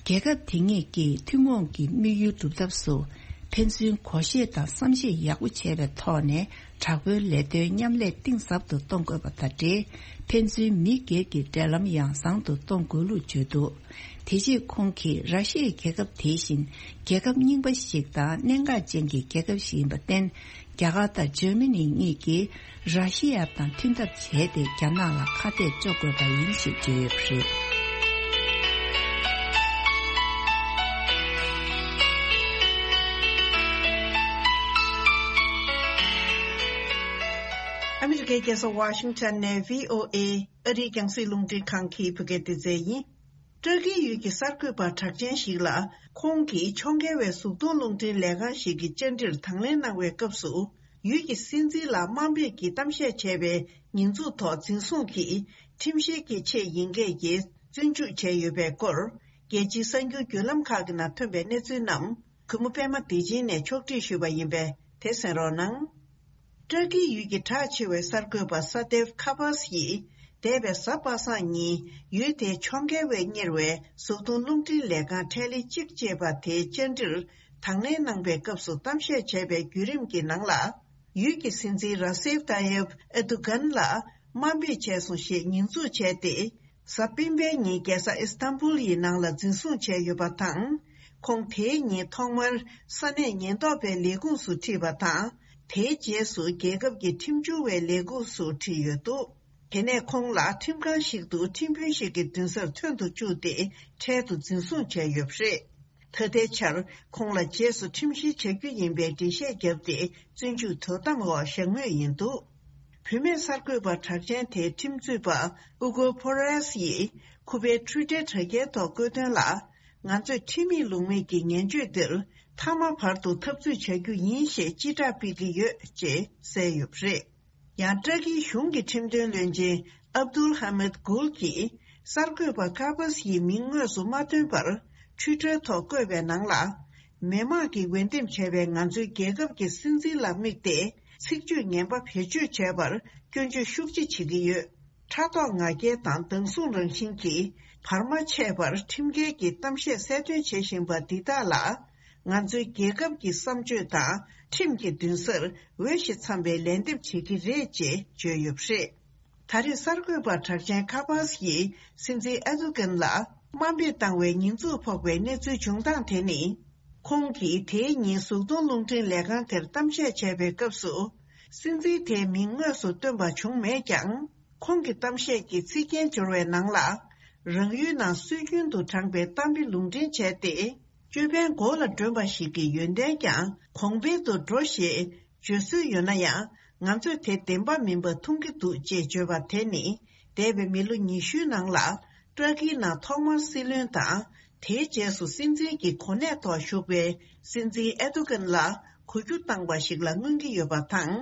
རྒྱལ་ཁབ་དེ་གཉིས་ཀྱིས་ཐུན་མོང་གི་དམིགས་ཡུལ་སྒྲུབ་ཐབས་སུ་ཕན་ཚུན་གོ་ཤེས་དང་བསམ་ཤེས་ཡག་པོ་བྱས་པའི་ཐོག་ནས་དྲག་པོའི་ལས་དོན་མཉམ་ལས་གཏིང་ཟབ་ཏུ་གཏོང་དགོས་པ་དང་འབྲེལ། ཕན་ཚུན་མི་སྒེར་གྱི་འབྲེལ་ལམ་ཡང་བཟང་དུ་གཏོང་དགོས་ལུགས་བརྗོད་འདུག་དེ་རྗེས་ཁོང་གིས་ར་ཤི་ཡའི་རྒྱལ་ཁབ་དེ་བཞིན་རྒྱལ་ཁབ་རྙིང་པ་ཞིག་དང་གནད་འགག་ཅན་གྱི་རྒྱལ་ཁབ་ཞིག་ཡིན་པར་བརྟེན། རྒྱ་གར་དང་འཇར་མ་ནི་གཉིས་ཀྱིས་ར་ཤི་ཡ་དང་མཐུན་ཐབས་བྱས་ཏེ་རྒྱ་ནག་ལ་ཁ་གཏད་གཅོག་དགོས་པ་ཡིན་ཞེས་བརྗོད་ཡོད་པ་རེད། ཨ་མི་རི་ཀའི་རྒྱལ་ས་ཝ་ཤིང་ཊོན་ནས་བྷི་ཨོ་ཨེ་ཨ་རིའི་རྒྱང་སྲིང་རླུང་འཕྲིན་ཁང་གི་བོད་སྐད་སྡེ་ཚན་ཡིན། ཏྲ་ཀིའི་ཡུལ་གྱི་གསར་འགོད་པ་གྲགས་ཅན་ཞིག་ལ། ཁོང་གིས་ཕྱོགས་འགལ་བའི་གཟུགས་མཐོང་རླུང་འཕྲིན་ལས་ཁང་ཞིག་གི་བཅར་འདྲིར་དང་ལེན་གནང་བའི་སྐབས་སུ། ཡུལ་གྱི་སྲིད་འཛིན་ལ་དམའ་འབེབས་ཀྱིས་གཏམ་བཤད་བྱས་པའི་ཉེས་འཛུགས་ཐོག་འཛིན་བཟུང་གིས་ཁྲིམས་བཤེར་གྱི་ཆེད་ཡིན་སྐད་ཀྱིས་བཙོན་འཇུག་བྱས་ཡོད་པའི་སྐོར། རྒྱལ་སྤྱིའི་གསར་འགྱུར་བརྒྱུད་ལམ་ཁག་གི་ནང་ཐོན་པའི་གནས་ཚུལ་རྣམས། གུས་མོ་པད་མ་བདེ་ཆེན་ནས་ཕྱོགས་སྒྲིག་ཞུས་པ་ཡིན་པས་དེ་གསན་རོགས་གནང་། ཏྲ་ཀིའི་ཡུལ་གྱི་གྲགས་ཆེ་བའི་གསར་འགོད་པ་ས་ཏེབ་ཁ་པཱས་ཡིས། འདས་པའི་གཟའ་པ་སངས་ཉིན་ཡུལ་དེའི་ཕྱོགས་འགལ་བས་གཉེར་བའི་གཟུགས་མཐོང་རླུང་འཕྲིན་ལས་ཁང་ཁྲེ་ལི་གཅིག་ཅེས་པ་དེའི་བཅར་འདྲིར་དང་ལེན་གནང་པའི་སྐབས་སུ་གཏམ་བཤད་བྱས་པའི་བརྒྱུད་རིམ་གྱི་ནང་ལ། ཡུལ་གྱི་སྲིད་འཛིན་ར་སེབ་ཏཱ་ཡེབ་ཨེ་རྡུ་གན་ལ་དམའ་འབེབས་བྱས་སོང་ཞེས་ཉེས་འཛུགས་བྱས་ཏེ། གཟའ་སྤེན་པའི་ཉིན་རྒྱལ་ས་ཨི་སྟན་བུལ་ཡི་ནང་ལ་འཛིན་བཟུང་བྱས་ཡོད་པ་དང་། ཁོང་དེའི་ཉིན་ཐོག་མར་ས་གནས་ཉེན་རྟོག་པའི་ལས་ཁུངས་སུ་ཁྲིད་པ་དང་། དེའི་རྗེས་སུ་རྒྱལ་ཁབ་ཀྱི་ཁྲིམས་སྦྱོར་བའི་ལས་ཁུངས་སུ་ཁྲིད་ཡོད་འདུག་དེ་ནས་ཁོང་ལ་ཁྲིམས་ཁང་ཞིག་ཏུ་ཁྲིམས་དཔོན་ཞིག་གི་མདུན་སར་ཐོན་དུ་བཅུག་སྟེ་འཕྲལ་དུ་འཛིན་བཟུང་བྱས་ཡོད་པ་རེད། ད་ལྟའི་ཆར་ཁོང་ལ་རྗེས་སུ་ཁྲིམས་བཤེར་བྱ་རྒྱུ་ཡིན་པའི་འགྲེལ་བཤད་བརྒྱབ་སྟེ་བཙོན་འཇུག་དོ་དམ་འོག་བཞག་མུས་ཡིན་འདུག་བུད་མེད་གསར་འགོད་པ་གྲགས་ཅན་དེའི་ཁྲིམས་རྩོད་པ་ཨུ་གོ་ཕོ་རེས་ཡིས་ཁུ་པའི་ཊུའི་ཊར་དྲ་རྒྱའི་ཐོག་བཀོད་དོན་ལ། ང་ཚོས་ཁྲིམས་མེད་ལུགས་མེད་ཀྱི་ངན་བྱུས་འདིར་མཐའ་མ་བར་དུ་འཐབ་རྩོད་བྱ་རྒྱུ་ཡིན་ཞེས་སྤྱི་བསྒྲགས་སྤེལ་གྱི་ཡོད་ཅེས་གསལ་ཡོད་པ་རེད། ཡང་ཏྲ་ཀིའི་གཞུང་གི་ཁྲིམས་དོན་བློན་ཆེན་ཨབ་དུལ་ཧ་མད་གུལ་གྱིས་གསར་འགོད་པ་ཀ་པཱས་ཡི་མིང་དངོས་སུ་མ་བཏོན་པར་ཊུའི་ཊར་ཐོག་བཀོད་པའི་ནང་ལ། མི་དམངས་ཀྱིས་འོས་འདེམས་བྱས་པའི་ང་ཚོའི་རྒྱལ་ཁབ་ཀྱི་སྲིད་འཛིན་ལ་དམིགས་ཏེ་ཚིག་བརྗོད་ངན་པ་བེད་སྤྱོད་བྱས་པར་སྐྱོན་བརྗོད་ཤུགས་ཆེ་བྱེད་ཀྱི་ཡོད། ཕྲག་དོག་ང་རྒྱལ་དང་སྡང་ཟུག་རང་བཞིན་གྱིས་བར་མ་ཆད་པར་ཁྲིམས་འགལ་གྱི་གཏམ་བཤད་གསལ་སྟོན་བྱེད་བཞིན་པ་འདི་དག་ལ། ང་ཚོའི་རྒྱལ་ཁབ་ཀྱི་བསམ་སྤྱོད་དང་ཁྲིམས་ཀྱི་མདུན་སར་འོས་ཤིང་འཚམ་པའི་ལན་འདེབས་བྱེད་ཀྱི་རེད་ཅེས་བརྗོད་ཡོད་པ་རེད། ད་རེས་གསར་འགོད་པ་གྲགས་ཅན་ཁ་པཱས་ཡིས་སྲིད་འཛིན་ཨེ་རྡུ་གན་ལ་དམའ་འབེབས་བཏང་བའི་ཉེས་འཛུགས་ཕོག་པའི་གནས་ཚུལ་བྱུང་སྟངས་དེ་ནི། ཁོང་གིས་དེའི་ཉིན་གཟུགས་མཐོང་རླུང་འཕྲིན་ལས་ཁང་དེར་གཏམ་བཤད་བྱས་པའི་སྐབས་སུ། སྲིད་འཛིན་དེའི་མིང་དངོས་སུ་བཏོན་པ་བྱུང་མེད་ཀྱང་། ཁོང་གི་གཏམ་བཤད་ཀྱི་ཚིག་རྒྱན་སྦྱོར་བའི་ནང་ལ། རང་ཡུལ་ནང་སྲོལ་རྒྱུན་དུ་དྲངས་པའི་གཏམ་དཔེ་ལུང་འདྲེན་བྱས་ཏེ། ཅོད་པན་མགོ་ལ་སྒྲོན་པ་ཞིག་གི་ཡོན་ཏན་ཀྱང་གོང་འཕེལ་དུ་འགྲོ་ཞེས་བརྗོད་སྲོལ་ཡོད་ན་ཡང་། ང་ཚོས་དེ་བདེན་པ་མིན་པ་མཐོང་གི་འདུག་ཅེས་བརྗོད་པ་དེ་ནི། འདས་པའི་མི་ལོ་ཉི་ཤུའི་ནང་ལ། ཏྲ་ཀིའི་ནང་ཐོག་མར་སྲིད་བློན་དང་། དེའི་རྗེས་སུ་སྲིད་འཛིན་གྱི་གོ་གནས་ཐོག་བཞུགས་པའི་སྲིད་འཛིན་ཨེ་རྡུ་གན་ལ་གོ་རྒྱུ་བཏང་བ་ཞིག་ལ་མངོན་གྱི་ཡོད་པ་དང་།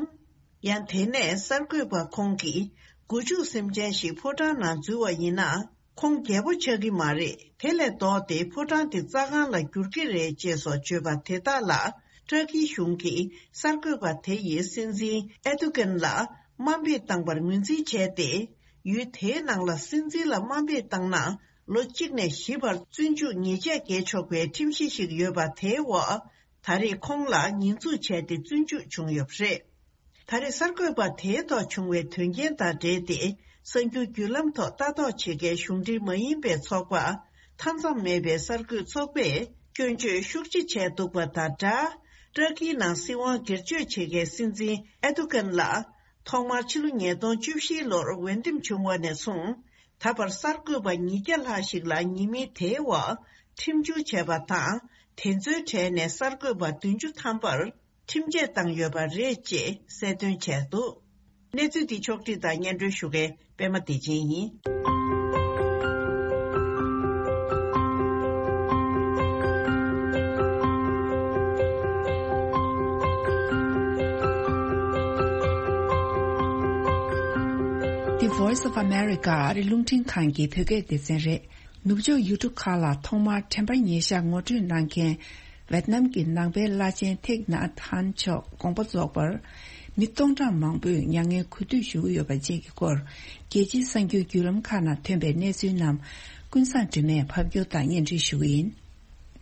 ཡང་དེ་ནས་གསར་འགོད་པ་ཁོང་གིས་སྒོ་ཕྱུགས་སེམས་ཅན་ཞིག་ཕོ་བྲང་ནང་འཛུལ་བ་ཡིན་ན། ཁོང་རྒྱལ་པོ་ཆགས་ཀྱི་མ་རེད། དེ་ལས་ལྡོག་སྟེ་ཕོ་བྲང་དེ་རྩྭ་ཁང་ལ་བསྒྱུར་གྱི་རེད་ཅེས་སོགས་བརྗོད་པ་དེ་དག་ལ། ཏྲ་ཀིའི་གཞུང་གིས་གསར་འགོད་པ་དེ་ཡིས་སྲིད་འཛིན་ཨེ་རྡུ་གན་ལ་དམའ་འབེབས་བཏང་པར་ངོས་འཛིན་བྱས་ཏེ། ཡུལ་དེའི་ནང་ལ་སྲིད་འཛིན་ལ་དམའ་འབེབས་བཏང་ན། ལོ་གཅིག་ནས་བཞི་བར་བཙོན་འཇུག་ཉེས་ཆད་འགེལ་ཆོག་པའི་ཁྲིམས་གཞི་ཞིག་ཡོད་པ་དེའི་འོག་ད་རེས་ཁོང་ལ་ཉེས་འཛུགས་བྱས་ཏེ་བཙོན་འཇུག་བྱུང་ཡོད་པ་རེད། ད་རེས་གསར་འགོད་པ་དེའི་ཐོག་བྱུང་བའི་དོན་རྐྱེན་དང་འབྲེལ་ཏེ། གསར་འགྱུར་བརྒྱུད་ལམ་ཐོག་ལྟ་རྟོག་བྱེད་མཁན་གཞུང་འབྲེལ་མ་ཡིན་པའི་ཚོགས་པ། མཐའ་མཚམས་མེད་པའི་གསར་འགོད་ཚོགས་པས་སྐྱོན་བརྗོད་ཤུགས་ཆེ་བྱས་འདུག་པ་དང་སྦྲགས། ཏྲ་ཀིའི་ནང་སྲིད་དབང་སྒེར་གཅོད་བྱེད་མཁན་སྲིད་འཛིན་ཨེ་རྡུ་གན་ལ། ཐོག་མར་ཕྱི་ལོ་ཉིས་སྟོང་བཅུ་བཞིའི་ལོར་འོས་འདེམས་བྱུང་བ་ནས་བཟུང་། ད་བར་གསར་འགོད་པ་ཉིས་བརྒྱ་ལྷག་ཞིག་ལ་ཉེས་མིང་དེའི་འོག་ཁྲིམས་སྦྱོར་བྱས་པ་དང་། དེ་ཚོའི་གྲས་ནས་གསར་འགོད་པ་བདུན་ཅུ་ཐམ་པར་ཁྲིམས་ཆད་བཏང་ཡོད་པ་རེད་ཅེས་གསལ་སྟོན་བྱས་འདུག་གནས་ཚུལ་འདི་ཕྱོགས་བསྒྲིགས་དང་སྙན་སྒྲོན་ཞུ་མཁན་པད་མ་བདེ་ཆེན་ཡིན། The Voice of America ཨ་རི་རླུང་འཕྲིན་ཁང་གི་བོད་སྐད་སྡེ་ཚན་རེད། ནུབ་ཕྱོགས་ཡུལ་གྲུ་ཁག་ལ་ཐོག་མར་དྲན་པ་ཉེར་ཞག་ངོ་སྤྲོད་གནང་མཁན། ཝེད་ནམ་གྱི་ནང་པའི་བླ་ཆེན་ཐེག་ནཱ་ཐཱན་མཆོག་དགོངས་པ་རྫོགས་པར། མི་སྟོང་ཕྲག་མང་པོས་མྱ་ངན་གུས་འདུད་ཞུ་གི་ཡོད་པ་བཅས་ཀྱི་སྐོར། རྒྱལ་སྤྱིའི་གསར་འགྱུར་བརྒྱུད་ལམ་ཁག་ནང་ཐོན་པའི་གནས་ཚུལ་རྣམས། ཀུན་བཟང་སྒྲོལ་མས་ཕབ་སྒྱུར་དང་སྙན་སྒྲོན་ཞུ་གི་ཡིན།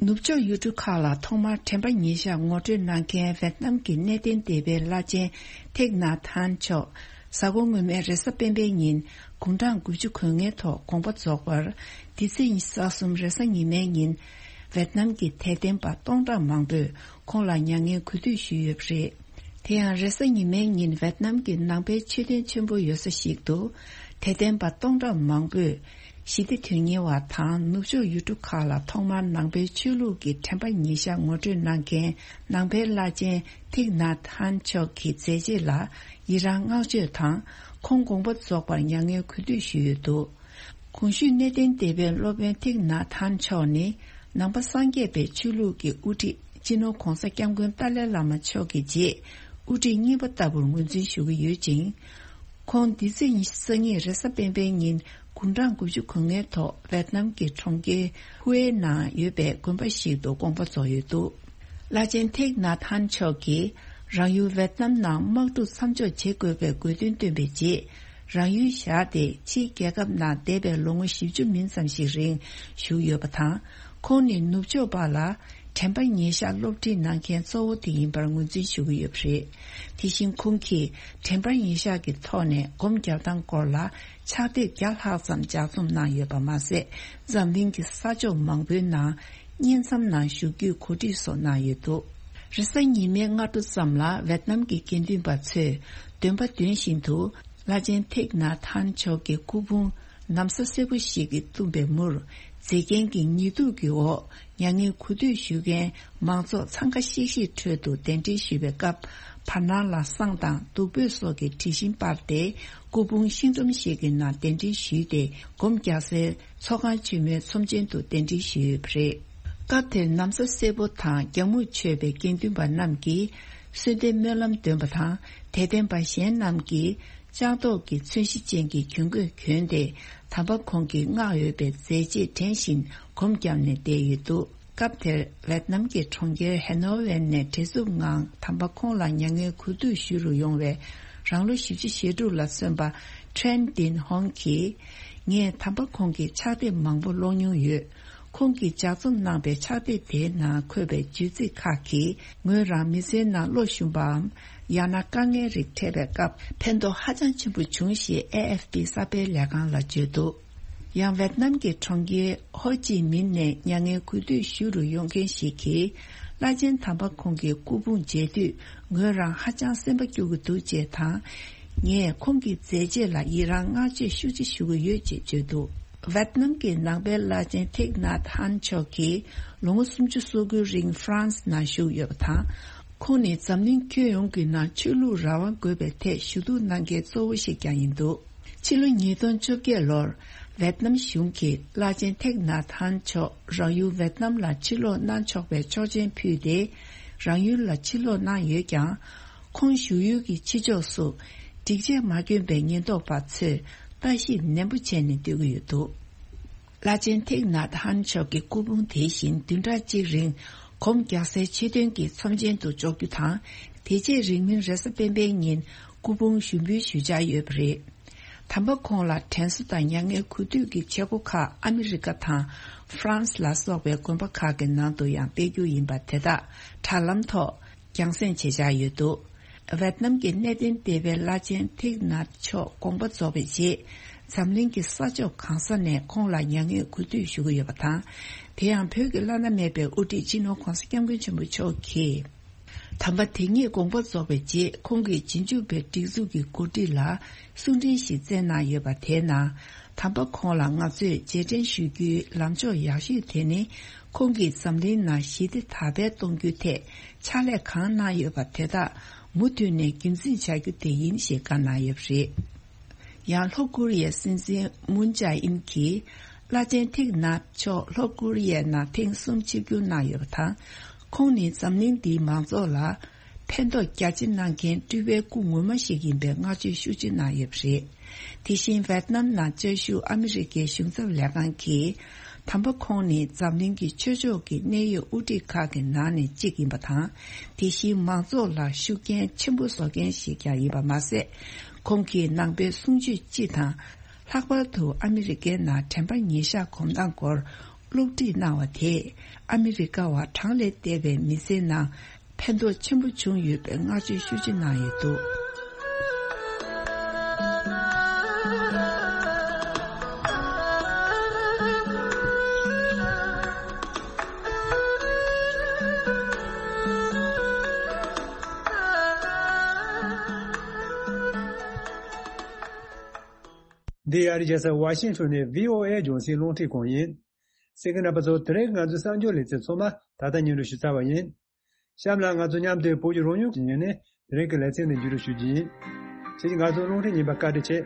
ནུབ་ཕྱོགས་ཡུལ་གྲུ་ཁག་ལ་ཐོག་མར་དྲན་པ་ཉེར་ཞག་ངོ་སྤྲོད་གནང་མཁན་ཝེད་ནམ་གྱི་གནས་བརྟན་སྡེ་པའི་བླ་ཆེན་ཐེག་ནཱ་ཐཱན་མཆོག་གཟའ་འཁོར་སྔོན་མའི་རེས་གཟའ་སྤེན་པའི་ཉིན་དགུང་གྲངས་དགུ་བཅུ་གོ་ལྔའི་ཐོག་དགོངས་པ་རྫོགས་པར། འདི་ཚེས་ཉི་ཤུ་རྩ་གསུམ་རེས་གཟའ་ཉི་མའི་ཉིན། ཝེད་ནམ་གྱི་དད་ལྡན་པ་སྟོང་ཕྲག་མང་པོས་ཁོང་ལ་མྱ་ངན་གུས་འདུད་ཞུས་ཡོད་པ་རེད། དེ་ཡང་རེས་གཟའ་ཉི་མའི་ཉིན་ཝེད་ནམ་གྱི་ནང་པའི་མཆོད་རྟེན་ཆེན་པོ་ཡོད་ས་ཞིག་ཏུ། དད་ལྡན་པ་སྟོང་ཕྲག་མང་པོས། ཞི་བདེ་དོན་གཉེར་བ་དང་ནུབ་ཕྱོགས་ཡུལ་གྲུ་ཁག་ལ་ཐོག་མར་ནང་པའི་ཆོས་ལུགས་ཀྱི་དྲན་པ་ཉེར་ཞག་ངོ་སྤྲོད་གནང་མཁན་ནང་པའི་བླ་ཆེན་ཐིག་ནཱ་ཐཱན་མཆོག་གི་མཛད་རྗེས་ལ་ཡི་རང་བསྔགས་བརྗོད་དང་ཁོང་དགོངས་པ་རྫོགས་པར་མྱ་ངན་གུས་འདུད་ཞུས་ཡོད་འདུག། གོང་ཞུས་གནས་བརྟན་སྡེ་པའི་སློབ་དཔོན་ཐིག་ནཱ་ཐཱན་མཆོག་ནི་ནང་པ་སངས་རྒྱས་པའི་ཆོས་ལུགས་ཀྱི་དབུ་ཁྲིད་སྤྱི་ནོར་༧གོང་ས་༧སྐྱབས་མགོན་ཏཱ་ལའི་བླ་མ་མཆོག་གི་རྗེས་དབུ་ཁྲིད་གཉིས་པ་ལྟ་བུར་ངོས་འཛིན་ཞུ་གི་ཡོད་ཅིང་། ཁོང་འདི་ཚེས་ཉི་ཤུ་རྩ་གཉིས་རེས་གཟའ་སྤེན་པའི་ཉིན་དགུང་གྲངས་དགུ་བཅུ་གོ་ལྔའི་ཐོག་ཝེད་ནམ་གྱི་གྲོང་ཁྱེར་ཧུའེ་ནང་ཡོད་པའི་དགོན་པ་ཞིག་ཏུ་དགོངས་པ་རྫོགས་ཡོད་འདུག། བླ་ཆེན་ཐེག་ནཱ་ཐཱན་མཆོག་གིས་རང་ཡུལ་ཝེད་ནམ་ནང་དམག་འཁྲུག་མཚམས་འཇོག་བྱེད་དགོས་པའི་དགོས་འདུན་བཏོན་པའི་རྗེས། རང་ཡུལ་བཞག་སྟེ་ཕྱིའི་རྒྱལ་ཁབ་ནང་འདས་པའི་ལོ་ངོ་བཞི་བཅུ་མིན་ཙམ་ཞིག་རིང་བཞུགས་ཡོད་པ་དང་། ཁོང་ནི་ནུབ་ཕྱོགས་པ་ལ་དྲན་པ་ཉེར་ཞག་སློབ་ཁྲིད་གནང་མཁན་གཙོ་བོ་དེ་ཡིན་པར་ངོས་འཛིན་ཞུ་གི་ཡོད་པ་རེད། དེ་བཞིན་ཁོང་གིས་དྲན་པ་ཉེར་ཞག་གི་ཐོག་ནས་སྒོམ་རྒྱག་སྟངས་སྐོར་ལ་ཕྱག་དེབ་བརྒྱ་ལྷག་ཙམ་ལྗགས་རྩོམ་གནང་ཡོད་པ་མ་ཟད། འཛམ་གླིང་གི་ས་ཕྱོགས་མང་པོའི་ནང་། བསྙེན་མཚམས་ནང་བཞུགས་རྒྱུའི་གོ་སྒྲིག་སོགས་གནང་ཡོད་འདུག། རེས་གཟའ་ཉི་མའི་སྔ་དྲོ་ཙམ་ལ་ཝེད་ནམ་གྱི་དགེ་འདུན་པ་ཚོས་འདོན་པ་འདོན་བཞིན་དུ་བླ་ཆེན་ཐེག་ནཱ་ཐཱན་མཆོག་གི་སྐུ་ཕུང་ན་བཟའ་སེར་པོ་ཞིག་གིས་བཏུམས་པའི་མུར། མཛེས་རྒྱན་གྱི་ཉི་གདུགས་ཀྱི་འོག་མྱ་ངན་གུས་འདུད་ཞུ་མཁན་མང་ཚོགས་འཚང་ཁ་ཤིག་ཤིག་ཁྲོད་དུ་གདན་འདྲེན་ཞུས་པའི་སྐབས། བར་སྣང་ལ་བསང་དང་བདུག་སྤོས་སོགས་ཀྱི་དྲི་ཞིམ་སྤར་ཏེ། སྐུ་ཕུང་ཤིང་སྒྲོམ་ཞིག་གི་ནང་གདན་འདྲེན་ཞུས་ཏེ། སྒོམ་རྒྱག་སའི་ཚོགས་ཁང་ཆེན་མོའི་ཚོམས་ཆེན་དུ་གདན་འདྲེན་ཞུས་ཡོད་པ་རེད། སྐབས་དེར་ན་བཟའ་སེར་པོ་དང་རྒྱང་མུ་ཆོད་པའི་དགེ་འདུན་པ་རྣམས་ཀྱིས་གསོལ་འདེབས་སྨོན་ལམ་འདོན་པ་དང་། དད་ལྡན་པ་གཞན་རྣམས་ཀྱིས་ལྕགས་ཏོག་གི་ཚོན་གཞི་ཅན་གྱི་གྱོན་གོས་གྱོན་ཏེ། དམ་པ་ཁོང་གི་བསྔགས་འོས་པའི་མཛད་རྗེས་དྲན་བཞིན་སྒོམ་བརྒྱབ་ནས་བསྡད་ཡོད་འདུག། སྐབས་དེར་ཝེད་ནམ་གྱི་གྲོང་ཁྱེར་ཧེ་ནོ་ཝེན་ནས་བྲེལ་འཚུབ་ངང་དམ་པ་ཁོང་ལ་མྱ་ངན་གུས་འདུད་ཞུ་རུ་ཡོང་བའི་རང་ལོ་བཞི་བཅུ་ཞེ་དྲུག་ལ་སོན་པ་ཁྲེན་ཏིན་ཧོང་གིས། ངས་དམ་པ་ཁོང་གི་ཕྱག་དེབ་མང་པོ་ཀློག་མྱོང་ཡོད། ཁོང་གིས་ལྗགས་རྩོམ་གནང་པའི་ཕྱག་དེབ་དེའི་ནང་འཁོད་པའི་བརྗོད་ཚིག་ཁག་གིས་ངོས་རང་མི་ཚེའི་ནང་བློ་ཞུམ་པའམ། ཡང་ན་དཀའ་ངལ་རིགས་འཕྲད་པའི་སྐབས་ཕན་ཐོགས་ཧ་ཅང་ཆེན་པོ་བྱུང་ཞེས་ཨེ་ཨེཕ་པི་གསར་སྤེལ་ལས་ཁང་ལ་བརྗོད་འདུག། ཡང་ཝེད་ནམ་གྱི་གྲོང་ཁྱེར་ཧོ་ཅི་མིན་ནས་མྱ་ངན་གུས་འདུད་ཞུ་རུ་ཡོང་མཁན་ཞིག་གིས། བླ་ཆེན་དམ་པ་ཁོང་གི་སྐུ་ཕུང་མཇལ་དུས་ངོས་རང་ཧ་ཅང་སེམས་པ་སྐྱོ་གི་འདུག་ཅེས་དང་། ངས་ཁོང་གི་མཛད་རྗེས་ལ་ཡི་རང་བསྔགས་བརྗོད་ཤུགས་ཆེ་ཞུ་གི་ཡོད་ཅེས་བརྗོད་འདུག། ཝེད་ནམ་གྱི་ནང་པའི་བླ་ཆེན་ཐེག་ནཱ་ཐཱན་མཆོག་གིས་ལོ་ངོ་སུམ་ཅུ་སོ་དགུའི་རིང་ཧྥ་རན་སི་ནང་བཞུགས་ཡོད་པ་དང་། ཁོང་ནི་འཛམ་གླིང་ཁྱོན་ཡོངས་ཀྱི་ནང་ཆོས་ལུགས་རང་དབང་དགོས་པའི་ཐད་ཞུ་གཏུག་གནང་མཁན་གཙོ་བོ་ཞིག་ཀྱང་ཡིན་འདུག། ཕྱི་ལོ་ཉིས་སྟོང་བཅོ་བརྒྱད་ལོར་ཝེད་ནམ་གཞུང་གིས་བླ་ཆེན་ཐེག་ནཱ་ཐཱན་མཆོག་རང་ཡུལ་ཝེད་ནམ་ལ་ཕྱིར་ལོག་གནང་ཆོག་པའི་ཆོག་མཆན་ཕུལ་ཏེ། རང་ཡུལ་ལ་ཕྱིར་ལོག་གནང་ཡོད་ཀྱང་། ཁོང་བཞུགས་ཡུལ་གྱི་ཕྱི་ཕྱོགས་སུ་སྒྲིག་ཆས་མ་གྱོན་པའི་ཉེན་རྟོག་པ་ཚོས་ལྟ་ཞིབ་ནན་པོ་བྱས་ནས་སྡོད་ཀྱི་ཡོད་འདུག། བླ་ཆེན་ཐེག་ནཱ་ཐཱན་མཆོག་གི་སྐུ་ཕུང་དེ་བཞིན་བདུན་ཕྲག་གཅིག་རིང་སྒོམ་རྒྱག་སའི་མཆོད་རྟེན་གྱི་ཚོམས་ཆེན་དུ་འཇོག་རྒྱུ་དང་། དེ་རྗེས་རིང་མིན་རེས་གཟའ་སྤེན་པའི་ཉིན་སྐུ་ཕུང་ཞུགས་འབུལ་ཞུ་འཆར་ཡོད་པ་རེད། དམ་པ་ཁོང་ལ་དྲན་གསོ་དང་མྱ་ངན་གུས་འདུད་ཀྱི་བྱེད་སྒོ་ཁག་ཨ་མི་རི་ཀ་དང་ཧྥ་རན་སི་ལ་སོགས་པའི་དགོན་པ་ཁག་གི་ནང་དུ་ཡང་སྤེལ་རྒྱུ་ཡིན་པ་དེ་དག་དྲ་ལམ་ཐོག་རྒྱང་སྲིང་བྱེད་འཆར་ཡོད་འདུག། ཝེད་ནམ་གྱི་གནས་བརྟན་སྡེ་པའི་བླ་ཆེན་ཐིག་ནཱ་མཆོག་དགོངས་པ་རྫོགས་པའི་རྗེས། འཛམ་གླིང་གི་ས་ཕྱོགས་གང་ས་ནས་ཁོང་ལ་མྱ་ངན་གུས་འདུད་ཞུ་གི་ཡོད་པ་དང་། དེ་ཡང་བོད་ཀྱི་བླ་ན་མེད་པའི་དབུ་ཁྲིད་སྤྱི་ནོར་༧གོང་ས་༧སྐྱབས་མགོན་ཆེན་པོ་མཆོག་གིས། དམ་པ་དེ་ཉིད་དགོངས་པ་རྫོགས་པའི་རྗེས་ཁོང་གིས་རྗེས་འཇུག་པའི་སྒྲིག་འཛུགས་ཀྱི་འགོ་ཁྲིད་ལ་གསུང་འཕྲིན་ཞིག་བསྩལ་གནང་ཡོད་པ་དེའི་ནང་། དམ་པ་ཁོང་ལ་ང་ཚོས་རྗེས་དྲན་ཞུ་རྒྱུའི་ལམ་ཕྱོགས་ཡག་ཤོས་དེ་ནི། ཁོང་གིས་འཛམ་གླིང་ནང་ཞི་བདེ་དར་སྤེལ་གཏོང་རྒྱུའི་ཐད་ཕྱག་ལས་གང་གནང་ཡོད་པ་དེ་དག་ མུ་མཐུད་ནས་རྒྱུན་འཛིན་བྱ་རྒྱུ་དེ་ཡིན་ཞེས་བཀའ་གནང་ཡོད་པ་རེད། ཡང་ལྷོ་ཀོ་རི་ཡའི་སྲིད་འཛིན་མུན་ཇཱ་ཨིན་གྱིས་བླ་ཆེན་ཐིག་ནཱཐ་མཆོག་ལྷོ་ཀོ་རི་ཡའི་ནང་ཐེངས་གསུམ་ཆིབས་བསྒྱུར་གནང་ཡོད་པ་དང་། ཁོང་ནི་འཛམ་གླིང་འདིའི་མང་ཚོགས་ལ་ཕན་ཐོགས་རྒྱ་ཆེ་གནང་མཁན་སྤྲུལ་པའི་སྐུ་ངོ་མ་ཞིག་ཡིན་པའི་བསྔགས་བརྗོད་ཤུགས་ཆེ་གནང་ཡོད་པ་རེད། དེ་བཞིན་ཝེད་ནམ་ནང་བཅའ་བཞུགས་ཨ་མི་རི་ཀའི་གཞུང་ཚབ་ལས་ཁང་གིས། དམ་པ་ཁོང་ནི་འཛམ་གླིང་གི་ཆོས་ཕྱོགས་ཀྱི་གནད་ཡོད་དབུ་ཁྲིད་ཁག་གི་ནང་ནས་གཅིག་ཡིན་པ་དང་། དེ་བཞིན་མང་ཚོགས་ལ་ཤུགས་རྐྱེན་ཆེན་པོ་བཟོ་མཁན་ཞིག་ཀྱང་ཡིན་པ་མ་ཟད། ཁོང་གིས་ནང་པའི་གསུང་ཆོས་སྤྱི་དང་། ལྷག་པར་དུ་ཨ་མི་རི་ཀའི་ནང་དྲན་པ་ཉེར་བཞག་གོམ་སྟངས་སྐོར་སློབ་ཁྲིད་གནང་བ་དེས་ཨ་མི་རི་ཀ་བ་གྲངས་ལས་འདས་པའི་མི་ཚེའི་ནང་། ཕན་ཐོགས་ཆེན་པོ་བྱུང་ཡོད་པའི་བསྔགས་བརྗོད་ཤུགས་ཆེ་གནང་ཡོད་འདུག། འདི་ཨ་རི་རྒྱལ་ས་ཝ་ཤིང་ཊོན་ནས་བྷི་ཨོ་ཨེ་རྒྱང་སྲིང་རླུང་འཕྲིན་ཁང་ཡིན། གསན་མཁན་རྣམ་པ་ཚོ། དེ་རིང་ང་ཚོའི་གསར་འགྱུར་ལེ་ཚན་ཚང་མ་ད་ལྟ་སྙན་སྒྲོན་ཞུ་ཚར་བ་ཡིན། གཤམ་ལ་ང་ཚོ་མཉམ་དུ་བོད་ཀྱི་རང་ཡུལ་གྱི་ཉིན་ནས་དེ་རིང་གི་ལེ་ཚན་ནས་མཇུག་སྒྲིལ་ཞུ་རྒྱུ་ཡིན། ཁྱེད་ཀྱིས་ང་ཚོ་རླུང་འཕྲིན་ཉན་པར་བཀའ་དྲིན་ཆེ།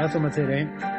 ད་སོ་མ་ཚེ་རིང་།